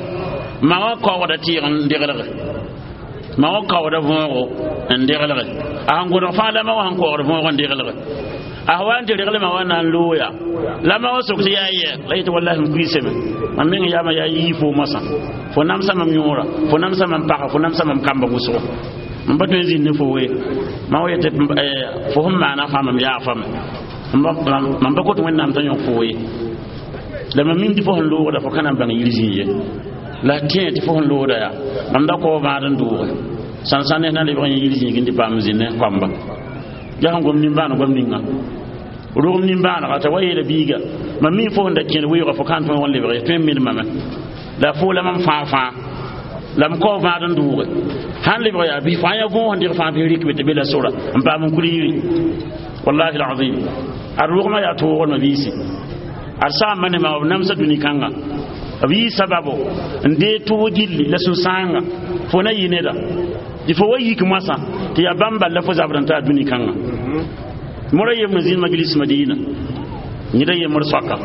ma wã kaoogda tɩɩg n deglge ma wã kaoogda võogo n deglge a sẽn gõdg fãa la ma wã sẽn kaoogd võog n deglge a wa n tɩ reglmã wa na n looya la ma wã sok tɩ yaa yɛ la yetɩ wallahi m kuiisame mam meng yaama yaa yii fo moasã fo namsa mam yõora fo namsa mam paga fo namsa mam kamba wʋsgo mam pa tõe n zĩnd ne fo we mam wa yetɩ fo sẽn maana fãa mam yaa fame mam pa kot wẽnnaam t'a yõk fo ye la mam mim tɩ fo sẽn loogda fo ka na n bãng yir zĩig ye la tẽ tɩ fo sẽn loogda yaa mam da kao vãad n dooge sãn-sãn ne na lebg yẽ yir zĩig n tɩ paam zĩnd ne koamba yaa sẽn gom nimbãan goam ninga rogem nimbãanega t'a wa yeela biiga mam mi fo sẽn da kẽed weoogã fo ka n tõog n lebge tõe n milmame la fo la mam fãa fãa la m kao vãad n dooge sãn lebg yaa bɩ fãa ya võog n dɩg fãa bɩ rɩk be tɩ be la sora n paam n kul yiri wallahi alazim ad rogmã yaa toogdmã biisi ad saamba ne ma b namsa dũni kãnga b yɩ sababo n dee tʋg gilli la sũ-sãanga fo na yɩ neda tɩ fo wa yik moasã tɩ yaa bãmb bal la fo zabd n taa dũni kãnga mora yembre zĩnd majlis madina neda yembr soaka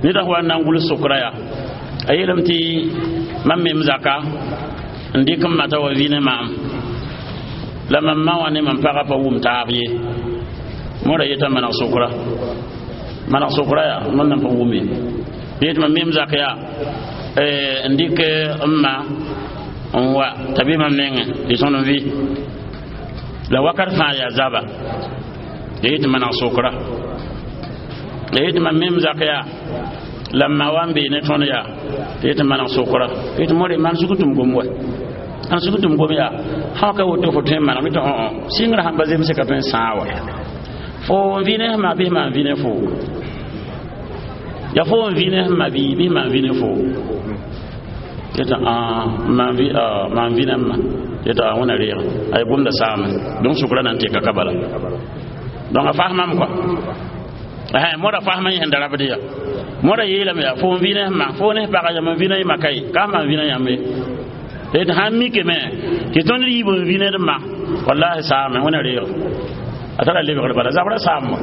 neda wa n na n gʋls sokra yaa a yeelame tɩ mam mem zaka n dɩk m mata wa vɩ ne maam la mam ma wã ne mam pagã pa wʋm taab ye mora yeta maneg sokra maneg sokra yaa mam nan pa wʋm ye yetɩ mam mem zak yaa n dɩk m ma n wa t'a be mam nengẽ tɩ tõnd n vɩ la wakat fãa yaa zaba la yetɩ maneg sokra la yetɩ mam mem zak yaa la m ma wa n bee ne tõnd yaa tɩ yetɩ maneg sokra yetɩ more maan sug tɩ m gom wa ãn sug tɩ m gom yaa sã ka woto fo tõe n maneg tɩ õ sɩngrã sãn pa zemse ka tõe n sãag wa fo n vɩ ne sẽn maa bɩ maan vɩ ne fo ya fo n vɩ ne sẽn ma bɩ bɩ maan vɩ ne fo yetɩ maan vɩ ne m ma yetɩ a wẽna reege a ye gomda saame donc sʋkra na n teka ka bala donc a fasmam kɔa moda fasma yẽ sẽn da rabd ya moda yeelame yaa fo n vɩ ne sẽn ma fo ne pagã yam n vɩ ne ma ka ye ka maan vɩ ne yãmb ye tɩ sãn mikame tɩ tõnd yiib n vɩ ned ma wallahi saame wẽna reege a tara lebgr bala zabra saam wa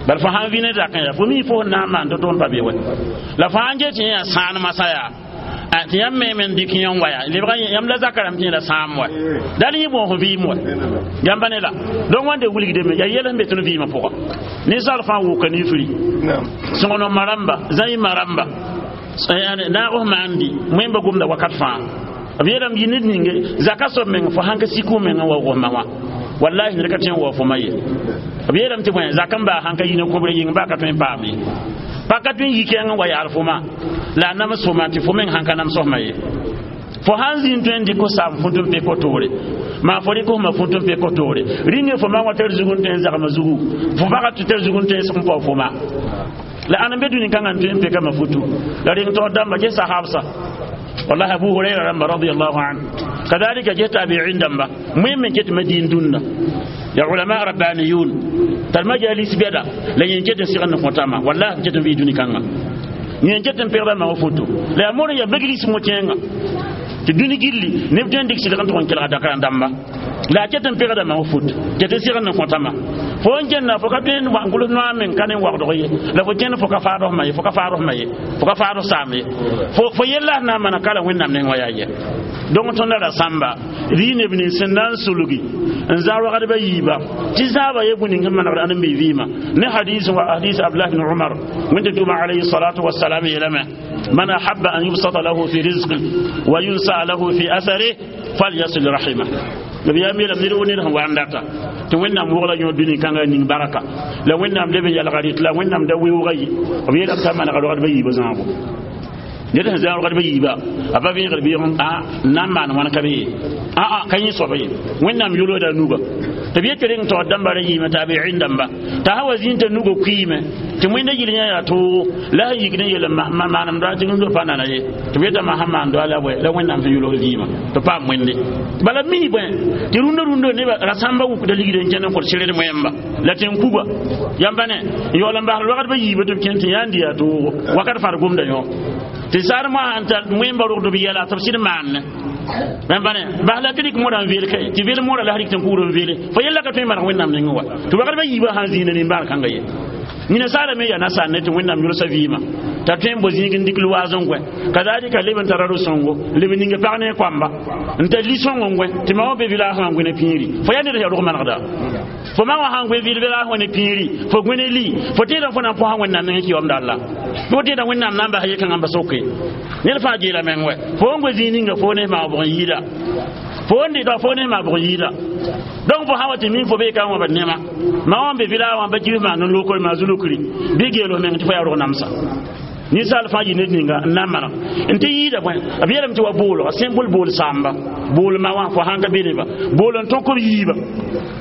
bal fo sãn vɩ ne zakẽ yaa fo mi fo sẽn na n maan tɩ tõnd pa be wa la fo sãn get tɩ yẽ yaa sãan masã yaa tɩ yãmb me n dɩk yẽ n wa yaa lebga yãmb la zaka rãmb tɩ yẽ la sãam wa dal yẽ bõos vɩɩm wa yãmba ne la donc wãnde wilgdame yaa yɛl sẽn be tõnd vɩɩmã pʋga ninsaal fãa wʋka nifri sõgenema rãmba zãɩma rãmba naag maandi wẽmba gomda wakat fãa b yeelame yɩ ned ninge zaka soab meng fo sãn ka sik meng n wa wʋsma wã wallahi ned ka tõe n wa fo ma ye b yeelame tɩ bõe zak n baa sãn ka yĩna kõbre yĩng baa ka tõe n paam ye pa ka tõe n yi kɛɛng n wa yaal fo ma la a nams fo ma tɩ fo meng sãn ka nams fma ye fo sãn zĩnd tõe n dɩk saam fũt n pek toore maa fo rɩk fma fũt n pek toore rĩnge fo ma wã tar zug n tõe n zagma zugu fo pagã tɩ tar zug n tõe n seg n pao fo ma la ãn n be dũni kãngã n tõe n pekame futu la reng taoor dãmba ges sahabsa wallahi abu huraira rãmba radiallahu anhu kadalika ges tabiin dãmba moẽ me ket madin dũnna ya ulama rabbaniyun tar majalis bɛda la yẽn ket n sɩgd n kõtama wallahi ket n vɩ dũni kãnga yẽn ket n pegda ma wa foto la yaa mor n yaa majlis mo-kẽenga tɩ dũni gilli neb tõe n dɩk sɩdg n tʋg n kelga dakra dãmba la a ket n pegda ma wa foto ket n sɩgd n kõtama fo n kẽnda fo ka tõe n gʋls noa meng ka ne wagdg ye la fo kẽnd fo ka faadsma ye fo ka faadsma ye fo ka faadg saam ye fo yella sẽn na n mana kala wẽnnaam neng wa yaa yɛ donc tõnda ra sãmba rɩ neb nins sẽn na n sulgi n zã rogdbã yiiba tɩ zãaba ye bũmb ning sẽn manegd ãdem-bi vɩɩmã ne hadis wa hadis abdullah ibn umar wẽnde tʋma alayhi salatu wasalam yeelame man ahabba an yubsata lahu fi rizqi wa yunsa lahu fi athari falyasil rahima b yaa meelame ned wo ned sẽn wa n data tɩ wẽnnaam wogla yõ dũni kãngã ning baraka la wẽnnaam leb n yalga rɩt la wẽnnaam da weooga ye b yeelame t'a manega rogdbã yiibã zãago Ned sẽn zã rogdbã yiiba a pa vẽegd bɩɩg n na n maan wãn ka be ye aa ka yẽ soaba ye. Wẽnnaam yolgda a nuga tɩ b yet reng taoor dãmba ra yiime taabiin dãmba t'a sã wa zĩig t'a nugã kuiime tɩ wẽnda yil yã yaa toogo la sẽn yik ne yel maanem doa tɩ rũndã pa nana ye tɩ b yetame sãn maan doa la bõe la Wẽnnaam sẽn yolg vɩɩmã tɩ paam wẽnde. Bala mi bõe tɩ rũndã rũndã neba rasãmba wukda ligd n kẽnd n kõt sɩrd moẽmba la tẽn kuga yãmba ne n yaool n basd wagd ba yiibã tɩ b kẽnd tɩ yã n dɩ yaa toogo wakat fãa d gomda yõ tɩ saar moasã n tar wẽmba rogd b yɛla tɩ b sɩd maanne yãmba ne bas la tɩ rɩk modã n veel kae tɩ veel modã la rɩk tɩ n kugr n veele fo yella ka tõe n maneg Wẽnnaam nengẽ wa tɩ wagd ba yiibã sãn zĩina nimbãan kãnga ye. Nina saara me yaa nasaar ne tɩ Wẽnnaam yʋlsa vɩɩmã t'a tõe n bo zĩig n dɩk loaas n gõe kazalika leb n tara ro-sõngo leb n ninga pag ne koamba n tar li-sõng n gõe tɩ ma wã be vɩlaas wã n gõe ne pĩiri fo yaa ned yaa rog manegda fo ma wã sãn gõe vɩlaas wã ne pĩiri fo gõe ne li fo tẽedã fo na n põsa Wẽnnaam nengẽ kɩ yaoomda alla fo tẽedã Wẽnnaam na n bas ye-kãngã n ba soke ned fãa geela meng wɛ fo n goe zĩig ninga fo ne maa bʋg n yɩɩda fo n dɩta fo ne maa bʋg n yɩɩda. Donc fo sã wa tɩ min fo bee ka wã ba nema ma wã n be vɩlaa wã ba kibs maan n lokr maa zulukri bɩ geelo meng tɩ fo yaa rog namsa ninsaal fãa yɩ ned ninga n na n maneg n tɩ yɩɩda bõe b yeelame tɩ wa boolga simple bool sãamba bool ma wã fo sãn ka be neba bool n tõk b yiiba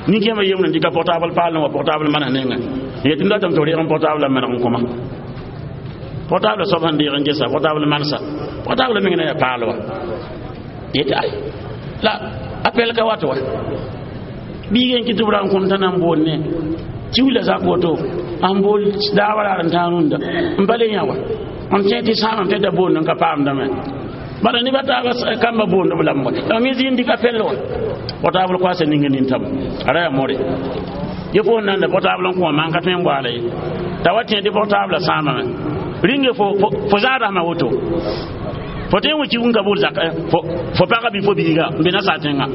nin-kẽemã yembre n dɩka portable paal n wa portable manes nengẽ n yetɩ n datame tɩ f reeg n portable n maneg n kõma portable soab sẽn deeg n gesa portable manesa portable meng na yaa paal wa yetɩ ay la appel ka wat wa biig n kɩ tɩ b ra n kõm t'a na n bool ne tɩ wila zak woto n bool daawã raar n tãag rũndã n pa le yã wa n tẽ tɩ sãamame tɩ da boond n ka paamdame bala nebã taaba kambã boond b lame wa la me zĩig n dɩk appel wa portable koasa ninga nintame a ra yaa more ye fo n nanda portable n kõ man ka tõe n goaala ye t'a wa tẽ tɩ portable sãamame rĩnge fo zãadasmã woto fo tõe n wi kɩ ka bool zak fo pagã bɩ fo biiga n be nasaar tẽngã.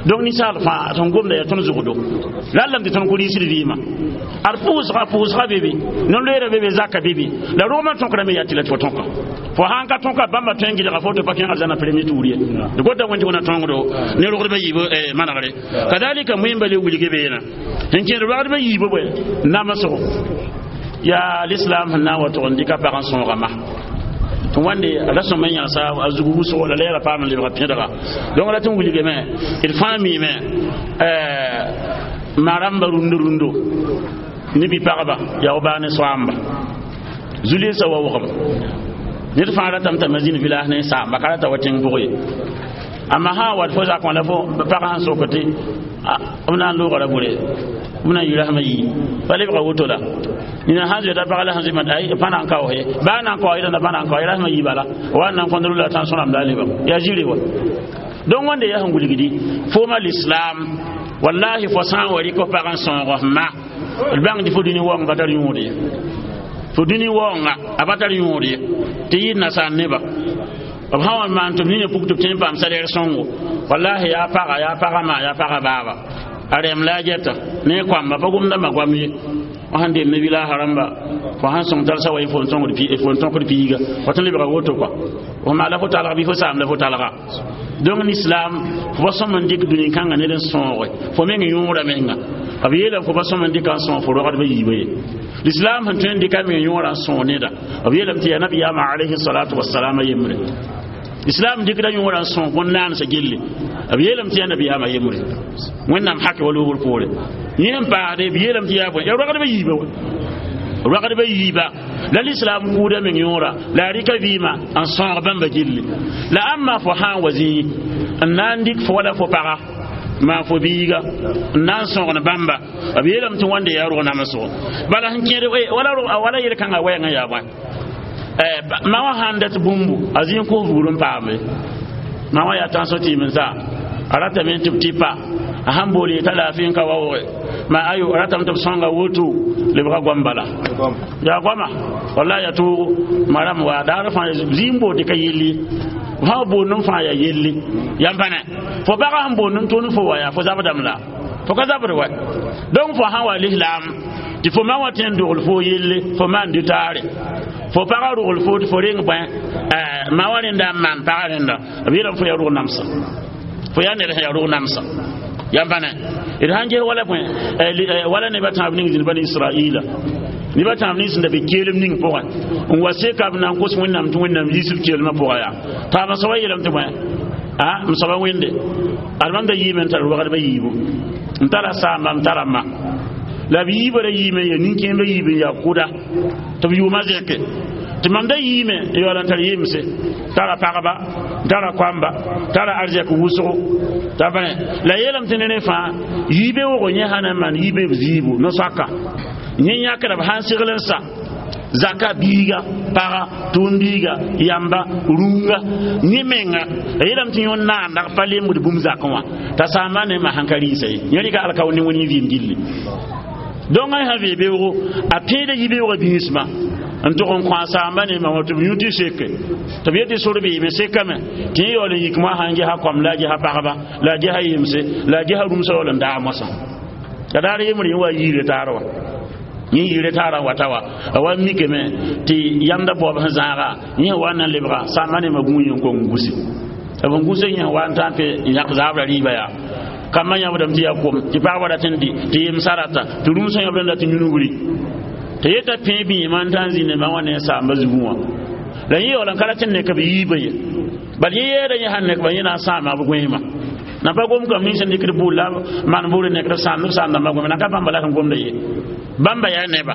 Donc ninsaal fãa sẽn gomda yaa tõnd zʋgdo rallame tɩ tõnd ku rɩɩsd vɩɩmã ad pʋʋsga pʋʋsga bebe non-loeera bebe zaka bebe la rogmã tõkrame yaa tɩ la tɩ fo tõka fo sãn ka tõka bãmba tõe n gɩdga fo tɩ pa kẽng arzãna premier tour ye d gota wẽn tɩ wẽna tõngdo ne rogdbã yiib manegre kadalika moẽmba le wilge beena sẽn kẽed rogdbã yiibã bõe namsgo yaa l'islam sẽn na n wa tʋg n dɩka pag n sõogama tɩ wãnde ra sõm n yãgsa a zug wʋsgo la la yɛla paam n lebga pẽdga. Donc ra tɩ n wilgame d fãa miime ma rãmba rũndo rũndo ne bi-pagba yaa baa ne soaamba zulensã wa wʋgem ned fãa ratame t'a zĩnd village ne saamba ka rata wa tẽng pʋgẽ ye amma sã n wat fo zakẽ la fo pag sẽn sok tɩ b na n loogã ra bʋre b na n yɩ rasmã yii pa lebga woto la nina sãn zoeta pag la sẽn zoe ay pa na n kaoos ye baa na n kao yẽda pa na n kao ye rasmã yii bala wa n na n kõnd la tã sõramda a lebam yaa zĩre wa. Donc wãnde yaa sẽn wilgdi fooma l'islam wallahi fo sã n wa rɩk f pag n sõog f ma d bãng tɩ fo dũni waoong pa tar yõod ye fo dũni waoonga a pa tar yõod ye tɩ yɩɩd nasaar neba b sã wa maan tɩ b nina puk tɩ b tõe n paam salaire sõngo wallahi yaa paga yaa pagã ma yaa pagã baaba a rɛm la a gɛta ne koamba pa gomdãmbã goam ye fo sãn dem ne village rãmba fo sãn sõng talsa wa fo n tõkd piiga fo tõe n lebga woto kɔa fo maala fo talga bɩ fo saam la fo talga. Donc l'islam fo pa sõm n dɩk dũni kãngã ned n sõoge fo meng yõora menga b yeelame fo pa sõm n dɩka n sõog fo rogdbã yiibã ye l'islam sẽn tõe n dɩka meng yõora n sõog neda b yeelame tɩ yaa nabiyaamã alayhi salatu wasalam a yembre islam dɩkda yõora n sõog bõn-naandsã gelle b yeelame tɩ yaa nabiyaamã yembre Wẽnnaam hake wa loogr poore yẽ n paasde b yeelame tɩ yaa bõe yaa rogdbã yiibã wa rogdbã yiiba la l'islam kuuda meng yõora la a rɩka vɩɩmã n sõog bãmba gilli la ãmba fo sã n wa zĩig n na n dɩk fo wala fo paga maa fo biiga n na n sõgn bãmba b yeelame tɩ wãnde yaa rog namsgo bala sẽn kẽed wala yel-kãngã wɛɛngã yaa bõe ma wã sãn dat bũmbu a zĩig kos buud n paame ma wã yaa tãnso tɩɩm n sa a ratame tɩ b tɩ pa a sãn bool yeta laafɩ n ka waooge ma ayo a ratame tɩ b sõnga woto lebga goam bala yaa goama walla yaa toogo ma rãmb wa daar fãa zĩig n bood tɩ ka yelli fãa boond n fãa yaa yelli yãmb pa ne fo pagã sẽn boond n tʋʋn fo wa yaa fo zabdame la fo ka zabd wa. Donc fo sãn wa lislaam tɩ fo ma wã tõe n dogl fo yelle fo maan dɩ taare fo pagã rogl fo tɩ fo reng bõe ma wã rẽnda n maan pagã rẽnda b yeelame fo yaa rog namsã fo yaa ned sẽn yaa rog namsã yãmb pa ne d sãn ges wala bõe wala nebã tãab ning zĩnd bani israila Neba tãab nins sẽn da be keelem ning pʋgẽ n wa seka b na n kos Wẽnnaam tɩ Wẽnnaam yiis b keelmã pʋga yaa taab n soaba yeelame tɩ bõe a m soaba wẽnde ad mam da yiime n tar rogdbã yiibu n tara saamba n tara ma la b yiibã ra yiime ya nin-kẽembã yiib n yaa kʋda tɩ b yʋʋmã zẽke tɩ mam da yiime n yaool n tar yemse tara pagba tara koamba tara arzɛk wʋsgo t'a bãe la yeelame tɩ ne rẽ fãa yiibe wʋgo yẽ sã na n maan yiibe b ziibu no-soaka yẽ yãkra b sãn segl n sa zaka biiga paga tʋʋm-biiga yamba rũnga yẽ menga a yeelame tɩ yõ naandag pa lembd bũmb zakẽ wã t'a saamba ne ma sãn ka rɩɩsa ye yẽ rɩka alkao ne wẽnd vɩɩm gilli donc a sã vee beoogo a tẽeda yibeoogã bĩismã n tʋg n kõ a saamba ne ma wã tɩ b yũ tɩ seke tɩ b yetɩ sor beeme sekame tɩ yẽ yaool n yik moa sã n gesa kom la a gesa pagba la a gesa yemse la a gesa rũmsã yaool n daag moasã la daar yembre yẽ wa yiire taar wã yẽ yiire taarã wata wa a wa mikame tɩ yamda baoob sẽn zãaga yẽ wa n na n lebga saamba ne ma gũu yẽ n kong gũse b n gũse yẽ wa n tã n pe n yãk zaabra rɩɩba yaa kambã yãbdame tɩ yaa kom tɩ pagba rat n dɩ tɩ yemsã rata tɩ rũmsã yãbdame rat n yũnugri tɩ yeta pẽe bĩimã n tã n zĩnde ma wã ne saamba zugẽ wã la yẽ yaool n ka rat n nek b yiibã ye bal yẽ yeeda yẽ sãn nek ba yẽ na n sãama b gõeemã na pa gom kam nins n dɩkd bʋʋl la maan buud n nekd b sãamdãmbã gõeme na ka bãmba la sẽn gomda ye bãmba yaa neba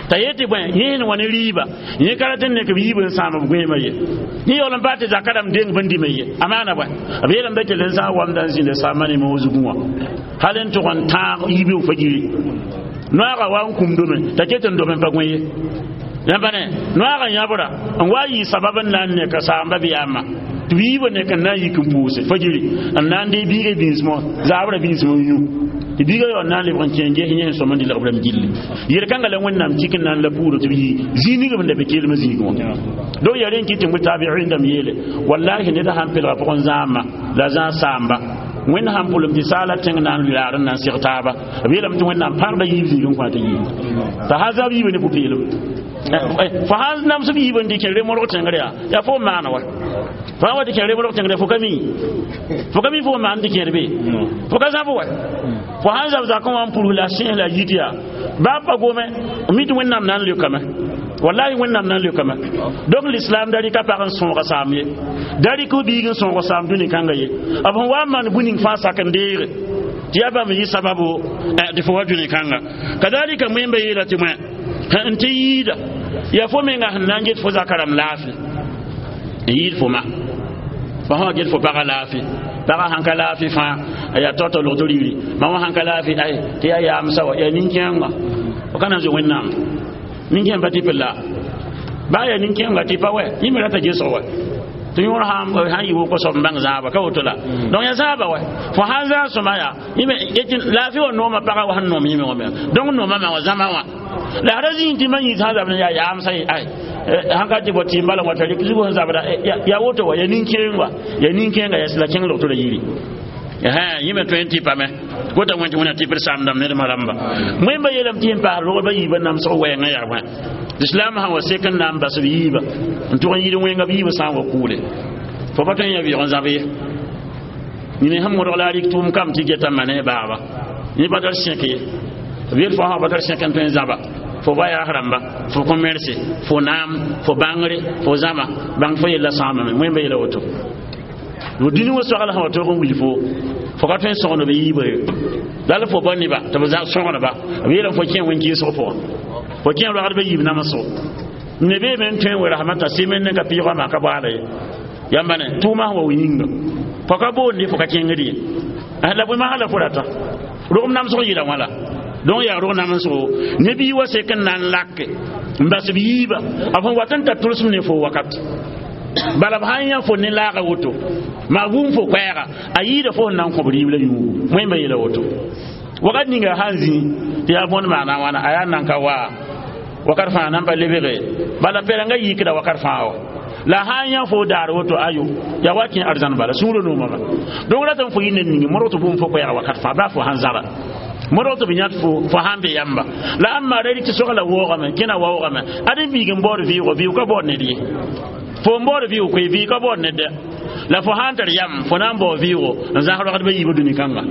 t'a yetɩ bõe yẽ sẽn wa ne rɩɩba yẽ ka rat n nek b yiib n sãam b gõeemã ye yẽ yaool n paa tɩ zaka rãmb deng bõn dĩmã ye a maana bõe b yeelame da kell n zãag wamda n zĩnda saambã ne moog zugẽ wã hal n tʋg n tãag yiib fa giri noaga wa n kũmdome t'a ket n dome n pa gõe ye yãmba ne noaga yãbra n wa yɩ sabab n na n neka saamba bɩ yaama tɩ b yiibã nek n na n yik n pʋʋse fajiri n na n dee biigã bĩismã zaabra bĩismã n yũ tɩ biigã yaool na n lebg n kẽ n ges yẽ sẽn sõm n dɩlg b rãmb gilli yel-kãngã la Wẽnnaam tik n na n la puuro tɩ b yɩ zĩig ning b da be keelmã zĩigẽ wã donc yaa rẽ n kɩt tɩ tabiin dãmb yeele wallahi ned sãn pelga pʋgẽ zãama la zãag saamba Wẽnd sãn pʋlem tɩ saala tẽng na n laar n na n seg taaba b yeelame tɩ Wẽnnaam pãgda yiib zĩig n kõ tɩ yiib t'a sã zab yiibã ne pʋ-peelem fo sãn nams b yiib n dɩ kẽ remorg tẽngr yaa yaa fo n maana wa fo sã wa tɩ kẽ remorg tẽngr fo ka mi fo ka mi fo n maan tɩ kẽer be fo ka zãb wa fo sãn zab zakẽ wã n pʋrs la sẽs la yit yaa baa pa gome mi tɩ Wẽnnaam na n leokame wallahi Wẽnnaam na n leokame donc l'islam da rɩka pag n sõoga saam ye da rɩk b biig n sõoga saam dũni kãnga ye b sẽn wa n maan bũ-ning fãa sak n deege tɩ yaa bãmb yɩ sababu tɩ fo wa dũni kãnga kadalika wẽmba yeela tɩ bõe n tɩ yiida yaa fo menga sẽn na n get fo zaka rãmb laafɩ n yɩɩd fo ma fo sã wa get fo pagã laafɩ pagã sãn ka laafɩ fãa a yaa tao-tao logd rɩɩre mam wã sãn ka laafɩ ay tɩ yaa yaamsa wa yaa nin-kẽengã fo ka na n zoe Wẽnnaam nin-kẽem pa tɩ la baa yaa nin-kẽengã tɩ pa wɛ yẽ me rata gesg wa tɩ yõor sãn yɩ woko soab n bãng zãaba ka woto la donc yaa zãaba wɛ fo sãn zãag sõma yaa yẽ laafɩ wa noomã pagã wa sẽn noom yẽme wã me donc noomã ma wã zãma wã la ra zĩig tɩ ma yĩs sãn zabd yaa yaamsa ye ay sãn ka tɩ bɔ tɩɩm bala wã t'a rɩk zug sẽn zabda yaa woto wa yaa nin-kẽeng wa yaa nin-kẽenga yaa la kẽng log tɩ ra yiri yẽ me tõe n tɩ pame kota wẽn tɩ wẽna tɩ b saamdãmb nedmã rãmba wẽmba yeelame tɩ yẽn paas rogdbã yiibã namsg wɛɛngã yaa bõe l'islam sãn wa sek n na n bas b yiibã n tʋg n yid wẽnga b yiibã sã n wa kʋʋle fo pa tõe n yã vɩʋg n zãb ye nine sẽn modg la a rɩk tʋʋm kam tɩ geta ma ne baaba yẽ pa tar sẽk ye b yel fo sã pa tar sẽk n tõe n zãba fo ba yaas rãmba fo kõ merse fo naam fo bãngre fo zãma bãng fo yella sãamame wẽmba yeela woto dũni wã soagl sã wa toog n wil fo fo ka tõe n sõgd b yiibã ye la fo pa neba tɩ b sõgdba b yeelame fo kẽ wẽn-kɩɩsg pʋgã fo kẽ rogdbã yiib namsgo ne beeme n tõe n we-rasmã t'a sɩmen ne ka pɩɩgã maa ka baala ye yãmba ne tʋʋmã sẽn wa wi yĩnga fo ka boonde fo ka kẽngd ye la bõe masã la fo rata rogem namsg yɩla wã la donc yaa rog namsgo ne bii wa sek n na n lake n bas b yiiba b sẽn wat n tar tʋlsem ne fo wakat bala b sãn yã fo ne laaga woto maa wum fo koɛɛga a yɩɩda fo sẽn na n kõ b rɩɩb la yũugu wẽmba yeela woto wakat ninga sãn zĩ tɩ yaa bõnd maana wãna a yaa nan ka waa wakat fãa nan pa lebge bala pɛrengã yikda wakat fãa wa la sãn yã fo daar woto ayo yaa wa kẽ arzãn bala sũurã noomame donc ratame fo yɩ ned ninge modg tɩ bũmb fo koɛɛga wakat fãa baa fo sãn zãba modg tɩ b yãt fo fo sãn be yãmba la ãmba ra rɩk tɩ sogla woogame kẽna waoogame ad n biig n baood vɩʋʋgo vɩʋʋg ka baood ned ye fo n baood vɩʋʋg koe vɩɩg ka baood ned dɛ La fo sãn tar yam fo na n bao vɩʋʋgo n zãs rogdbã yiibã dũni kãnga.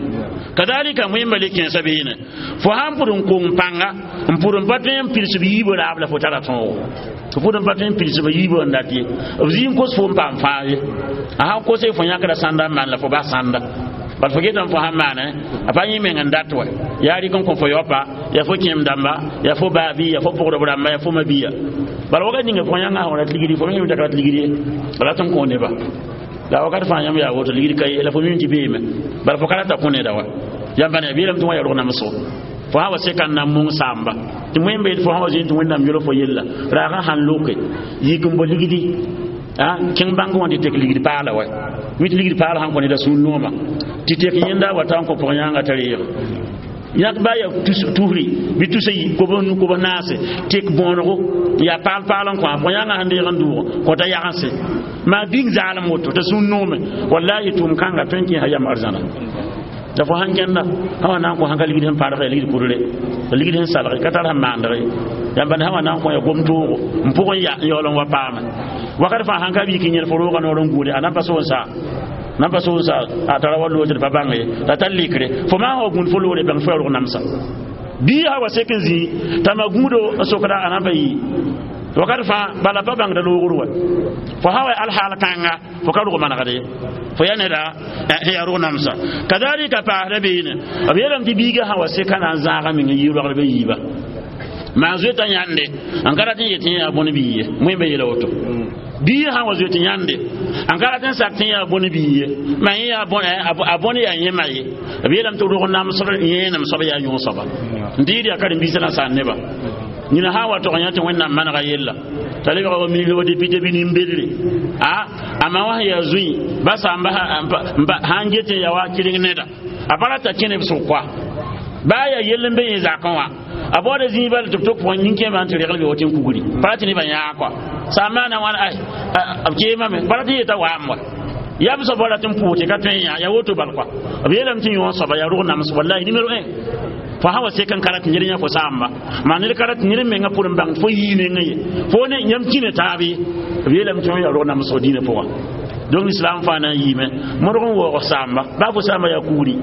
Kadalika wẽmba le kẽesã beene fo sãn pʋd n kong pãnga n pʋd n pa tõe n pids b yiibã raab la fo tara tõogo fo pʋd n pa tõe n pids b yiibã n dat ye b zĩ n kos fo n paam fãa ye a sãn kose fo yãkra sãnda n maan la fo bas sãnda bal fo getame fo sãn maane a pa yẽ meng n dat wa yaa rɩk n kõ fo yaopa yaa fo kẽem dãmba yaa fo baabi yaa fo pʋgdb rãmba yaa fo mabia bala wakat ninga fo yãnga sã rat ligdi fo me yĩm t'a rat ligd ye bala tɩ n kõ neba la wakat fãa yãmb yaa woto ligd ka ye la fo mim tɩ beeme bala fo ka rata kõ neda wa yãmb ne beelame tɩ wã yaa rog namsgo fo sã wa seka n na n mong saamba tɩ wẽn beel fo sã wa zoe tɩ wẽnnaam yol fo yella raagã sãn loke yik n bo ligdi kẽng bãng wã tɩ tek ligd paala wa mi tɩ ligd paala sãn kõ neda sũur nooma tɩ tek yẽnda wa ta n kõ pʋg yãnga t'a reeg yãk ba ya tusri bɩ tusa kob naase tek bõonego n yaa paal paal n kõ a pʋg yãnga sẽn deeg n dʋʋg kõ t'a yagense maa bĩng zaalem woto t'a sũur noome wallahi tʋʋm kãnga tõe n kẽesa yam arzãna la fo sãn kẽnda sã wa na n kõ sãn ka ligd sẽn paadg ya ligd kʋdre la ligd sẽn salge ka tar sẽn maandg ye yãmb sã wa na n kõ ya gom toogo n pʋgẽ ya n yaool n wa paame wakat fãa sãn ka yik n yẽl fo roogã noor n guude a na n pa so n saa nan pa so sa a tara wa loore pa bãng ye la tar likre fo maan wa gũud fo loore bãng fo ya rog namsa bii ha wa sek n zĩ t'a ma gũudo n sokda a nan pa yi wakat fãa bala pa bãngda loogr wa fo sã wa alhaal kãnga fo ka rog manegd ye fo ya neda sẽn yaa rog namsa kadalika paasda beene b yeelame tɩ biigã sã wa seka na n zãaga meng n yi rogdbã yiiba maan zoeta yãnde n ka rat n yet tɩ yẽ yaa bõn bii ye wẽmba yeela woto bii sã wa zoet yãnde n ka rat n sak tɩ yaa bõn bii ye ma yẽ yaa a bõn yaa yẽma ye b yeelame tɩ rog namsg yẽenem soab yaa yõ soaba n dɩɩd yaa karen-biisã na saan neba yĩna sã n wa tog yã tɩ wẽnnaam manega yella t'a lebga wa ministre wa député bɩ nin-bedre a a ma wã sẽn yaa zũi ba sãamba sãn get n ya wa kɩreng neda a pa rata kẽne b sʋk koa baa yaa yell n be yẽ zakẽ wã a baooda zĩig bal tɩ b tok pʋgẽ nin-kẽemã n tɩ regl be woto n kugri pa rat tɩ nebã yãag koa sã n maana wãn ay b keemame pa rat n yeta waam wa yam soaba rat n pʋʋs tɩ ka tõe n yã yaa woto bal koa b yeelame tɩ yõ soaba yaa rog nams wallahi numéro 1 fo sã wa sek n ka rat ned yã fo sãamba maa ned ka rat ned menga pʋr n bãng fo yii nengẽ ye fo ne yãmb kĩne taab ye b yeelame tɩ yaa rog namsg dĩinã pʋgã donc l'islam fãa na n yiime modg n waoog saamba baa fo saamba yaa kugri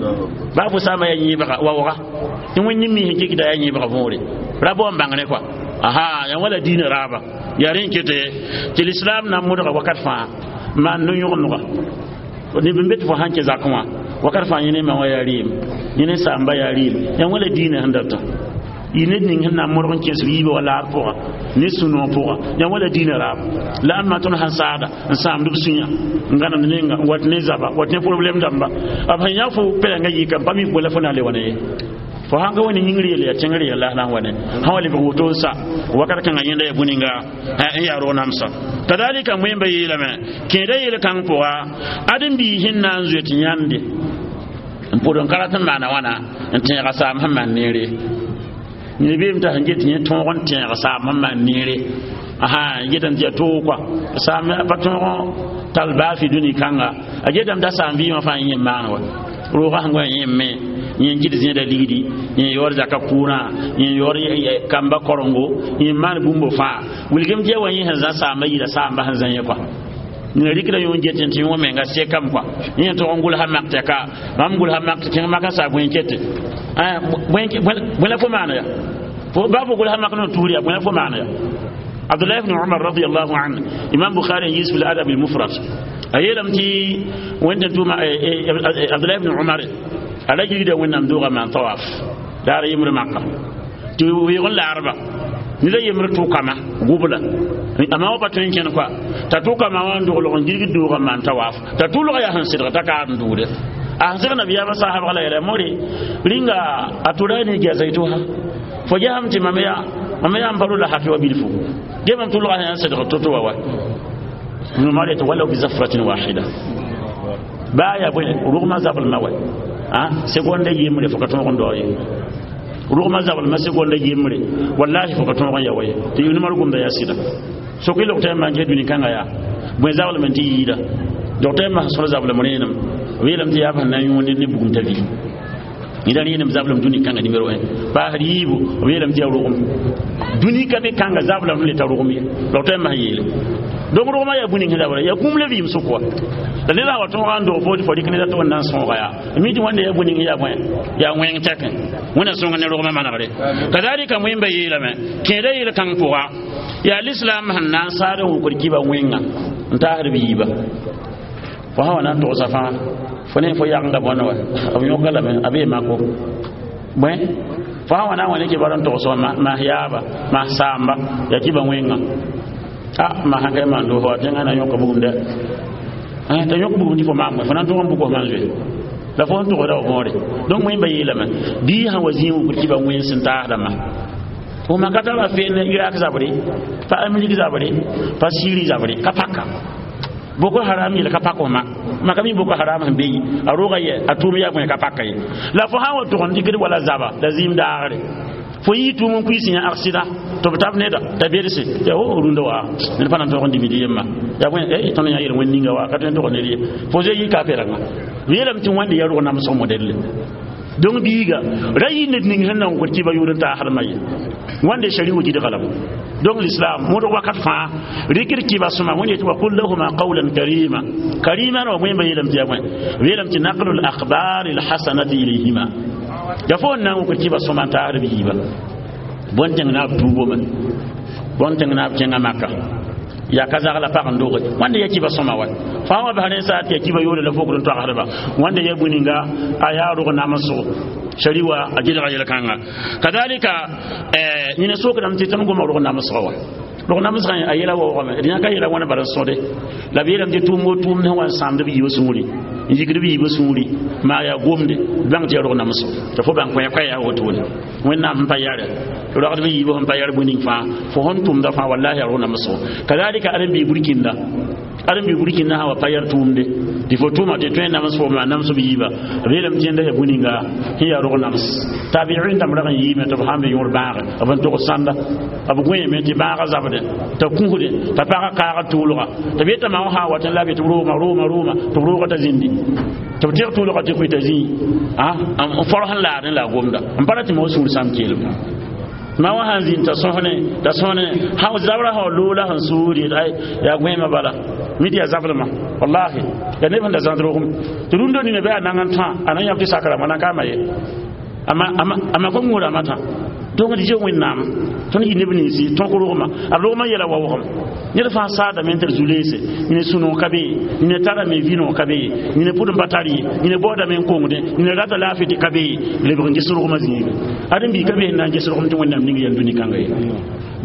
baa fo saamba yaa yẽebga waooga tɩ wẽnd mi sẽn kɩkda yaa yẽebga võore ra bao n bãng ne koa aha yaa wala diinã raaba yaa rẽ n kete tɩ l'islam na n modga wakat fãa maan no-yõgenega neb n be tɩ fo sãn kẽ zakẽ wã wakat fãa yẽ ne ma wã yaa rɩɩm yẽ ne saamba yaa rɩɩm yaa wala diinã sẽn data y ned ning sẽn na n modg n kẽes b yiibã wa laar pʋga ne sũ-noog pʋga yaa wala diinã raab la ãmb maa tõnd sãn saada n sãamd b sũyã n gãnemd nenga n wat ne zaba wat ne problɛm dãmba b sẽn yã fo pɛlengã yika n pa mi bõe la fo na n le wa ne ye fo sãn ka wa ne yĩngr yelle yaa tẽngr yella la sã n wa ne sã wa lebg woto n sa wakat kãngã yẽnda yaa bũninga n yaa rog namsa kadalika wẽmba yeelame kẽeda yel-kãng pʋga ãdem-biis sẽn na n zoet yãnde n pʋd n ka rat n maana wãna n tẽega saam sẽn maan neere ned beem t'a sẽn get yẽ tõog n tẽeg saam sẽn maan neere asa getame tɩ yaa toog kɔa saam pa tõog tall baa fɩ dũni kãnga a getame t'a saam vɩɩmã fãa yẽ maan wa roogã sẽn wa yẽ me yẽ kɩt zẽeda ligdi yẽ yaood zaka kʋʋrã yẽ yaood kamba korengo yẽ maan bũmb fãa wilgem tɩ ya wa yẽ sẽn zã saamba yira saamba sẽn zã yẽ kɔa nina rikda yõ get tɩ yõ menga sekame kɔa yẽ tog n gʋlsa mak tɩ ka mam gʋlsa mak tɩ kẽng maka saa bõe kete bõe la fo maana ya baa fo gʋlsa mak n tuur yaa bõe la fo maana ya Abdullah ibn Umar radiyallahu anhu Imam Bukhari yis fil adab al mufrad a yeelame tɩ wẽnd tʋʋma Abdullah ibn Umar a ra gilgda wẽnnaam doogã maan tawaf daara yembr maka tɩ weeg n laarba ned a yembr tʋkama gʋbla a ma wa pa tõe n kẽn koa t'a tʋkama wã n doglg n gilgd doogã maan tawaf t'a tʋlga yaa sẽn sɩdg t'a kaad n dʋʋde a sẽn seg nabiyaamã saasbg la yeela more rĩnga a tʋra ne gɛsay-tosa fo gesame tɩ mam yaa n pa ro la hafe wa bilfu ge mam tʋlga sẽn yaa n sɩdg to-to wa wa Umar yetɩ walaw bi zafratin wahida baa yaa bõe rʋgmã zablmã wa segonda yembre fo ka tõog n dao ye rʋgmã zablmã segonda yembre wallahi fo ka tõog n ya wa ye tɩ Ibn Umar gomda yaa sɩda soke logtã maan kẽ dũni kãngã yaa bõe zablm tɩ yiida docteur ma sẽn zablem rẽenem b yeelame tɩ yaa b sẽn na n yõo ned ne bugum t'a vi Nida rẽenem zablem dũni kãnga nimero 1 paasd yiibu b yeelame tɩ yaa rogem dũni ka be kãnga zablem le ta rogem ye la b tõe n mas yeele donc rogmã yaa bũni sẽn zabra yaa kũum la vɩɩm sʋk wa la ned sã wa tõoga n dog fo tɩ fo rɩk neda tɩ wẽnd na n sõoga yaa mi tɩ wãnda yaa bũni yaa bõe yaa wẽng tɛkẽ wẽnna sõnga ne rogmã manegre kazalika wẽmba yeelame kẽeda yel kãng pʋga yaa lislaam sẽn na n saad n wʋkd kiba wẽnga n taasd b yiiba fo sã wa na n togsa fãa fo ne fo yagenga bõnd wa b yõka lame a bee mako bõe fo sã wa na n wa ne kibar n togs wa mas yaaba mas saamba yaa kiba wẽnga a ma sãn ka maan doos wa tẽngã na yõka bugum dɛ t'a yõk bugum tɩ fo maam fo na n tõg n bʋk f maan zoe la fo n togsda f võore donc wẽmba yeelame bii sã wa zĩig wʋkd kiba wẽns sẽn taasdãmba fo ma ka tara fe ne Irak zabre pa Amerique zabre pa Syrie zabre ka paka Boko Haram yel ka pako ma ma ka mi Boko Haram sẽn be yi a roga yɛ a tʋʋm yaa bõe ka paka ye la fo sã n wa tʋg n dɩkd wala zaba la zĩim daagre fo yɩ tʋʋm n kuiis yã accident tɩ b tab neda t'a bedse tɩ o rũndã wa ned pa na n tog n dimd yemma yaa bõe tõnd yã yel wẽnd ninga wa ka tõe n tog ned ye fo zoe yɩ ka perengã b yeelame tɩ wãnde yaa rog namsg modɛlle donc biiga ra yɩ ned ning sẽn na n kõ tɩ ba yʋʋr n taasdmã ye wãnde shari wa gɩdga lame donc l'islam mõdg wakat fãa rɩkd kɩba sõma wẽnd yetɩ wa qul lahuma qawlan karima karima wa wẽmba yeelame tɩ yaa bõe b yeelame tɩ naqlu l akhbar lhasanati ilayhima ya fo n na n wʋkd kɩba sõma n taasd b yiiba bõn tẽng naab tuubome bõn tẽng naab kẽngã maka yaa ka zagla pag n doge wãnda ya kiba sõma wa fãa wa bas rẽn sa tɩ ya kiba yoore la fokd n toagsdba wãnda ya bũninga a yaa rog namsgo shari wa a gɩdga yel-kãnga kadalika yẽne sokdame tɩ tõnd goma rog namsga wa rog namsgã a yɛla waoogame d yã ka yɛla wãna bara n sõde la b yeelame tɩ tʋʋm o tʋʋm sẽn wa n sãamd b yiibã sũuri n yikd b yiibã sũuri maa yaa gomde bãng tɩ yaa rog namsgo tɩ fo bãng koɛ koɛɛ yaa wotone wẽnnaam sẽn pa yare rogd b yiibã sẽn pa yar bũning fãa fo sẽn tʋmda fãa wallahi yaa rog namsgo kadalika ãdem-biig burkinda ãdem-biig burkinda sã wa pa yar tʋʋmde tɩ fo tʋʋma tɩ tõe n nams fo maa nams b yiiba b yeelame tɩ yẽnda yaa bũninga sẽn yaa rog nams tabiin dãmb rag n yiime tɩ b sãn be yõor bãage b n togs sãnda b gõeeme tɩ bãaga zabde t'a kũsde t'a pagã kaaga tʋʋlga tɩ b yeta maa sã n wat n la b yetɩ b roogma roogma roogma tɩ b rooga t'a zĩndi tɩ b tɩg tʋʋlga tɩ koe t'a zĩi n forg n laadẽ la a gomda n pa ra tɩ ma wa sũur sãam keelem ma wa sãn zĩnd t'a sõsne t'a sõsne zabra sã wa loola sẽn suur yet ay yaa gõeemã bala mi tɩ yaa zablmã wallahi yaa neb sẽn da zãd rogem tɩ rũndã nina bɩ a nang n tã a na yãb tɩ sakrame a na kaama ye ama kom wʋrama tã donc d yɛ wẽnnaam tõnd yɩ neb ninsi tõk rogmã a rogmã yɛla waoogem ned fãa saadame n tɩ d zu-leese nina sũ-noog ka be ye nina tarame vĩ-noog ka be ye nina pʋd n pa tar ye nina baoodame n kongdẽ nina rata laafɩ tɩ ka be ye lebg n ges rogmã zĩige ãdem-bii ka be sẽn na n ges rogem tɩ wẽnnaam ning yɛl dũni kãnga ye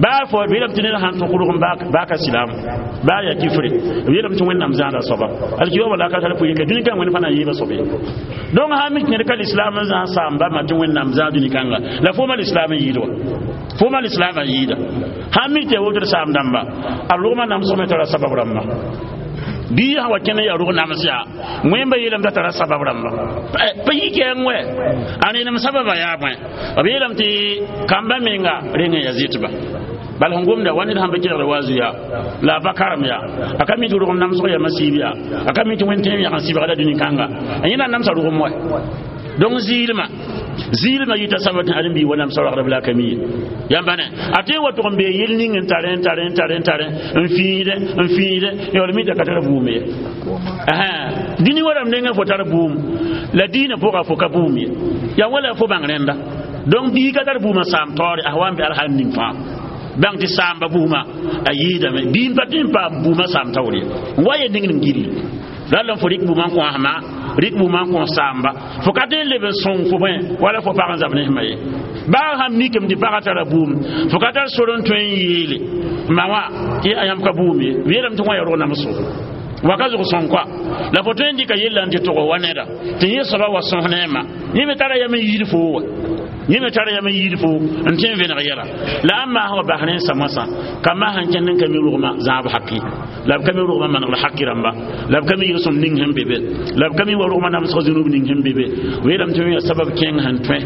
baa fo b yeelame tɩ ned sãn tõk rogem baa ka silaam baa yaa kifre b yeelame tɩ wẽnnaam zãada soaba alkiyoaba la ka tar pʋɩ ka dũni kãng wẽnd fãa na n yeeba soab ye donc sã mik ned ka lislaam n zãag saamba ma tɩ wẽnnaam zãag dũni kãnga la fo ma lislaam n yɩɩd wa fo ma lislaam n yɩɩda sãn mik tɩ ya wotr saam dãmba a rogmã namsgme tara sabab rãmba bii sã wa kẽn n yaa rog nams yaa wẽmba yeelame t'a tara sabab rãmba pa yik yɛng wɛ a rẽnem sababa yaa bõe b yeelame tɩ kamba menga reng n ya zɩtba bala sẽn gomda wa ned sãn pa kelgd wa zu yaa la a pa karem yaa a ka mi tɩ rogem namsg yama siib yaa a ka mi tɩ wẽnd tẽem yag n sɩbga la dũni kãnga a yẽ na n namsa rogem wa donc zɩɩlmã zɩɩlmã yita sabab tɩ ãdem-biig wa namsa ragdb la a ka mi ye yãmba ne a tõe n wa tʋg n bee yel ning n tare n tare n tare n tare n fĩidẽ n fĩidẽ yaool mi t'a ka tar bʋʋm ye dĩni wa rãmb nengã fo tar bʋʋm la diinã pʋga fo ka bʋʋm ye yaa wala fo bãng rẽnda donc bii ka tar bʋʋmã saam taoore a wa n be alhal ning fãa bãng tɩ saamba bʋʋmã a yɩɩdame bii n pa tɩ n paam bʋʋmã saam taoor ye n wa ye ning ning gilli rall n fo rɩk bʋʋmã n kõsma rɩk bʋʋmã n kõ saamba fo ka tõe n leb n sõng fo bõe wala fo pag n zab ne sẽma ye baa sãn mikame tɩ pagã tara bʋʋm fo ka tar sor n tõe n yeele ma wã tɩ a yãmb ka bʋʋm ye b yeelame tɩ wã ya rog namsgo waka zʋg sõng koa la fo tõe n dɩka yella n tɩ tʋg wa neda tɩ yẽ soaba wa sõs ne ma yẽ me tara yam n yiid foo wa yẽ me tara yam n yiid fo n tõe n vẽneg yɛla la a maas wa bas rẽnsã moasã ka maas n kẽnd n ka mi rogmã zãab haki la b ka mi rogmã manegl haki rãmba la b ka mi yel-sõm ning sẽn be be la b ka mi wa rogmã namsg zũnub ning sẽn be be b yeelame tɩ yaa sabab kẽng sẽn tõe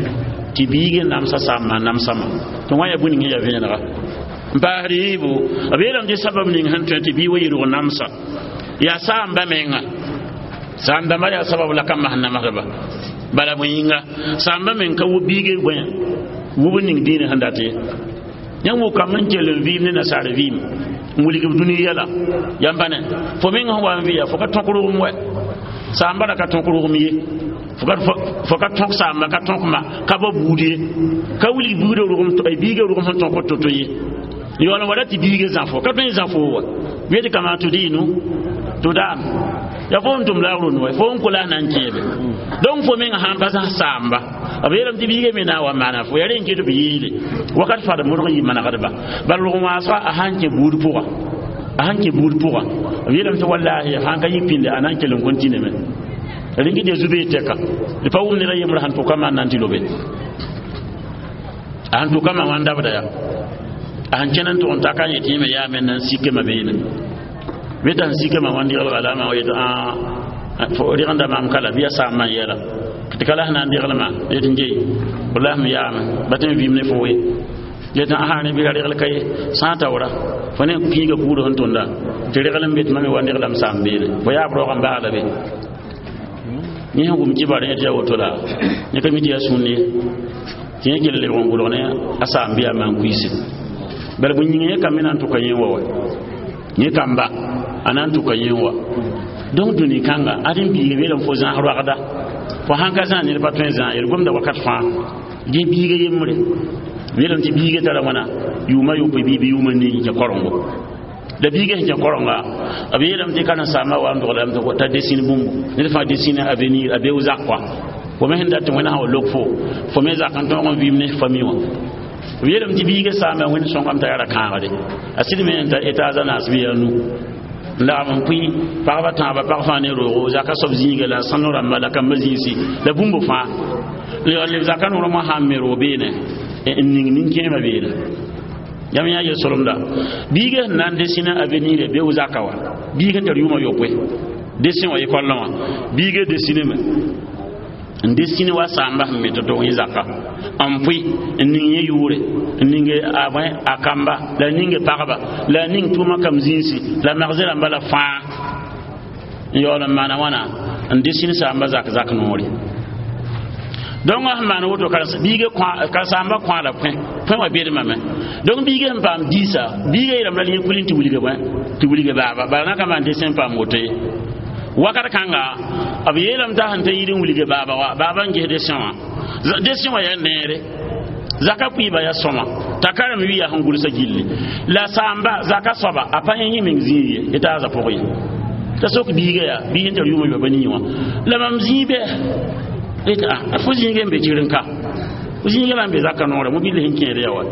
tɩ biig n namsa saambã namsama tɩ wã yaa bũni sẽn yaa vẽenega n paasd yiibu b yeelame tɩ sabab ning sẽn tõe tɩ bii wa yɩ rog namsa yaa saamba menga saam dãmba yaa sabab la ka mas namsdba Bala bõe yĩnga sãambã meng ka wʋ biige bõe wʋb n ning dĩinã sẽn dat ye. Yãmb wʋ kamb n kell n vɩɩm ne nasaar vɩɩm n wilg b dũni yɛla yãmb pa ne fo meng sẽn wa n vɩya fo ka tõk rʋgem wɛ sãambã ra ka tõk rʋgem ye fo ka tõk sãamba ka tõk ma ka ba buud ye ka wilg buudã rʋgem biigã rʋgem sẽn tõk to-to ye yaool n wa ra tɩ biigã zãfo ka tõe n zãfo wa wet kama tɩ dɩɩnu tɩ daan ya fo n tʋm la rũnd wa fo n kola na n kẽebe donc fo meng sãn pa zãs saamba b yeelame tɩ biigã me na n wa maana fo ya rẽ n ket b yeele wakat fad modg n yɩ manegdba bala rog wãasga a sãn kẽ buud pʋga a sãn kẽ buud pʋga b yeelame tɩ wallahi sãn ka yik pĩnde a na n kell n continue rẽng de zubee tɛka d pa wʋm ned a yembr sãn tʋka maan na n tɩ lobe a sãn tʋka ma wã n dabda ya a sẽn kẽn n tʋg n ta ka n yetɩ yẽme yaa me na n sikema beene beta sẽn sikema wã n dɩgelga la a yetɩ rɩgenda maam kala bɩ ya saambã n yɛla tɩ ka la sẽn na n degelma yetɩ n gei wallahi m yaame ba tɩ m vɩɩm ne fo ye yetɩ asa ne bɩ ra regl ka ye sã n taoora fo ne kĩiga kuudg sẽn tʋnda tɩ regl n be tɩ mam me wa n reglame saam beene fo yaab raoog n baagla be yẽ sẽn wʋm kibar yẽ tɩ yaa woto la yẽ ka mi tɩ yaa sũnd ye tɩ yẽ kell lebg n gʋlg ne a saam bɩ yaa maan-kuiisi bala bõe yĩnga yẽ kamb me na n tʋka yẽ wa wa yẽ kamba a na n tʋka yẽ wa donc dũni kãnga ad n biiga beelame fo zãas roagda fo sãn ka zãas ned pa tõe n zãas ye d gomda wakat fãa gẽ biiga yembre beelame tɩ biiga tara wãna yʋʋma yopoe bɩ bɩ yʋʋma nii kẽ korengo la biiga sẽn kẽ korenga b yeelame tɩ karen-saambã wa n doglame t'a desine bũmbu ned fãa desine avenir a beo zak kɔa fo me sẽn dat tɩ wẽna sã wa lok fo fo me zak n tõog n vɩɩm ne fami wã b yeelame tɩ biiga saamba wẽnd sõngame t'a yaa ra kãagre a sɩd me n ta étage a naas bɩ yaa nu n lagm n pʋɩ pagba tãabã pag fãa ne roogo zaka soab zĩiga la sãno rãmba la kambã zĩisi la bũmb fãa leb zaka noormã sãn me roog beene n ning nin-kẽemã beene yãmb yã yel-solemda biiga sẽn na n desine avenir beo zaka wa biig n tar yʋʋmã yopoe dessin wã école wã biiga desineme n desine wa sãamba sẽn me tɩ tog yẽ zaka n pʋɩ n ning yẽ yʋʋre n ninge a bõe a kamba la ninge pagba la ning tʋʋma kam zĩisi la magze rãmba la fãa n yaool n maana wãna n desine sãamba zak zak noore donc sẽn maan woto biiga karen-saamba kõa la pʋẽ pʋẽ wã bedmame donc biiga sẽn paam diisa biiga yeelame la yẽ kulẽ tɩ wilga bõe tɩ wilga baaba bala na ka maan dessin paam woto ye wakat kãnga b yeelame t'a sẽn ta yir n wilga baaba wa baaba n ges dessin wã dessin wã yaa neere zaka pʋɩɩba yaa sõma t'a karem wɩya sẽn gʋlsa gilli la sãamba zaka soaba a pa yẽ yẽ meng zĩig ye yetaaza pʋg ye t'a sok biiga yaa biig n tar yʋʋmã yoaba nii wã la mam zĩig bɩ yetɩ a fo zĩiga n be tɩrẽ-ka fo zĩiga la n be zaka noorã mobil sẽn kẽed yaa wa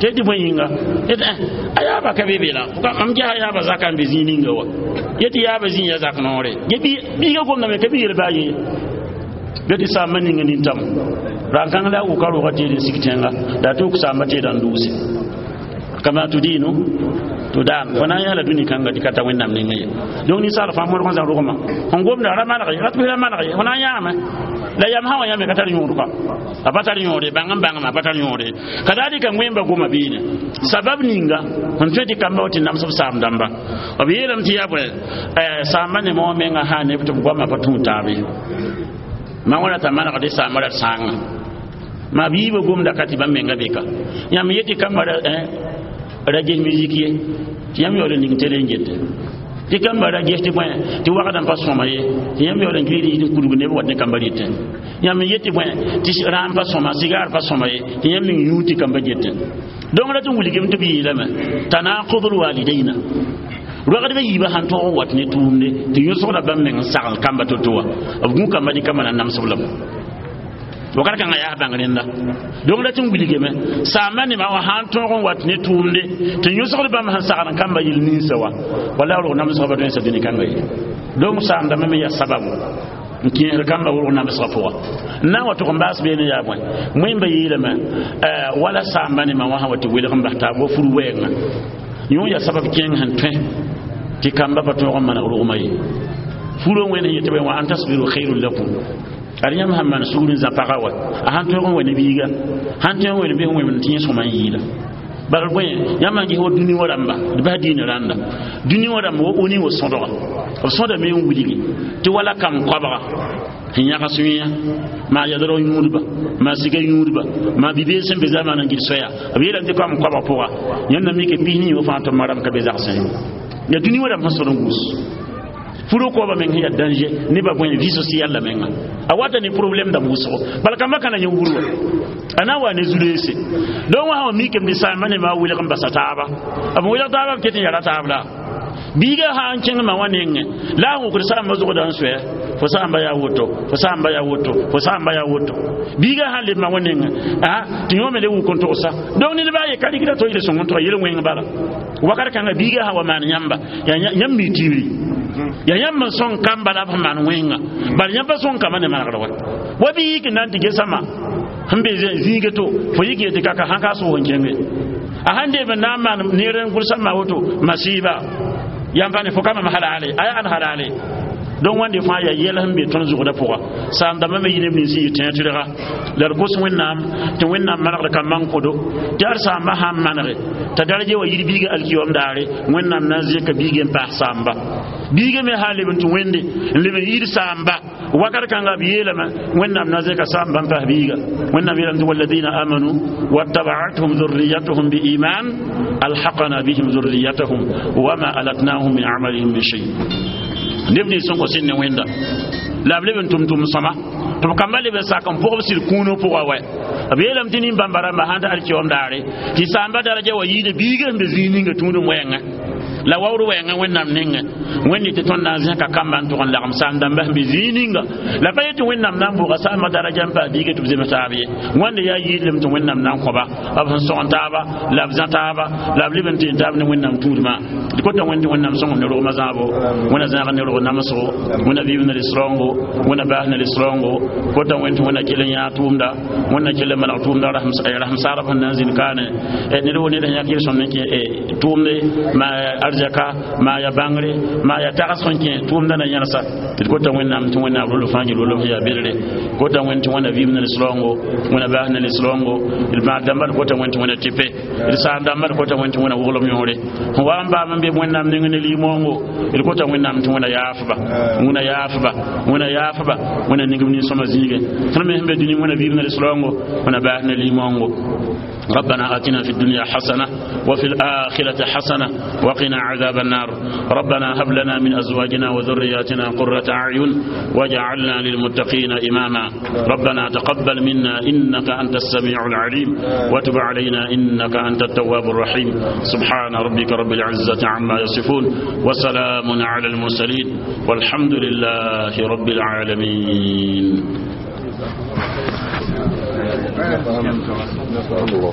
tɩ tɩ bõe yĩnga yetɩ a yaaba ka be be la mam gesa yaaba zaka n be zĩig ninga wa yetɩ yaaba zĩig ya zak noore ge biiga gomdame ka bi yel baa ye bɩ tɩ saamba ninga nintamo rãn-kãng la a wʋka roogã teed n sik tẽnga la a tɩ wʋk saamba teedã n dʋʋse kama tudinu tudan fo na n yãala dũni kãnga tɩ ka ta wẽnnaam ninga ye donc ninsaal fãa modg n zã rogmã sẽn gomda ra maneg ye rat bɩ ra maneg ye fo na n yãame la yam sã wa yãme ka tar yõod kɔ a pa tar yõode bãng n bãngame a pa tar yõode ka daa dɩka wẽmba goma beene sabab ninga sẽn tõe tɩ kamba wa tɩ nams b saam dãmba b yeelame tɩ yaa bõe saamba ne wã menga sã neb tɩ b goamã pa tũud taab ye ma wãna t'a manegde saambã rat sãanga ma b yiibã gomda ka tɩ bãmb menga beka yãmb yetɩ kamba ra ges musique ye tɩ yãmb yaool n ning tele n gete tɩ kamba ra ges tɩ bõe tɩ wagdã pa sõma ye tɩ yãmb yaool n gilgd n kudg neb wat ne kamba rɩtẽ yãmb n yetɩ bõe tɩ rãam pa sõma sigaar pa sõma ye tɩ yãmb ning yũud tɩ kamba getẽ donc rat n wilgame tɩ b yeelame tanaqudul walidaina roagdbã yiibã sãn tõog n wat ne tʋʋmde tɩ yõsgda bãmb meng n sagl kamba to-to wã b gũ kamba dɩ kamba na namsb lame wakat kãngã yaa bãng rẽnda donc rat n wilgame saamba nemã wã sãn tõog n wat ne tʋʋmde tɩ yõsgd bãmb sẽn sagl n kamba yel ninsa wa wala rog namsgã pa tõe n sa dũni kãnga ye donc saamdãmbã me yaa sababu n kẽesd kamba wʋrg namsgã pʋga n na n wa tʋg n baas beene yaa bõe wẽmba yeelame wala saamba nemã wã sã wa tɩ welg n bas taab wa fur wɛɛngã yõ yaa sabab kẽeng sẽn tõe tɩ kamba pa tõog n maneg rogmã ye furõ wẽnd sẽn yetɩ wa an tasbiru khairun lakum ad yãmb sãn maan sugr n zã pagã wa a sãn tõog n wa ne biiga sãn tõog n wa ne bɩ sẽn wẽmd tɩ yẽ sõma n yɩɩla Bala bõe yãmb n ges wa dũni wã rãmba d bas diinã rãnda dũni wã rãmb wa oni wa sõdga b sõdame n wilgi tɩ wala kam koabga sẽn yãgs wẽa maa yadrg yũudba maa sika yũudba maa bi-bees sẽn be zamana n gil soya b yeelame tɩ kam koabg pʋga yãmb na mike pisni wã fãa tɩ ma rãmb ka be zagsẽ ya dũni wã rãmb sẽn sõd n guus furo koaba meng sẽn yaa danger nebã bõe vie sociale la menga a wata ne problème dãmb wʋsgo bala kamba kana yẽ wurwa a na n wa ne zu-reese donc wã sã wa mikame tɩ saamba ne maa welg n basa taaba b welg taaba b ket n yara taab la biiga sã n kẽng ma wã nengẽ la a wʋkd saamba zʋgda n soɛ fo saamba yaa woto fo saamba yaa woto fo saamba yaa woto biiga sã n leb ma wã nengẽ a tɩ yõ me le wʋk n togsa donc ned baa ye ka rɩgda to yel sõng n toga yel wẽng bala wakat kãnga biiga sã wa maan yãmba yaa yãmb mi tibri ya yãmb n sõng kamba la b sẽn maan wẽnga bala yãmb pa sõng kamba ne manegr wa wa bɩ yik n na n tɩ gesama sẽn be zĩige to fo yik yetɩ kaka sãn ka sʋʋg n kẽnge a sãn deem n na n maan neer n gʋlsã ma woto masiiba yãmb pa ne fo ka mam halale a yaa ãn halale donc wãnde fãa yaa yɛl sẽn be tõnd zʋgdã pʋga saam dãmbã me yɩ neb nins n yɩ tẽeg tɩrga la d kos Wẽnnaam tɩ Wẽnnaam manegd kambã n kõdo tɩ ad saambã sãn manege t'a daraja wa yir biiga alkiyom daare Wẽnnaam na n zẽka biigã n paas saamba biiga me sã n leb n tɩ wẽnde n leb n yir saamba wakat kãnga b yeelame Wẽnnaam na zẽka saamba n paas biiga Wẽnnaam yeelame tɩ walladina amanu wattabaatuhum dhurriyatuhum biiman alhaqna bihim dhurriyatahum wama alatnahum min amalihim min shay neb nins sẽn kõ sẽn ne wẽnda la b leb n tʋm tʋm sõma tɩ b kamba leb n sak n pʋgb sɩd kũunã pʋga wɛ b yeelame tɩ nin-bãmba rãmba sãn ta alkiyoom daare tɩ saamba daraja wa yiida biiga sẽn be zĩig ninga tũudum wɛɛngẽ la waoor wɛɛngã Wẽnnaam nengẽ Wẽnde tɩ tõnd na n zẽka kamba n tʋg n lagem saam dãmba sẽn be zĩig ninga la pa yetɩ Wẽnnaam na n bʋʋga saambã daraja n paas biiga tɩ b zems taab ye wãnde yaa yiidlem tɩ Wẽnnaam na n kõba b sẽn sõgen taaba la b zã taaba la b leb n teen taab ne Wẽnnaam tũudmã d kota Wẽnd tɩ Wẽnnaam sõngem ne rogmã zãabo Wẽnna zãag ne rog namsgo Wẽnna vɩɩm ne rɩs-raoongo Wẽnna baas ne rɩs-raoongo kota Wẽnd tɩ Wẽnna kell n yãag tʋʋmda Wẽnna kell n maneg tʋʋmda rasem saarb sẽn na n zĩnd kaane ned wo ned sẽn yãk yel-sõmd n kẽ tʋʋmde ma arzɛka maa ya bãngre maa ya tags sẽn kẽ tʋʋmda na yẽlsa d kota Wẽnnaam tɩ Wẽnnaam rol fãa gil wolm sẽn yaa bedre kota Wẽnd tɩ Wẽnna vɩɩm ne rɩs-raoongo Wẽnna baas ne rɩs-raoongo d maag dãmba d kota Wẽnd tɩ Wẽnna tɩpe d saam dãmba d kota Wẽnd tɩ Wẽnna woglem yõore sẽn wa n baam n be Wẽnnaam neng ne limoongo d kota Wẽnnaam tɩ Wẽnna yaafba Wẽnna yaafba Wẽnna yaafba Wẽnna ningb nin-sõma zĩigẽ tõnd me sẽn be dũni Wẽnna vɩɩm ne rɩs-raoongo Wẽnna baas ne limoongo. ربنا آتنا في الدنيا حسنة وفي الآخرة حسنة وقنا عذاب النار. ربنا هب لنا من أزواجنا وذرياتنا قرة أعين واجعلنا للمتقين إماما. ربنا تقبل منا إنك أنت السميع العليم وتب علينا إنك أنت التواب الرحيم. سبحان ربك رب العزة عما يصفون وسلام على المرسلين والحمد لله رب العالمين. الله.